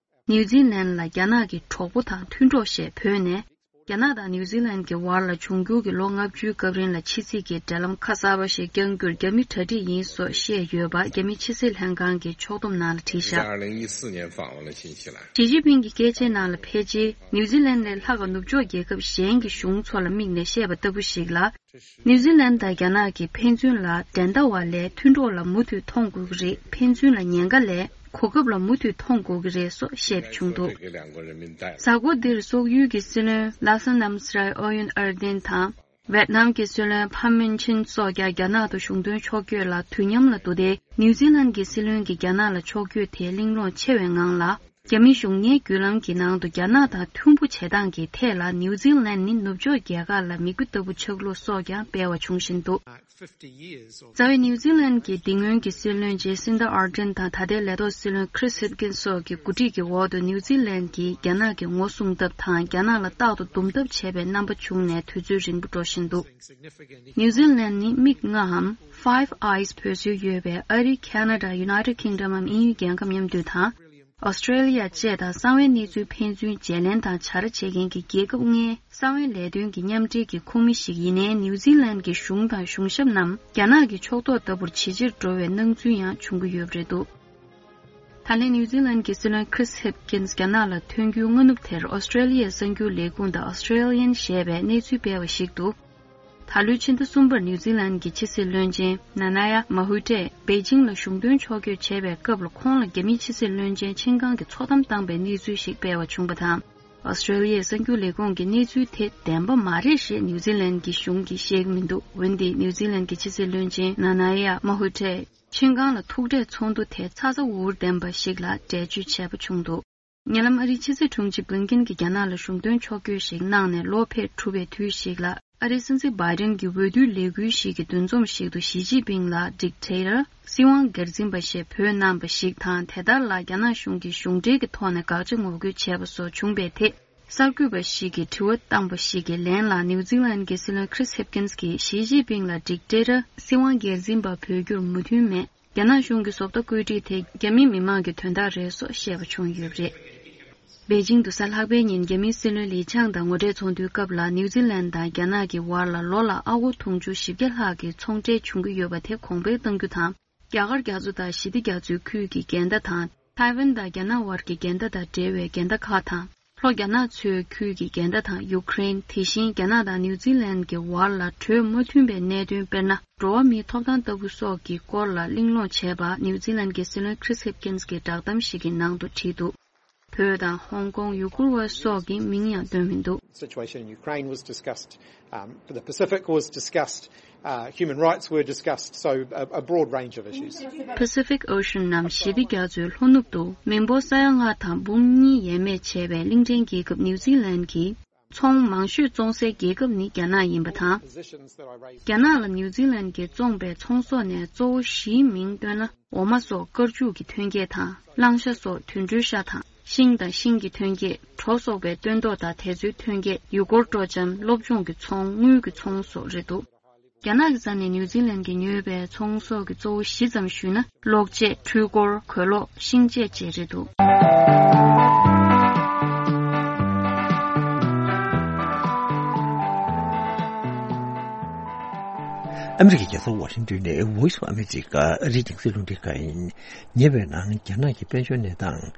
ནིའུ་ཛི་ལན་ལ་རྒྱ་ནག་གི་གྲོགས་པོ་དང་མཐུན་གྲོགས་ཞེས་བོས་ནས། རྒྱ་ནག་དང་ནིའུ་ཛི་ལན་གྱི་བར་ལ་འབྱུང་འགྱུར་གྱི་ལོ་ལྔ་བཅུའི་སྐབས་རིང་ལ་ཕྱི་སྲིད་ཀྱི་འབྲེལ་ལམ་ཁ་གསར་པ་ཞིག་བསྐྱང་རྒྱུར་རྒྱ་མི་གྲ་སྒྲིག་ཡིན་སོགས་བཤད་ཡོད་པ་རྒྱ་མིའི་ཕྱི་སྲིད་ལྷན་ཁང་གི་ཕྱོགས་བསྡོམས་ནང་ལ་བྲིས་བཞག 二零一四年访问了新西兰。 ཞི་ཅིན་ཕིང་གི་སྐད་ཆའི་ནང་ལ་ཕལ་ཆེར་ནིའུ་ཛི་ལན་ལས་ལྷག་ག་ནུབ་ཕྱོགས་རྒྱལ་ཁབ་གཞན་གྱི་གཞུང་ཚོ་ལ་དམིགས་ནས་བཤད་པ་ལྟ་བུ་ཞིག་ལ། ནིའུ་ཛི་ལན་དང་རྒྱ་ནག་གི་ཕན་ཚུན་ལ་འགྲན་ཟླ་བ་ལས་མཐུན་གྲོགས་ལ་མུ་མཐུད་མཐོང་དགོས་ཀྱི་རེད། ཕན་ཚུན་ལ་ཉེན་ཁ་ལས་གོ་སྐབས་ལ་མུ་མཐུད་མཐོང་དགོས་ཀྱི་རེད་སོགས་བཤད་པ་བྱུང་འདུག 给两国人民带来。 གཟའ་འཁོར་འདིར་སོག་ཡུལ་གྱི་སྲིད་བློན་ལ་ས་ནམ་སི་རའི་ཨོ་ཡོན་ཨར་ཏེན་དང་། ཝེད་ནམ་གྱི་སྲིད་བློན་ཕམ་མིན་ཆིན་སོགས་ཀྱང་རྒྱ་ནག་ཏུ་གཞུང་དོན་ཕྱོགས་བསྐྱོད་ལ་དུས་མཉམ་ལ་འདུག་སྟེ། ནིའུ་ཛི་ལན་གྱི་སྲིད་བློན་གྱིས་རྒྱ་ནག་ལ་ཕྱོགས་བསྐྱོད་དེ་གླེང་སློང་ཆེ་བའི་ངང་ལ། རྒྱ་མི་གཞུང་ངའི་བརྒྱུད་ལམ་གྱི་ནང་དུ་རྒྱ་ནག་དང་མཐུན་པོ་བྱེད་སྟངས་ཀྱི་ཐད་ལ་ནིའུ་ཛི་ལན་ནི་ནུབ་ཕྱོགས་རྒྱལ་ཁག་ལ་མིག་དཔེ་ལྟ་བུ་ཆགས་ལུགས་སོགས་ཀྱང་སྤེལ་བ་བྱུང་བཞིན་འདུག་རྩ་བའི་ནིའུ་ཛི་ལན་གྱི་དེ་སྔོན་གྱི་སྲིད་བློན་ཇེ་སིན་ད་ཨར་ཏྲན་དང་ད་ལྟའི་ལས་ཐོག་སྲིད་བློན་ཁྲིས་ཧིབ་ཀིན་སོགས་ཀྱི་གོ་སྒྲིག་གི་འོག་ཏུ་ནིའུ་ཛི་ལན་གྱིས་རྒྱ་ནག་གི་ངོ་སྲུང་ཐབས་དང་རྒྱ་ནག་ལ་རྟག་ཏུ་རྡུང་ཐབས་བྱས་པའི་རྣམ་པ་བྱུང་ནས་དུས་ཚོད་རིང་པོ་འགྲོ་བཞིན་འདུག་ནིའུ་ཛི་ལན་ནི་མིག་ལྔའམ་Five Eyes་བོད་སྲོལ་ཡོད་པའི་ཨ་རི། ཁ་ན་ཌ། United Kingdom་འམ་དབྱིན་ཡུལ་རྒྱལ་ཁབ་མཉམ་འདུས་དང་། ཨོ་སི་ཀྲེ་ལི་ཡ་བཅས་དང་གསང་བའི་གནས་ཚུལ་ཕན་ཚུན་བརྗེ་ལེན་དང་བྱ་ར་བྱེད་མཁན་གྱི་རྒྱལ་ཁབ་ལྔའི་གསང་བའི་ལས་དོན་གྱི་མཉམ་འབྲེལ་གྱི་ཁོངས་མི་ཞིག་ཡིན་ནའི་ནིའུ་ཛི་ལན་གྱི་གཞུང་དང་གཞུང་ཞབས་རྣམས་རྒྱ་ནག་གི་ཕྱོགས་གཏོགས་ལྟ་བུར་ཇེ་ཆེར་འགྲོ་བའི་སྣང་ཚུལ་ཡང་བྱུང་གི་ཡོད་པ་རེད་འདུག་ད་ལན་ནིའུ་ཛི་ལན་གྱི་སྲིད་བློན་ཁྲིས་ཧིབ་ཀིན་རྒྱ་ནག་ལ་ཐོན་རྒྱུའི་སྔ་ནུབ་དེར་ཨོ་སི་ཀྲེ་ལི་ཡའི་གསར་འགྱུར་ལས་ཁུངས་དང་Australian་ཞེས་པས་གནས་ཚུལ་སྤེལ་བ་ཞིག་ཏུ། ད་ལོའི་ཕྱི་ཟླ་གསུམ་པར་ནིའུ་ཛི་ལན་གྱི་ཕྱི་སྲིད་བློན་ཆེན་ན་ན་ཡ་མ་ཧུ་ཏྲས་པེ་ཅིང་ལ་གཞུང་དོན་ཕྱོགས་བསྐྱོད་བྱས་པའི་སྐབས་ལ་ཁོང་ལ་རྒྱ་མིའི་ཕྱི་སྲིད་བློན་ཆེན་ཆིན་ཀང་གིས་འཚོ་གཏམ་བཏང་པའི་གནས་ཚུལ་ཞིག་སྤེལ་བ་བྱུང་བ་དང་། ཨོ་སི་ཀྲེ་ལི་ཡའི་གསར་འགྱུར་ལས་ཁུངས་ཀྱིས་གནས་ཚུལ་དེ་བདེན་པ་མ་རེད་ཞེས་ནིའུ་ཛི་ལན་གྱི་གཞུང་གིས་བཤད་ཀྱི་མི་འདུག་འོན་ཏེ་ནིའུ་ཛི་ལན་གྱི་ཕྱི་སྲིད་བློན་ཆེན་ན་ན་ཡ་མ་ཧུ་ཏྲས་ཆིན་ཀང་ལ་ཐུག་འཕྲད་ཚོགས་འདུ་དེ་ཚ་ཚ་འུར་འུར་ལྡན་པ་ཞིག་ལ་འགྲེལ་བརྗོད་བྱས་པ་བྱུང་འདུག་ཉེ་ལམ་ཨ་རིའི་ཕྱི་སྲིད་དྲུང་ཆེ་བྷིན་ཀིན་གྱིས་རྒྱ་ནག་ལ་གཞུང་དོན་ཕྱོགས་བསྐྱོད་ཞིག་གནང་ནས་ལོ་ཕེབས་གྲུབ་པའི་དུས་ཤིག་ལ། ཨ་རིའི་སྲིད་འཛིན་བྷའི་ཏིན་གྱི་འོས་བསྡུའི་ལས་འགུལ་ཞིག་གི་འདུ་འཛོམས་ཤིག་ཏུ་ཞི་ཅིན་ཕིང་ལ་Dictator། སྲིད་དབང་སྒེར་འཛིན་པ་ཞེས་འབོད་གནང་བ་ཞིག་དང་། དེ་ལྟར་ལ་རྒྱ་ནག་གཞུང་གིས་གཞུང་འབྲེལ་གྱི་ཐོག་ནས་དགག་བྱ་ངོ་རྒོལ་བྱས་པ་སོགས་བྱུང་བའི་ཐད། གསར་འགོད་པ་ཞིག་གིས་དྲི་བ་བཏང་བ་ཞིག་གི་ལན་ལ། ནིའུ་ཛི་ལན་གྱི་སྲིད་བློན་ཁྲིས་ཧིབ་ཀིན་གྱིས་ཞི་ཅིན་ཕིང་ལ་Dictator། སྲིད་དབང་སྒེར་འཛིན་པ་འབོད་རྒྱུར་མོས་མཐུན་མེད། རྒྱ་ནག་གཞུང་གི་བཟོ་ལྟ་བཀོད་སྒྲིག་དེ་རྒྱ་མིའི་མི་མང་གི་དོན་དག་རེད་སོགས་བཤད་པ་བྱུང་ཡོད་པ་རེད། པེ་ཅིང་དུ་གཟའ་ལྷག་པའི་ཉིན་རྒྱ་མིའི་སྲིད་བློན་ལི་ཆང་དང་ངོ་འཕྲད་ཚོགས་འདུའི་སྐབས་ལ། ནིའུ་ཛི་ལན་དང་རྒྱ་ནག་གི་བར་ལ་ལོ་ལ་ཨ་སྒོར་དུང་ཕྱུར་བཞི་བརྒྱ་ལྷག་གི་ཚོང་འབྲེལ་བྱུང་གི་ཡོད་པ་དེ་གོང་འཕེལ་གཏང་རྒྱུ་དང་། རྒྱ་གར་རྒྱ་མཚོ་དང་ཞི་བདེ་རྒྱ་མཚོའི་ཁུལ་གྱི་འགལ་ཟླ་དང་། ཐའེ་ཝན་དང་རྒྱ་ནག་བར་གྱི་འགལ་ཟླ་དང་འབྲེལ་བའི་འགལ་ཟླ་ཁག་དང་། ལྷོ་རྒྱ་ནག་མཚོའི་ཁུལ་གྱི་འགལ་ཟླ་དང་། ཡུ་ཀེ་རེན། དེ་བཞིན་རྒྱ་ནག་དང་ནིའུ་ཛི་ལན་གྱི་བར་ལ་གྲོས་མ་མཐུན་པའི་གནད་དོན། དཔེར་ན། འགྲོ་བ་མིའི་ཐོབ་ཐང་ལྟ་བུ་སོགས་ཀྱི་སྐོར་ལ་གླེང་སློང་བྱས་པ། ནིའུ་ཛི་ལན་གྱི་སྲིད་བློན་ཁྲིས་ཧིབ་ཀིན་གྱིས་བསྒྲགས་གཏམ་ཞིག་གི་ནང་དུ་བྲིས་འདུག་བོད་དང་ཧོང་ཀོང་། ཡུ་གུར་བ་སོགས་ཀྱི་མིང་ཡང་བཏོན་མི་འདུག Situation in Ukraine was discussed. Um, the Pacific was discussed. Uh, human rights were discussed. So a, a broad range of issues. Pacific Ocean ནམ་ཞི་བདེ་རྒྱ་མཚོའི་ལྷོ་ནུབ་ཏུ་མི་འབོར་ས་ཡ་ལྔ་དང་འབུམ་གཉིས་ཡས་མས་བྱས་པའི་གླིང་ཕྲན་རྒྱལ་ཁབ་ནིའུ་ཛི་ལན་གྱི་ཚོང་མང་ཤོས་བཙོང་སའི་རྒྱལ་ཁབ་ནི་རྒྱ་ནག་ཡིན་པ་དང་། རྒྱ་ནག་ལ་ནིའུ་ཛི་ལན་གྱིས་བཙོངས་པའི་ཚོང་ཟོག་ནས་གཙོ་བོ་བཞིའི་མིང་བཏོན་ན། འོ་མ་སོགས་དཀར་ཆུ་གི་ཐོན་སྐྱེད་དང་། གླང་ཤ་སོགས་དུད་འགྲོའི་ཤ་དང་། ཤིང་དང་ཤིང་གི་ཐོན་སྐྱེད། གྲོ་སོགས་པའི་སྟོན་ཐོག་དང་དེ་ཚོའི་ཐོན་སྐྱེད། ཡུལ་སྐོར་སྤྲོ་འཆམ། སློབ་སྦྱོང་གི་ཚོང་། དངུལ་གྱི་ཚོང་སོགས་རེད་འདུག་རྒྱ་ནག་གི་རྩ་ནས་ནིའུ་ཛི་ལན་གྱིས་ཉོས་པའི་ཚོང་ཟོག་གི་གཙོ་བོ་བཞི་ཙམ་ཞུས་ན། གློག་ཆས། འཕྲུལ་འཁོར། གོས་ལོག་ཤིང་ཆས་བཅས་རེད་འདུག་ཨ་མི་རི་ཀའི་རྒྱལ་ས་ཝ་ཤིང་ཏོན་ནས་Voice of America ཨ་རིའི་རྒྱང་སྲིང་རླུང་འཕྲིན་ཁང་ཡིན། ཉེ་བའི་ནང་རྒྱ་ནག་གི་དཔལ་འབྱོར་གནས་སྟངས་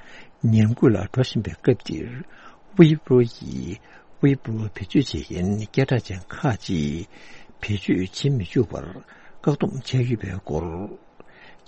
ཉམས་རྒུད་ལ་འགྲོ་བཞིན་པའི་སྐབས་འདིར། ཝི་པོ་ཡི་ཝི་པོ་བེད་སྤྱོད་བྱེད་མཁན་སྐད་གྲགས་ཅན་ཁག་ཅིག་བེད་སྤྱོད་བྱེད་མི་བཅུག་པར་བཀག་སྡོམ་བྱས་ཡོད་པའི་སྐོར།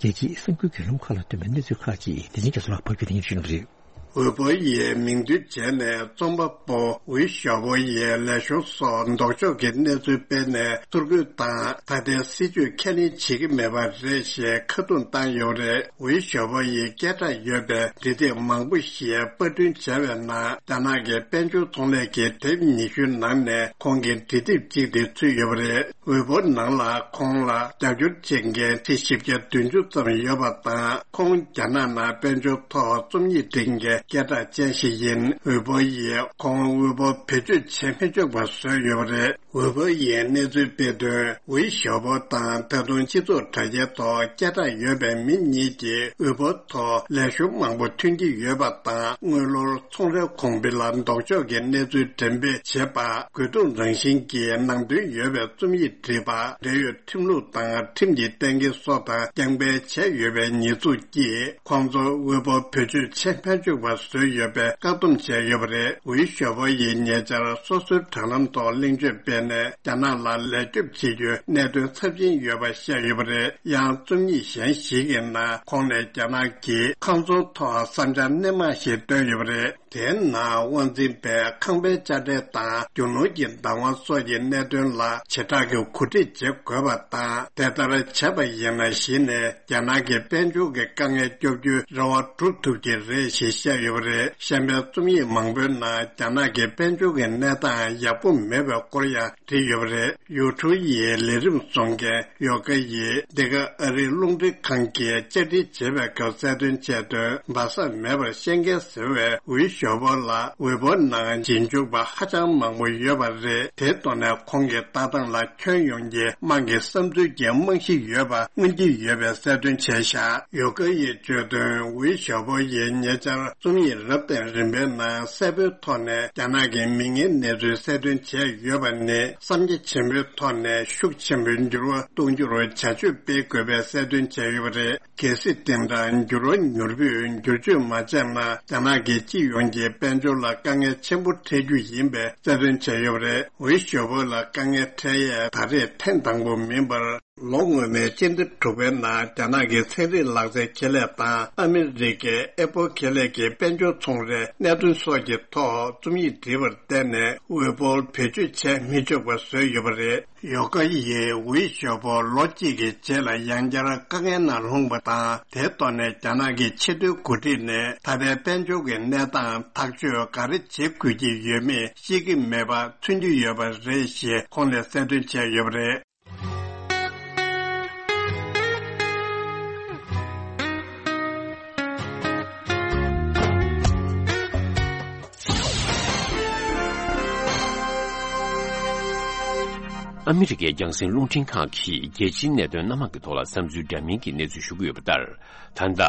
རྒྱལ་སྤྱིའི་གསར་འགྱུར་བརྒྱུད་ལམ་ཁག་ལ་ཐོན་པའི་གནས་ཚུལ་ཁག་ཅིག་དེ་རིང་རྒྱ་མཚོ་ལགས་ཕབ་སྒྱུར་དེ་ཉིད་ཞུ་གནང་གི་རེད། ཝེ་པོ་ཡིས་མིང་འདོན་བྱས་ནས་རྩོམ་པ་པོ་ཝེ་ཞའོ་པོ་ཡི་ལས་ཞུགས་སོགས་ལྡོག་ཕྱོགས་ཀྱི་གནས་ཚུལ་སྤེལ་ནས་ཚུར་རྒོལ་དང་ད་ལྟའི་སྲིད་བྱུས་ཁས་ལེན་བྱེད་ཀྱི་མེད་པ་རེད་ཞེས་ཁ་རྡུང་བཏང་ཡོད་རེད། ཝེ་ཞའོ་པོ་ཡི་སྐད་གྲགས་ཡོད་པའི་འབྲི་དེབ་མང་པོ་ཞིག་པར་སྐྲུན་བྱས་པའི་ནང་རྒྱ་ནག་གི་དཔལ་འབྱོར་ཚོང་ལས་ཀྱི་དེབ་ཉི་ཤུའི་ནང་ནས་ཁོང་གི་འབྲི་དེབ་ཅིག་དེ་ཚུད་ཡོད་པ་རེད། ཝེ་པོ་ནང་ལ་ཁོང་ལ་རྒྱབ་སྐྱོར་བྱེད་མཁན་ཁྲི་བཞི་བརྒྱ་བདུན་ཅུ་ཙམ་ཡོད་པ་དང་། ཁོང་རྒྱ་ནག་ནང་དཔལ་འབྱོར་ཐོག་རྩོམ་ཡིག་འབྲི་མཁན་སྐད་གྲགས་ཅན་ཞིག་ཡིན། ཝེ་པོ་ཡིས་ཁོང་ཝེ་པོ་བེད་སྤྱོད་བྱེད་མི་ཆོག་པ་བཟོས་ཡོད་པ་རེད། ཝེ་པོ་ཡིས་གནས་ཚུལ་སྤེལ་དོན། ཝེ་ཞའོ་པོ་དང་ད་དུང་སྤྱི་ཚོགས་དྲ་རྒྱའི་ཐོག་སྐད་གྲགས་ཡོད་པའི་མི་གཉིས་ཀྱིས་ཝེ་པོ་ཐོག་ལས་ཞུགས་མང་པོ་ཐོན་གྱི་ཡོད་པ་དང་། དངུལ་ལོར་ཚོང་རའི་གོང་འཕེལ་ལ་ལྡོག་ཕྱོགས་ཀྱི་གནས་ཚུལ་འགྲེམས་སྤེལ་བྱེད་པ། དགོས་གཏུག་རང་བཞིན་གྱི་ནང་དོན་ཡོད་པའི་རྩོམ་ཡིག་བྲིས་པ། འབྲེལ་ཡོད་ཁྲིམས་ལུགས་དང་ཁྲིམས་ཀྱི་གཏན་འཁེལ་སོགས་དང་རྐྱང་སྤེལ་བྱས་ཡོད་པའི་ཉེས་འཛུགས་ཀྱིས། ཁོང་ཚོ་དབུལ་པོ་བེད་སྤྱོད་བྱེད་མ་བཅུག་པ་བཟོས་ཡོད་པའི་བཀག་སྡོམ་བྱས་ཡོད་པ་རེད། ཝུའི་ཞོ་པོ་ཡིས་ཉེ་ཆར་སོ་སོའི་དྲ་ལམ་ཐོག་གླེང་བརྗོད་སྤེལ་ནས། རྒྱ་ནག་ལ་ལས་སྐྱོབ་བྱེད་རྒྱུའི་གནད་དོན་ཚབས་ཆེན་ཡོད་པ་བཤད་ཡོད་པ་རེད། ཡང་རྩོམ་ཡིག་གཞན་ཞིག་གི་ནང་ཁོང་ནས་རྒྱ་ནག་གིས་ཁང་བཟོ་ཐོག་བསམ་འཆར་སྣེ་མང་ཞིག་བཏོན་ཡོད་པ་རེད། དེའི་ནང་དབང་འཛིན་པས་ཁང་པའི་དཔྱ་ཁྲལ་དང་རྒྱུ་ནོར་གྱི་བདག་དབང་སོགས་ཀྱི་གནད་དོན་ལ་བྱེ་བྲག་གི་གོ་སྒྲིག་བྱེད་དགོས་པ་དང་། དེ་ལྟར་བྱས་པ་ཡིན་ན་གཞི་ནས་རྒྱ་ནག་གི་དཔལ་འབྱོར་གྱི་དཀའ་ངལ་སྐྱོབ་རྒྱུའི་རེ་བ་སྒྲུབ་ཐུབ་ཀྱི་རེད་ཞེས་བཤད་ཡོད་པ་རེད། གཞན་པའི་རྩོམ་ཡིག་མང་པོའི་ནང་རྒྱ་ནག་གི་དཔལ་འབྱོར་གྱི་གནས་སྟངས་ཡག་པོ་མེད་པའི་སྐོར་ཡང་བྲིས་ཡོད་པ་རེད། ཡུ་ཊུ་ཡིས་ལས་རིམ་བཟོ་མཁན་ཡོ་ག་ཡིས་འདི་ག་ཨ་རིའི་རླུང་འཕྲིན་ཁང་གིས་བཅར་འདྲི་བྱེད་པའི་སྐབས་གསལ་སྟོན་བྱས་དོན། སྦ་གསང་མེད་པར་བཤད་མཁན་ཟེར་བའི་ཝུའི་ཞོ་པོ་ལ་ཝེ་པོ་ནང་རྗེས་འཇུག་པ་ཧ་ཅང་མང་པོ་ཡོད་པ་རེད། དེའི་ཐོག་ནས་ཁོང་གི་ལྟ་སྟངས་ལ་ཁྱོན་ཡོངས་ཀྱི་དམངས་ཀྱི་བསམ་ཚུལ་གྱི་རྨང་གཞི་ཡོད་པ་མངོན་གྱི་ཡོད་པའི་གསལ་སྟོན་བྱས་བཞག་ཡོ་ག་ཡིས་བརྗོད་དོན། ཝུའི་ཞོ་པོ་ཡིས་ཉེ་ཆར་རྩོམ་ཡིག་རབ་དང་རིམ་པའི་ནང་གསལ་པོའི་ཐོག་ནས་རྒྱ་ནག་གི་མིག་སྔའི་གནས་ཚུལ་གསལ་སྟོན་བྱས་ཡོད་པ་ནི། བསམ་རྒྱ་ཆེན་པོའི་ཐོག་ནས་ཤུགས་ཆེན་པོས་འགྱུར་བ་གཏོང་རྒྱུར་བྱ་སྤྱོད་སྤེལ་དགོས་པའི་གསལ་སྟོན་བྱས་ཡོད་པ་རེད། གལ་སྲིད་དེ་འདྲ་འགྱུར་བ་མྱུར་པོས་བསྒྱུར་བཅོས་མ་བྱས་ན། རྒྱ་ནག་གི་སྤྱི་ཡོངས་ཀྱི་དཔལ་འབྱོར་ལ་དཀའ་ངལ་ཆེན་པོ་འཕྲད་རྒྱུ་ཡིན་པའི་གསལ་སྟོན་བྱས་ཡོད་པ་རེད། ཝུའི་ཞོ་པོ་ལ་དཀའ་ངལ་འཕྲད་ཡས་ད་རེས་ཐེངས་དང་པོ་མིན་པར། ལོ་སྔོན་མའི་སྤྱི་ཟླ་དྲུག་པའི་ནང་རྒྱ་ནག་གི་ཚན་རིག་ལག་རྩལ་ཁེ་ལས་དང་ཨ་མི་རི་ཀའི་ཨེ་པོ་ཁེ་ལས་ཀྱི་དཔལ་འབྱོར་ཚོང་རའི་གནད་དོན་སོགས་ཀྱི་ཐོག་རྩོམ་ཡིག་བྲིས་པར་བརྟེན་ནས། ཝེ་པོལ་བེད་སྤྱོད་བྱས་མི་ཆོག་པ་བཟོས་ཡོད་པ་རེད། ཡོ་ག་ཡིས་ཝུའི་ཞོ་པོ་ལོ་གཅིག་གི་རྗེས་ལ་ཡང་བསྐྱར་དཀའ་ངལ་ནང་ལྷུང་པ་དང་། དེའི་ཐོག་ནས་རྒྱ་ནག་གི་ཆེས་མཐོའི་འགོ་ཁྲིད་ནས་ད་ལྟའི་དཔལ་འབྱོར་གྱི་གནས་སྟངས་ཐག་གཅོད་ག་རེ་བྱེད་དགོས་ཀྱི་ཡོད་མེད་ཤེས་ཀྱི་མེད་པ་མཚོན་གྱི་ཡོད་པ་རེད་ཞེས་ཁོང་ནས་གསལ་སྟོན་བྱས་ཡོད་པ་རེད། ཨ་མི་རི་ཀའི་རྒྱང་སྲིང་རླུང་འཕྲིན་ཁང་གིས་རྒྱལ་སྤྱིའི་གནད་དོན་སྣ་མང་གི་ཐོག་ལ་བསམ་ཚུལ་འདྲ་མིན་གྱི་གནས་ཚུལ་ཞུ་གི་ཡོད་པ་ལྟར། ད་ལྟ་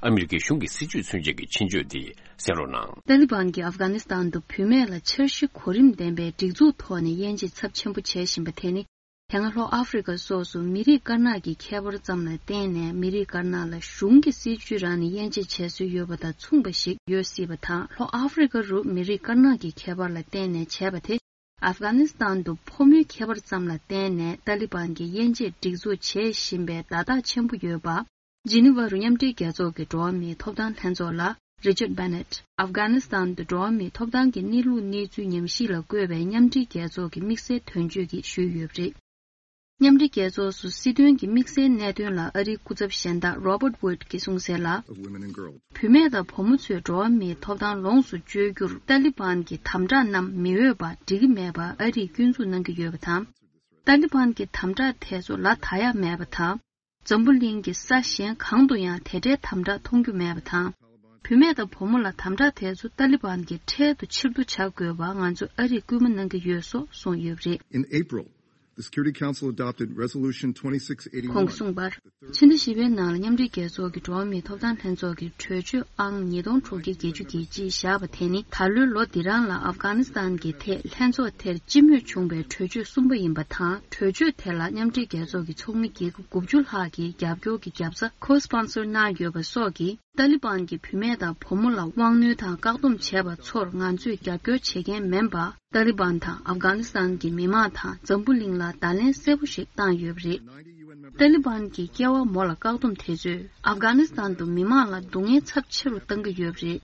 ཨ་མི་རི་ཀའི་གཞུང་གི་སྲིད་བྱུས་མཚོན་བྱེད་ཀྱི་ཆེད་བརྗོད་དེ་གསན་རོགས་གནང་། ཏཱ་ལི་བན་གྱིས་ཨབ་གྷ་ནི་སི་ཐན་དུ་བུད་མེད་ལ་འཆར་གཞི་གོ་རིམ་ལྡན་པའི་སྒྲིག་འཛུགས་ཐོག་ནས་དབྱེ་འབྱེད་ཚབས་ཆེན་པོ་བྱེད་བཞིན་པ་དེ་ནི། དེ་སྔ་ལྷོ་ཨ་ཧྥེ་རི་ཁ་སོགས་སུ་མི་རིགས་དཀར་ནག་གི་ཁྱད་པར་ཙམ་ལ་བརྟེན་ནས། མི་རིགས་དཀར་ནག་ལ་གཞུང་གི་སྲིད་བྱུས་རང་ནས་དབྱེ་འབྱེད་བྱེད་སྲོལ་ཡོད་པ་དང་མཚུངས་པ་ཞིག་ཡོད་སྲིད་པ་དང་། ལྷོ་ཨ་ཧྥེ་རི་ཁ་རུ་མི་རིགས་དཀར་ནག་གི་ཁྱད་པར་ལ་བརྟེན་ནས་བྱས་པ་དེ། ཨབ་གྷ་ནི་སི་ཐན་དུ་ཕོ་མོའི་ཁྱད་པར་ཙམ་ལ་བརྟེན་ནས་ཏཱ་ལི་བན་གྱིས་དབྱེ་འབྱེད་སྒྲིག་འཛུགས་བྱེད་བཞིན་པའི་བརྡ་རྟགས་ཆེན་པོ་ཡོད་པ། ཇི་ནི་ཝ་རུ་མཉམ་འབྲེལ་རྒྱལ་ཚོགས་ཀྱི་འགྲོ་བ་མིའི་ཐོབ་ཐང་ལྷན་ཚོགས་ལ་རི་ཅར་ཌ་བྷེ་ནེཊ། ཨབ་གྷ་ནི་སི་ཐན་དུ་འགྲོ་བ་མིའི་ཐོབ་ཐང་གི་གནས་ལུགས་གནས་ཚུལ་ཉམས་ཞིབ་ལ་བཀོད་པའི་མཉམ་འབྲེལ་རྒྱལ་ཚོགས་ཀྱི་དམིགས་བསལ་དོན་གཅོད་ཀྱིས་ཞུས་ཡོད་པ་རེད། མཉམ་འབྲེལ་རྒྱལ་ཚོགས་སུ་སྲིད་དོན་གྱི་དམིགས་བསལ་གནད་དོན་ལ་ཨ་རིའི་སྐུ་ཚབ་གཞན་དག་Robert Wood གྱིས་གསུངས་གསལ་ལ། བུད་མེད་དང་བུ་མོ་ཚོས་འགྲོ་བ་མིའི་ཐོབ་ཐང་ལོངས་སུ་སྤྱོད་རྒྱུར་ཏཱ་ལི་བན་གྱི་དམ་དྲག་རྣམས་མི་འོས་པ་འགྲིག་གི་མེད་པ་ཨ་རིས་སྐྱོན་འཛུགས་གནང་གི་ཡོད་པ་དང་། ཏཱ་ལི་བན་གྱི་དམ་དྲག་དེ་ཚོ་ལ་ད་ཡག་མེད་པ་དང་། འཛམ་བུ་གླིང་གི་ས་གཞན་གང་དུ་ཡང་དེ་འདྲའི་དམ་དྲག་མཐོང་རྒྱུ་མེད་པ་དང་། བུད་མེད་དང་བུ་མོ་ལ་དམ་དྲག་དེ་ཚོ་ཏཱ་ལི་བན་གྱི་འཕྲལ་དུ་ཕྱིར་བསྡུ་བྱ་དགོས་པ་ང་ཚོས་ཨ་རིར་སྐུལ་མ་གནང་གི་ཡོད་སོགས་གསུངས་ཡོད་པ་རེད། In April, The Security Council adopted Resolution twenty-six eighty-one. ཁོང་གསུངས་པར། ཕྱི་ཟླ་བཞི་པའི་ནང་ལ་མཉམ་འབྲེལ་རྒྱལ་ཚོགས་ཀྱི་འགྲོ་བ་མིའི་ཐོབ་ཐང་ལྷན་ཚོགས་ཀྱི་གྲོས་ཆོད་ཨང་ཉིས་སྟོང་དྲུག་བརྒྱ་བརྒྱད་ཅུ་གྱ་གཅིག་བཞག་པ་དེ་ནི་ད་ལོའི་ལོ་འདི་རང་ལ་ཨབ་གྷ་ནི་སི་ཐན་གྱི་ཐད་ལྷན་ཚོགས་དེར་སྤྱི་མོས་བྱུང་བའི་གྲོས་ཆོད་གསུམ་པ་ཡིན་པ་དང་། གྲོས་ཆོད་དེ་ལ་མཉམ་འབྲེལ་རྒྱལ་ཚོགས་ཀྱི་ཚོགས་མི་རྒྱལ་ཁབ་དགུ་བཅུ་ལྷག་གིས་རྒྱབ་སྐྱོར་གྱི་རྒྱབ་རྩ་ཁོ་སི་པོན་སར་གནང་ཡོད་པ་སོགས་ཀྱིས། ཏཱ་ལི་བན་གྱིས་བུད་མེད་དང་བུ་མོ་ལ་དབང་གནོད་དང་བཀག་སྡོམ་བྱས་པ་ཚོར་ང་ཚོས་རྒྱབ་སྐྱོར་བྱེད་མཁན་མིན་པ། ཏཱ་ལི་བན་དང་ཨབ་གྷ་ནི་སི་ཐན་གྱི་མི་མང་དང་འཛམ་བུ་གླིང་ལ་བརྡ་ལན་གསལ་པོ་ཞིག་བཏང་ཡོད་པ་རེད། ཏཱ་ལི་བན་གྱི་སྐྱེ་བ་མོ་ལ་བཀག་སྡོམ་དེ་ཚོས་ཨབ་གྷ་ནི་སི་ཐན་དུ་མི་མང་ལ་སྡུག་བསྔལ་ཚབས་ཆེ་རུ་བཏང་གི་ཡོད་པ་རེད།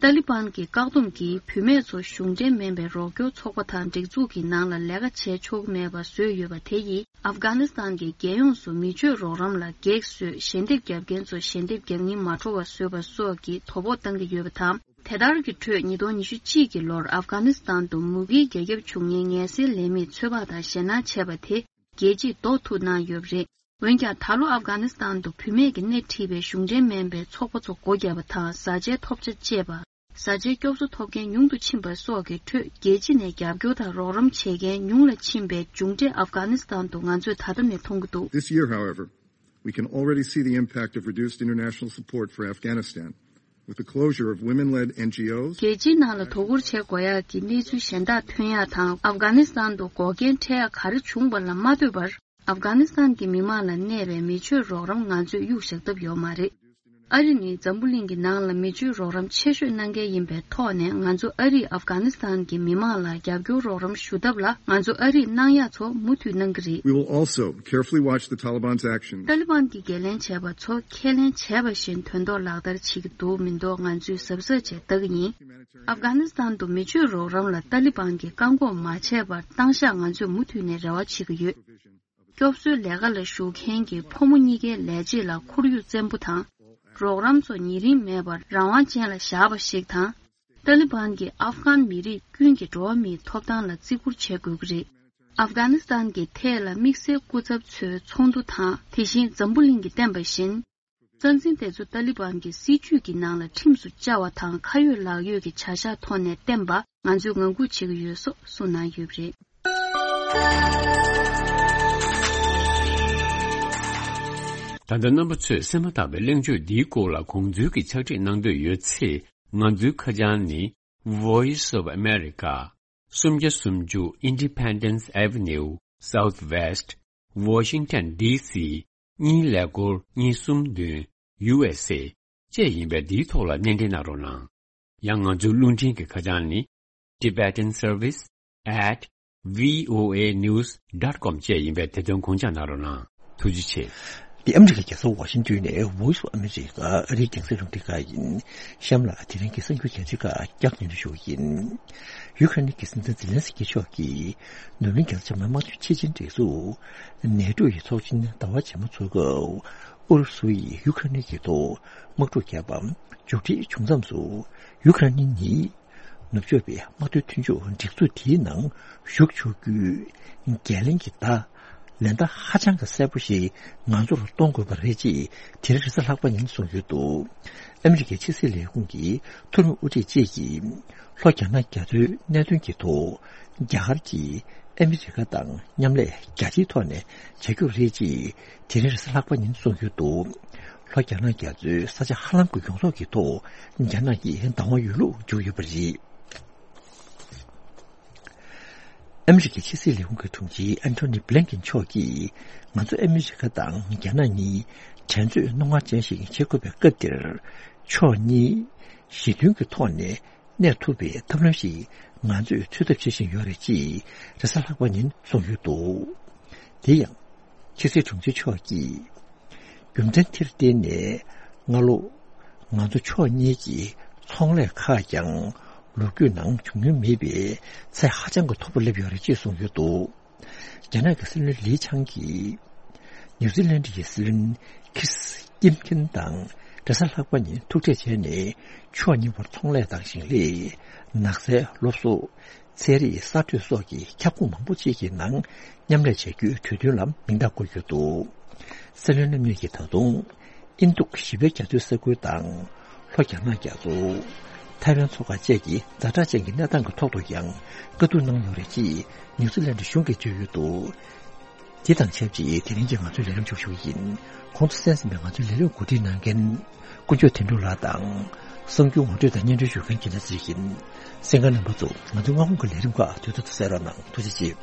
ཏཱ་ལི་བན་གྱི་བཀག་སྡོམ་གྱིས་བུད་མེད་ཚོ་གཞུང་འབྲེལ་མིན་པའི་རོགས་སྐྱོར་ཚོགས་པ་དང་སྒྲིག་འཛུགས་ཀྱི་ནང་ལ་ལས་ཀ་བྱེད་ཆོག་གི་མེད་པ་བཟོས་ཡོད་པ་དེ་ཡིས། ཨབ་གྷ་ནི་སི་ཐན་གྱི་རྒྱལ་ཡོངས་སུ་མི་སྤྱོད་རོགས་རམ་ལ་གེགས་བཟོས། ཞལ་འདེབས་རྒྱབ་མཁན་ཚོ་ཞལ་འདེབས་རྒྱག་མཁན་མ་འགྲོ་བ་བཟོས་པ་སོགས་ཀྱི་དོ་ཕོག་བཏང་གི་ཡོད་པ་དང་། དེ་ལྟར་གྱི་ཁྲོད་ཉིས་སྟོང་ཉི་ཤུ་གཅིག་གི་ལོར་ཨབ་གྷ་ནི་སི་ཐན་དུ་མུ་གེའི་རྒྱལ་ཁབ་བྱུང་མཁན་ངལ་སེལ་ལས་མིས་ཚོད་དཔག་དང་ཞེད་སྣང་བྱས་པ་དེ་རྒྱལ་སྤྱིས་ཟློག་ཐུབ་གནང་ཡོད་པ་རེད། འོན་ཀྱང་ད་ལོ་ཨབ་གྷ་ནི་སི་ཐན་དུ་བུད་མེད་ཀྱིས་སྣེ་ཁྲིད་པའི་གཞུང་འབྲེལ་མིན་པའི་ཚོགས་པ་ཚོ་སྒོ་བརྒྱབ་པ་དང་། བཟའ་བཅའི་ཐོབ་ཆ་བཅད་པ། བཟའ་བཅའི་སྐྱོབ་གསོ་ཐོབ་མཁན་ཉུང་དུ་ཕྱིན་པ་སོགས་ཀྱི་ཁྲོད། རྒྱལ་སྤྱི་ནས་རྒྱབ་སྐྱོར་དང་རོགས་རམ་བྱེད་མཁན་ཉུང་ལ་ཕྱིན་པའི་མཇུག་འབྲས་ཨབ་གྷ་ནི་སི་ཐན་དུ་ང་ཚོས་ད་ལྟ་ནས་མཐོང་གི་འདུག། This year, however, we can already see the impact of reduced international support for Afghanistan, with the closure of women-led N G Os. རྒྱལ་སྤྱིའི་ནང་ལ་དོ་ཁུར་བྱེད་དགོས་ཡག་གི་གནས་ཚུལ་གཞན་དག་ཐོན་ཡག་དང་། ཨབ་གྷ་ནི་སི་ཐན་དུ་འགོག་རྐྱེན་འཕྲད་ཡག་ག་རེ་བྱུང་བ་ལ་མ་ལྟོས་པར། ཨབ་གྷ་ནི་སི་ཐན་གྱི་མི་མང་ལ་གནས་པའི་མི་ཆོས་རོགས་རམ་ང་ཚོས་གཡུག་བཞག་ཐབས་ཡོད་མ་རེད། ཨ་རི་ནི་འཛམ་བུ་གླིང་གི་ནང་ལ་མི་ཆོས་རོགས་རམ་ཆེ་ཤོས་གནང་མཁན་ཡིན་པའི་ཐོག་ནས། ང་ཚོ་ཨ་རིས་ཨབ་གྷ་ནི་སི་ཐན་གྱི་མི་མང་ལ་རྒྱབ་སྐྱོར་རོགས་རམ་ཞུ་ཐབས་ལ། ང་ཚོ་ཨ་རིས་གནང་ཡག་ཚོ་མུ་མཐུད་གནང་གི་རེད། We will also carefully watch the Taliban's actions. ཏཱ་ལི་བན་གྱིས་འགན་ལེན་བྱས་པ་ཚོ་ཁས་ལེན་བྱས་པ་བཞིན་དོན་ཐོག་ལག་བསྟར་བྱེད་ཀྱི་འདུག་མི་འདུག་ང་ཚོས་གཟབ་གཟབ་བྱས་ལྟ་གི་ཡིན། ཨབ་གྷ་ནི་སི་ཐན་དུ་མི་ཆོས་རོགས་རམ་ལ་ཏཱ་ལི་བན་གྱིས་བཀག་འགོག་མ་བྱས་པར་བཏང་བཞག་ང་ཚོས་མུ་མཐུད་ནས་རེ་བ་བྱེད་ཀྱི་ཡོད། སྐྱོབ་གསོའི་ལས་ཀ་ལ་ཞུགས་མཁན་གྱི་ཕོ་མོ་གཉིས་ཀའི་ལས་བྱེད་ལ་ཁོར་ཡུག་བཙན་པོ་དང་། རོགས་རམ་ཚོ་ཉེ་རིང་མེད་པར་རང་དབང་ཅན་ལ་བཞག་པ་ཞིག་དང་། ཏཱ་ལི་བན་གྱིས་ཨབ་གྷན་མི་རིགས་ཀུན་གྱི་འགྲོ་བ་མིའི་ཐོབ་ཐང་ལ་བརྩི་བཀུར་བྱེད་དགོས་ཀྱི་རེད། ཨབ་གྷ་ནི་སི་ཐན་གྱི་ཐད་ལ་དམིགས་བསལ་སྐུ་ཚབ་ཚོའི་ཚོགས་འདུ་དང་། དེ་བཞིན་འཛམ་བུ་གླིང་གིས་བསྟན་པ་བཞིན། རྩ་འཛིན་དེ་ཚོ་ཏཱ་ལི་བན་གྱི་སྲིད་ཇུས་ཀྱི་ནང་ལ་ཁྲིམས་སུ་བཅའ་བ་དང་། ཁ་ཡོད་ལག་ཡོད་ཀྱི་བྱ་གཞག་ཐོག་ནས་བསྟན་པ་ང་ཚོས་ངང་སྒུག་བྱེད་ཀྱི་ཡོད་སོགས་གསུངས་གནང་ཡོད་པ་རེད། ད་ལྟ་རྣམ་པ་ཚོས་གསན་མ་ཐག་པའི་གླེང་བརྗོད་འདིའི་སྐོར་ལ་དགོངས་ཚུལ་གྱི་ཕྱག་བྲིས་གནང་འདོད་ཡོད་ཚེ། ང་ཚོའི་ཁ་བྱང་ནི། Voice of America། སུམ་བརྒྱ་སུམ་ཅུ་Independence Avenue Southwest Washington D C གཉིས་ཀླད་ཀོར་གཉིས་གསུམ་བདུན། U S A བཅས་ཡིན་པས། འདིའི་ཐོག་ལ་སྣེ་འདྲེན་གནང་རོགས་གནང་། ཡང་ང་ཚོའི་རླུང་འཕྲིན་གྱི་ཁ་བྱང་ནི། Tibetan Service at V O A news dot com བཅས་ཡིན་པས། དེ་དོན་དགོངས་འཇགས་གནང་རོགས་གནང་། ཐུགས་རྗེ་ཆེ། འདི་ཨ་མི་རི་ཀའི་རྒྱལ་ས་ཝ་ཤིང་ཏོན་ནས་Voice of America ཨ་རིའི་རྒྱང་སྲིང་རླུང་འཕྲིན་ཁང་ཡིན། གཤམ་ལ་དེ་རིང་གི་གསར་འགྱུར་གལ་ཆེ་ཁག་བསྐྱར་ཉན་ཞུ་གི་ཡིན། ཡུ་ཁ་རེན་གྱི་སྲིད་འཛིན་ཛེ་ལན་སི་ཀི་མཆོག་གིས་ནུབ་གླིང་རྒྱལ་ཚོགས་མི་དམངས་གཙོའི་ཆེས་ཆེན་སྒྲིག་འཛུགས་ནེ་ཊོ་ཡི་ཚོགས་ཆེན་ཟླ་བ་རྗེས་མ་འཚོགས་སྐབས། ཨུ་རུ་སུ་ཡིས་ཡུ་ཁ་རེན་གྱི་ཐོག་དམག་འཁྲུག་བརྒྱབ་པ་མཇུག་སྒྲིལ་བྱུང་མཚམས་སུ། ཡུ་ཁ་རེན་ནི་ནུབ་ཕྱོགས་པའི་དམག་དོན་མཐུན་ཕྱོགས་སྒྲིག་འཛུགས་དེའི་ནང་ཞུགས་ཆོག་རྒྱུའི་འགན་ལེན་གྱི་བརྡ། ལན་བརྡ་ཧ་ཅང་གི་གསལ་པོ་ཞིག་ང་ཚོར་གཏོང་དགོས་པ་རེད་ཅེས་དེ་རིང་རེས་གཟའ་ལྷག་པ་ཉིན་གསུངས་ཡོད་འདུག། ཨ་མི་རི་ཀའི་ཕྱི་སྲིད་ལས་ཁུངས་ཀྱི་མཐོ་རིམ་དབུ་ཁྲིད་བཅས་ཀྱིས་ལྷོ་རྒྱ་ནག་རྒྱ་མཚོའི་གནད་དོན་གྱི་ཐོག་རྒྱ་གར་གྱིས་ཨ་མི་རི་ཀ་དང་མཉམ་ལས་རྒྱ་ཆེའི་ཐོག་ནས་བྱ་རྒྱུ་རེད་ཅེས་དེ་རིང་རེས་གཟའ་ལྷག་པ་ཉིན་གསུངས་ཡོད་འདུག། ལྷོ་རྒྱ་ནག་རྒྱ་མཚོའི་ས་ཆ་ཧ་ལམ་གྱི་ཡོངས་རྫོགས་ཀྱི་ཐོག་རྒྱ་ནག་གིས་བདག་དབང་ཡོད་ལུགས་བརྗོད་ཡོད་པ་རེད། ཨ་མི་རི་ཀའི་ཕྱི་སྲིད་ལས་ཁུངས་ཀྱི་དྲུང་ཆེ་ཨན་ཐོ་ནི་བྷི་ལན་ཀིན་མཆོག་གིས། ང་ཚོ་ཨ་མི་རི་ཀ་དང་རྒྱ་ནག་གཉིས་འགྲན་རྩོད་རྣོ་ངར་ཅན་ཞིག་བྱེད་དགོས་པའི་སྐབས་འདིར། ཕྱོགས་གཉིས་ཞི་མཐུན་གྱི་ཐོག་ནས་གནས་ཐུབ་པའི་ཐབས་ལམ་ཞིག་ང་ཚོས་འཚོལ་ཐབས་བྱེད་བཞིན་ཡོད་རེད་ཅེས་རེས་གཟའ་ལྷག་པ་ཉིན་གསུངས་ཡོད་འདུག། དེ་ཡང་། ཕྱི་སྲིད་དྲུང་ཆེ་མཆོག་གིས། རྒྱུ་མཚན་དེར་བརྟེན་ནས་སྔ་ལོ། ང་ཚོ་ཕྱོགས་གཉིས་ཀྱི་ཚོང་ལས་ཁག་ཀྱང་ལོ་རྒྱུས་ནང་བྱུང་མྱོང་མེད་པའི་ཚད་ཧ་ཅང་གི་མཐོ་པོ་སླེབས་ཡོད་རེད་ཅེས་གསུངས་ཡོད་འདུག། རྒྱ་ནག་གི་སྲིད་བློན་ལི་ཆང་གིས། ནིའུ་ཛི་ལན་གྱི་སྲིད་བློན་ཁིར་སི་ཀིམ་ཁིན་དང་རེས་གཟའ་ལྷག་པ་ཉིན་ཐུག་འཕྲད་བྱས་ནས། ཕྱོགས་གཉིས་བར་ཚོང་ལས་དང་ཞིང་ལས། ནགས་ཚལ་སློབ་གསོ། ཚན་རིག་གསར་གཏོད་སོགས་ཀྱི་ཁྱབ་ཁོངས་མང་པོ་ཅིག་གི་ནང་མཉམ་ལས་བྱ་རྒྱུའི་གྲོས་མཐུན་ལ་མིང་རྟགས་བཀོད་ཡོད་འདུག། སྲིད་བློན་རྣམ་གཉིས་ཀྱིས་ད་དུང་ཨིན་རྡུག་བཞི་པའི་རྒྱ་མཚོའི་ས་ཁུལ་དང་། ལྷོ་རྒྱ་ནག་རྒྱ་མཚོ། ཐའེ་ཝན་མཚོ་ཁ་བཅས་ཀྱི་ཛ་དྲག་ཅན་གྱི་གནས་སྟངས་ཀྱི་ཐོག་ཏུ་ཡང་བཀའ་བསྡུར་གནང་ཡོད་རེད་ཅེས་ནིའུ་ཛི་ལན་ཌི་གཞུང་གིས་བརྗོད་ཡོད་འདུག། དེ་དང་ཆབས་ཅིག་དེ་རིང་གི་ང་ཚོའི་ལས་རིམ་ཞུ་ཞུ་ཡིན། གོང་དུ་གསན་ཟིན་པའི་ང་ཚོའི་ལས་རིམ་གོ་སྒྲིག་གནང་མཁན་དཀོན་མཆོག་དོན་གྲུབ་ལགས་དང་། གསར་འགྱུར་ངོ་སྤྲོད་དང་སྙན་སྒྲོན་ཞུ་མཁན་རྒྱལ་མཚན་ཚེ་རིང་ཡིན། གསན་མཁན་རྣམ་པ་ཚོ་ང་ཚོའི་སྔ་དགོང་གི་ལས་རིམ་ཁག་དུས་ཐོག་ཏུ་གསན་རོགས་གནང་། ཐུགས་རྗེ་ཆེ།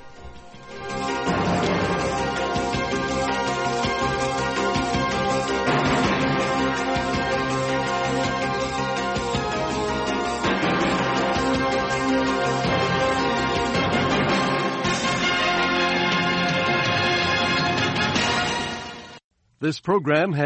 This program has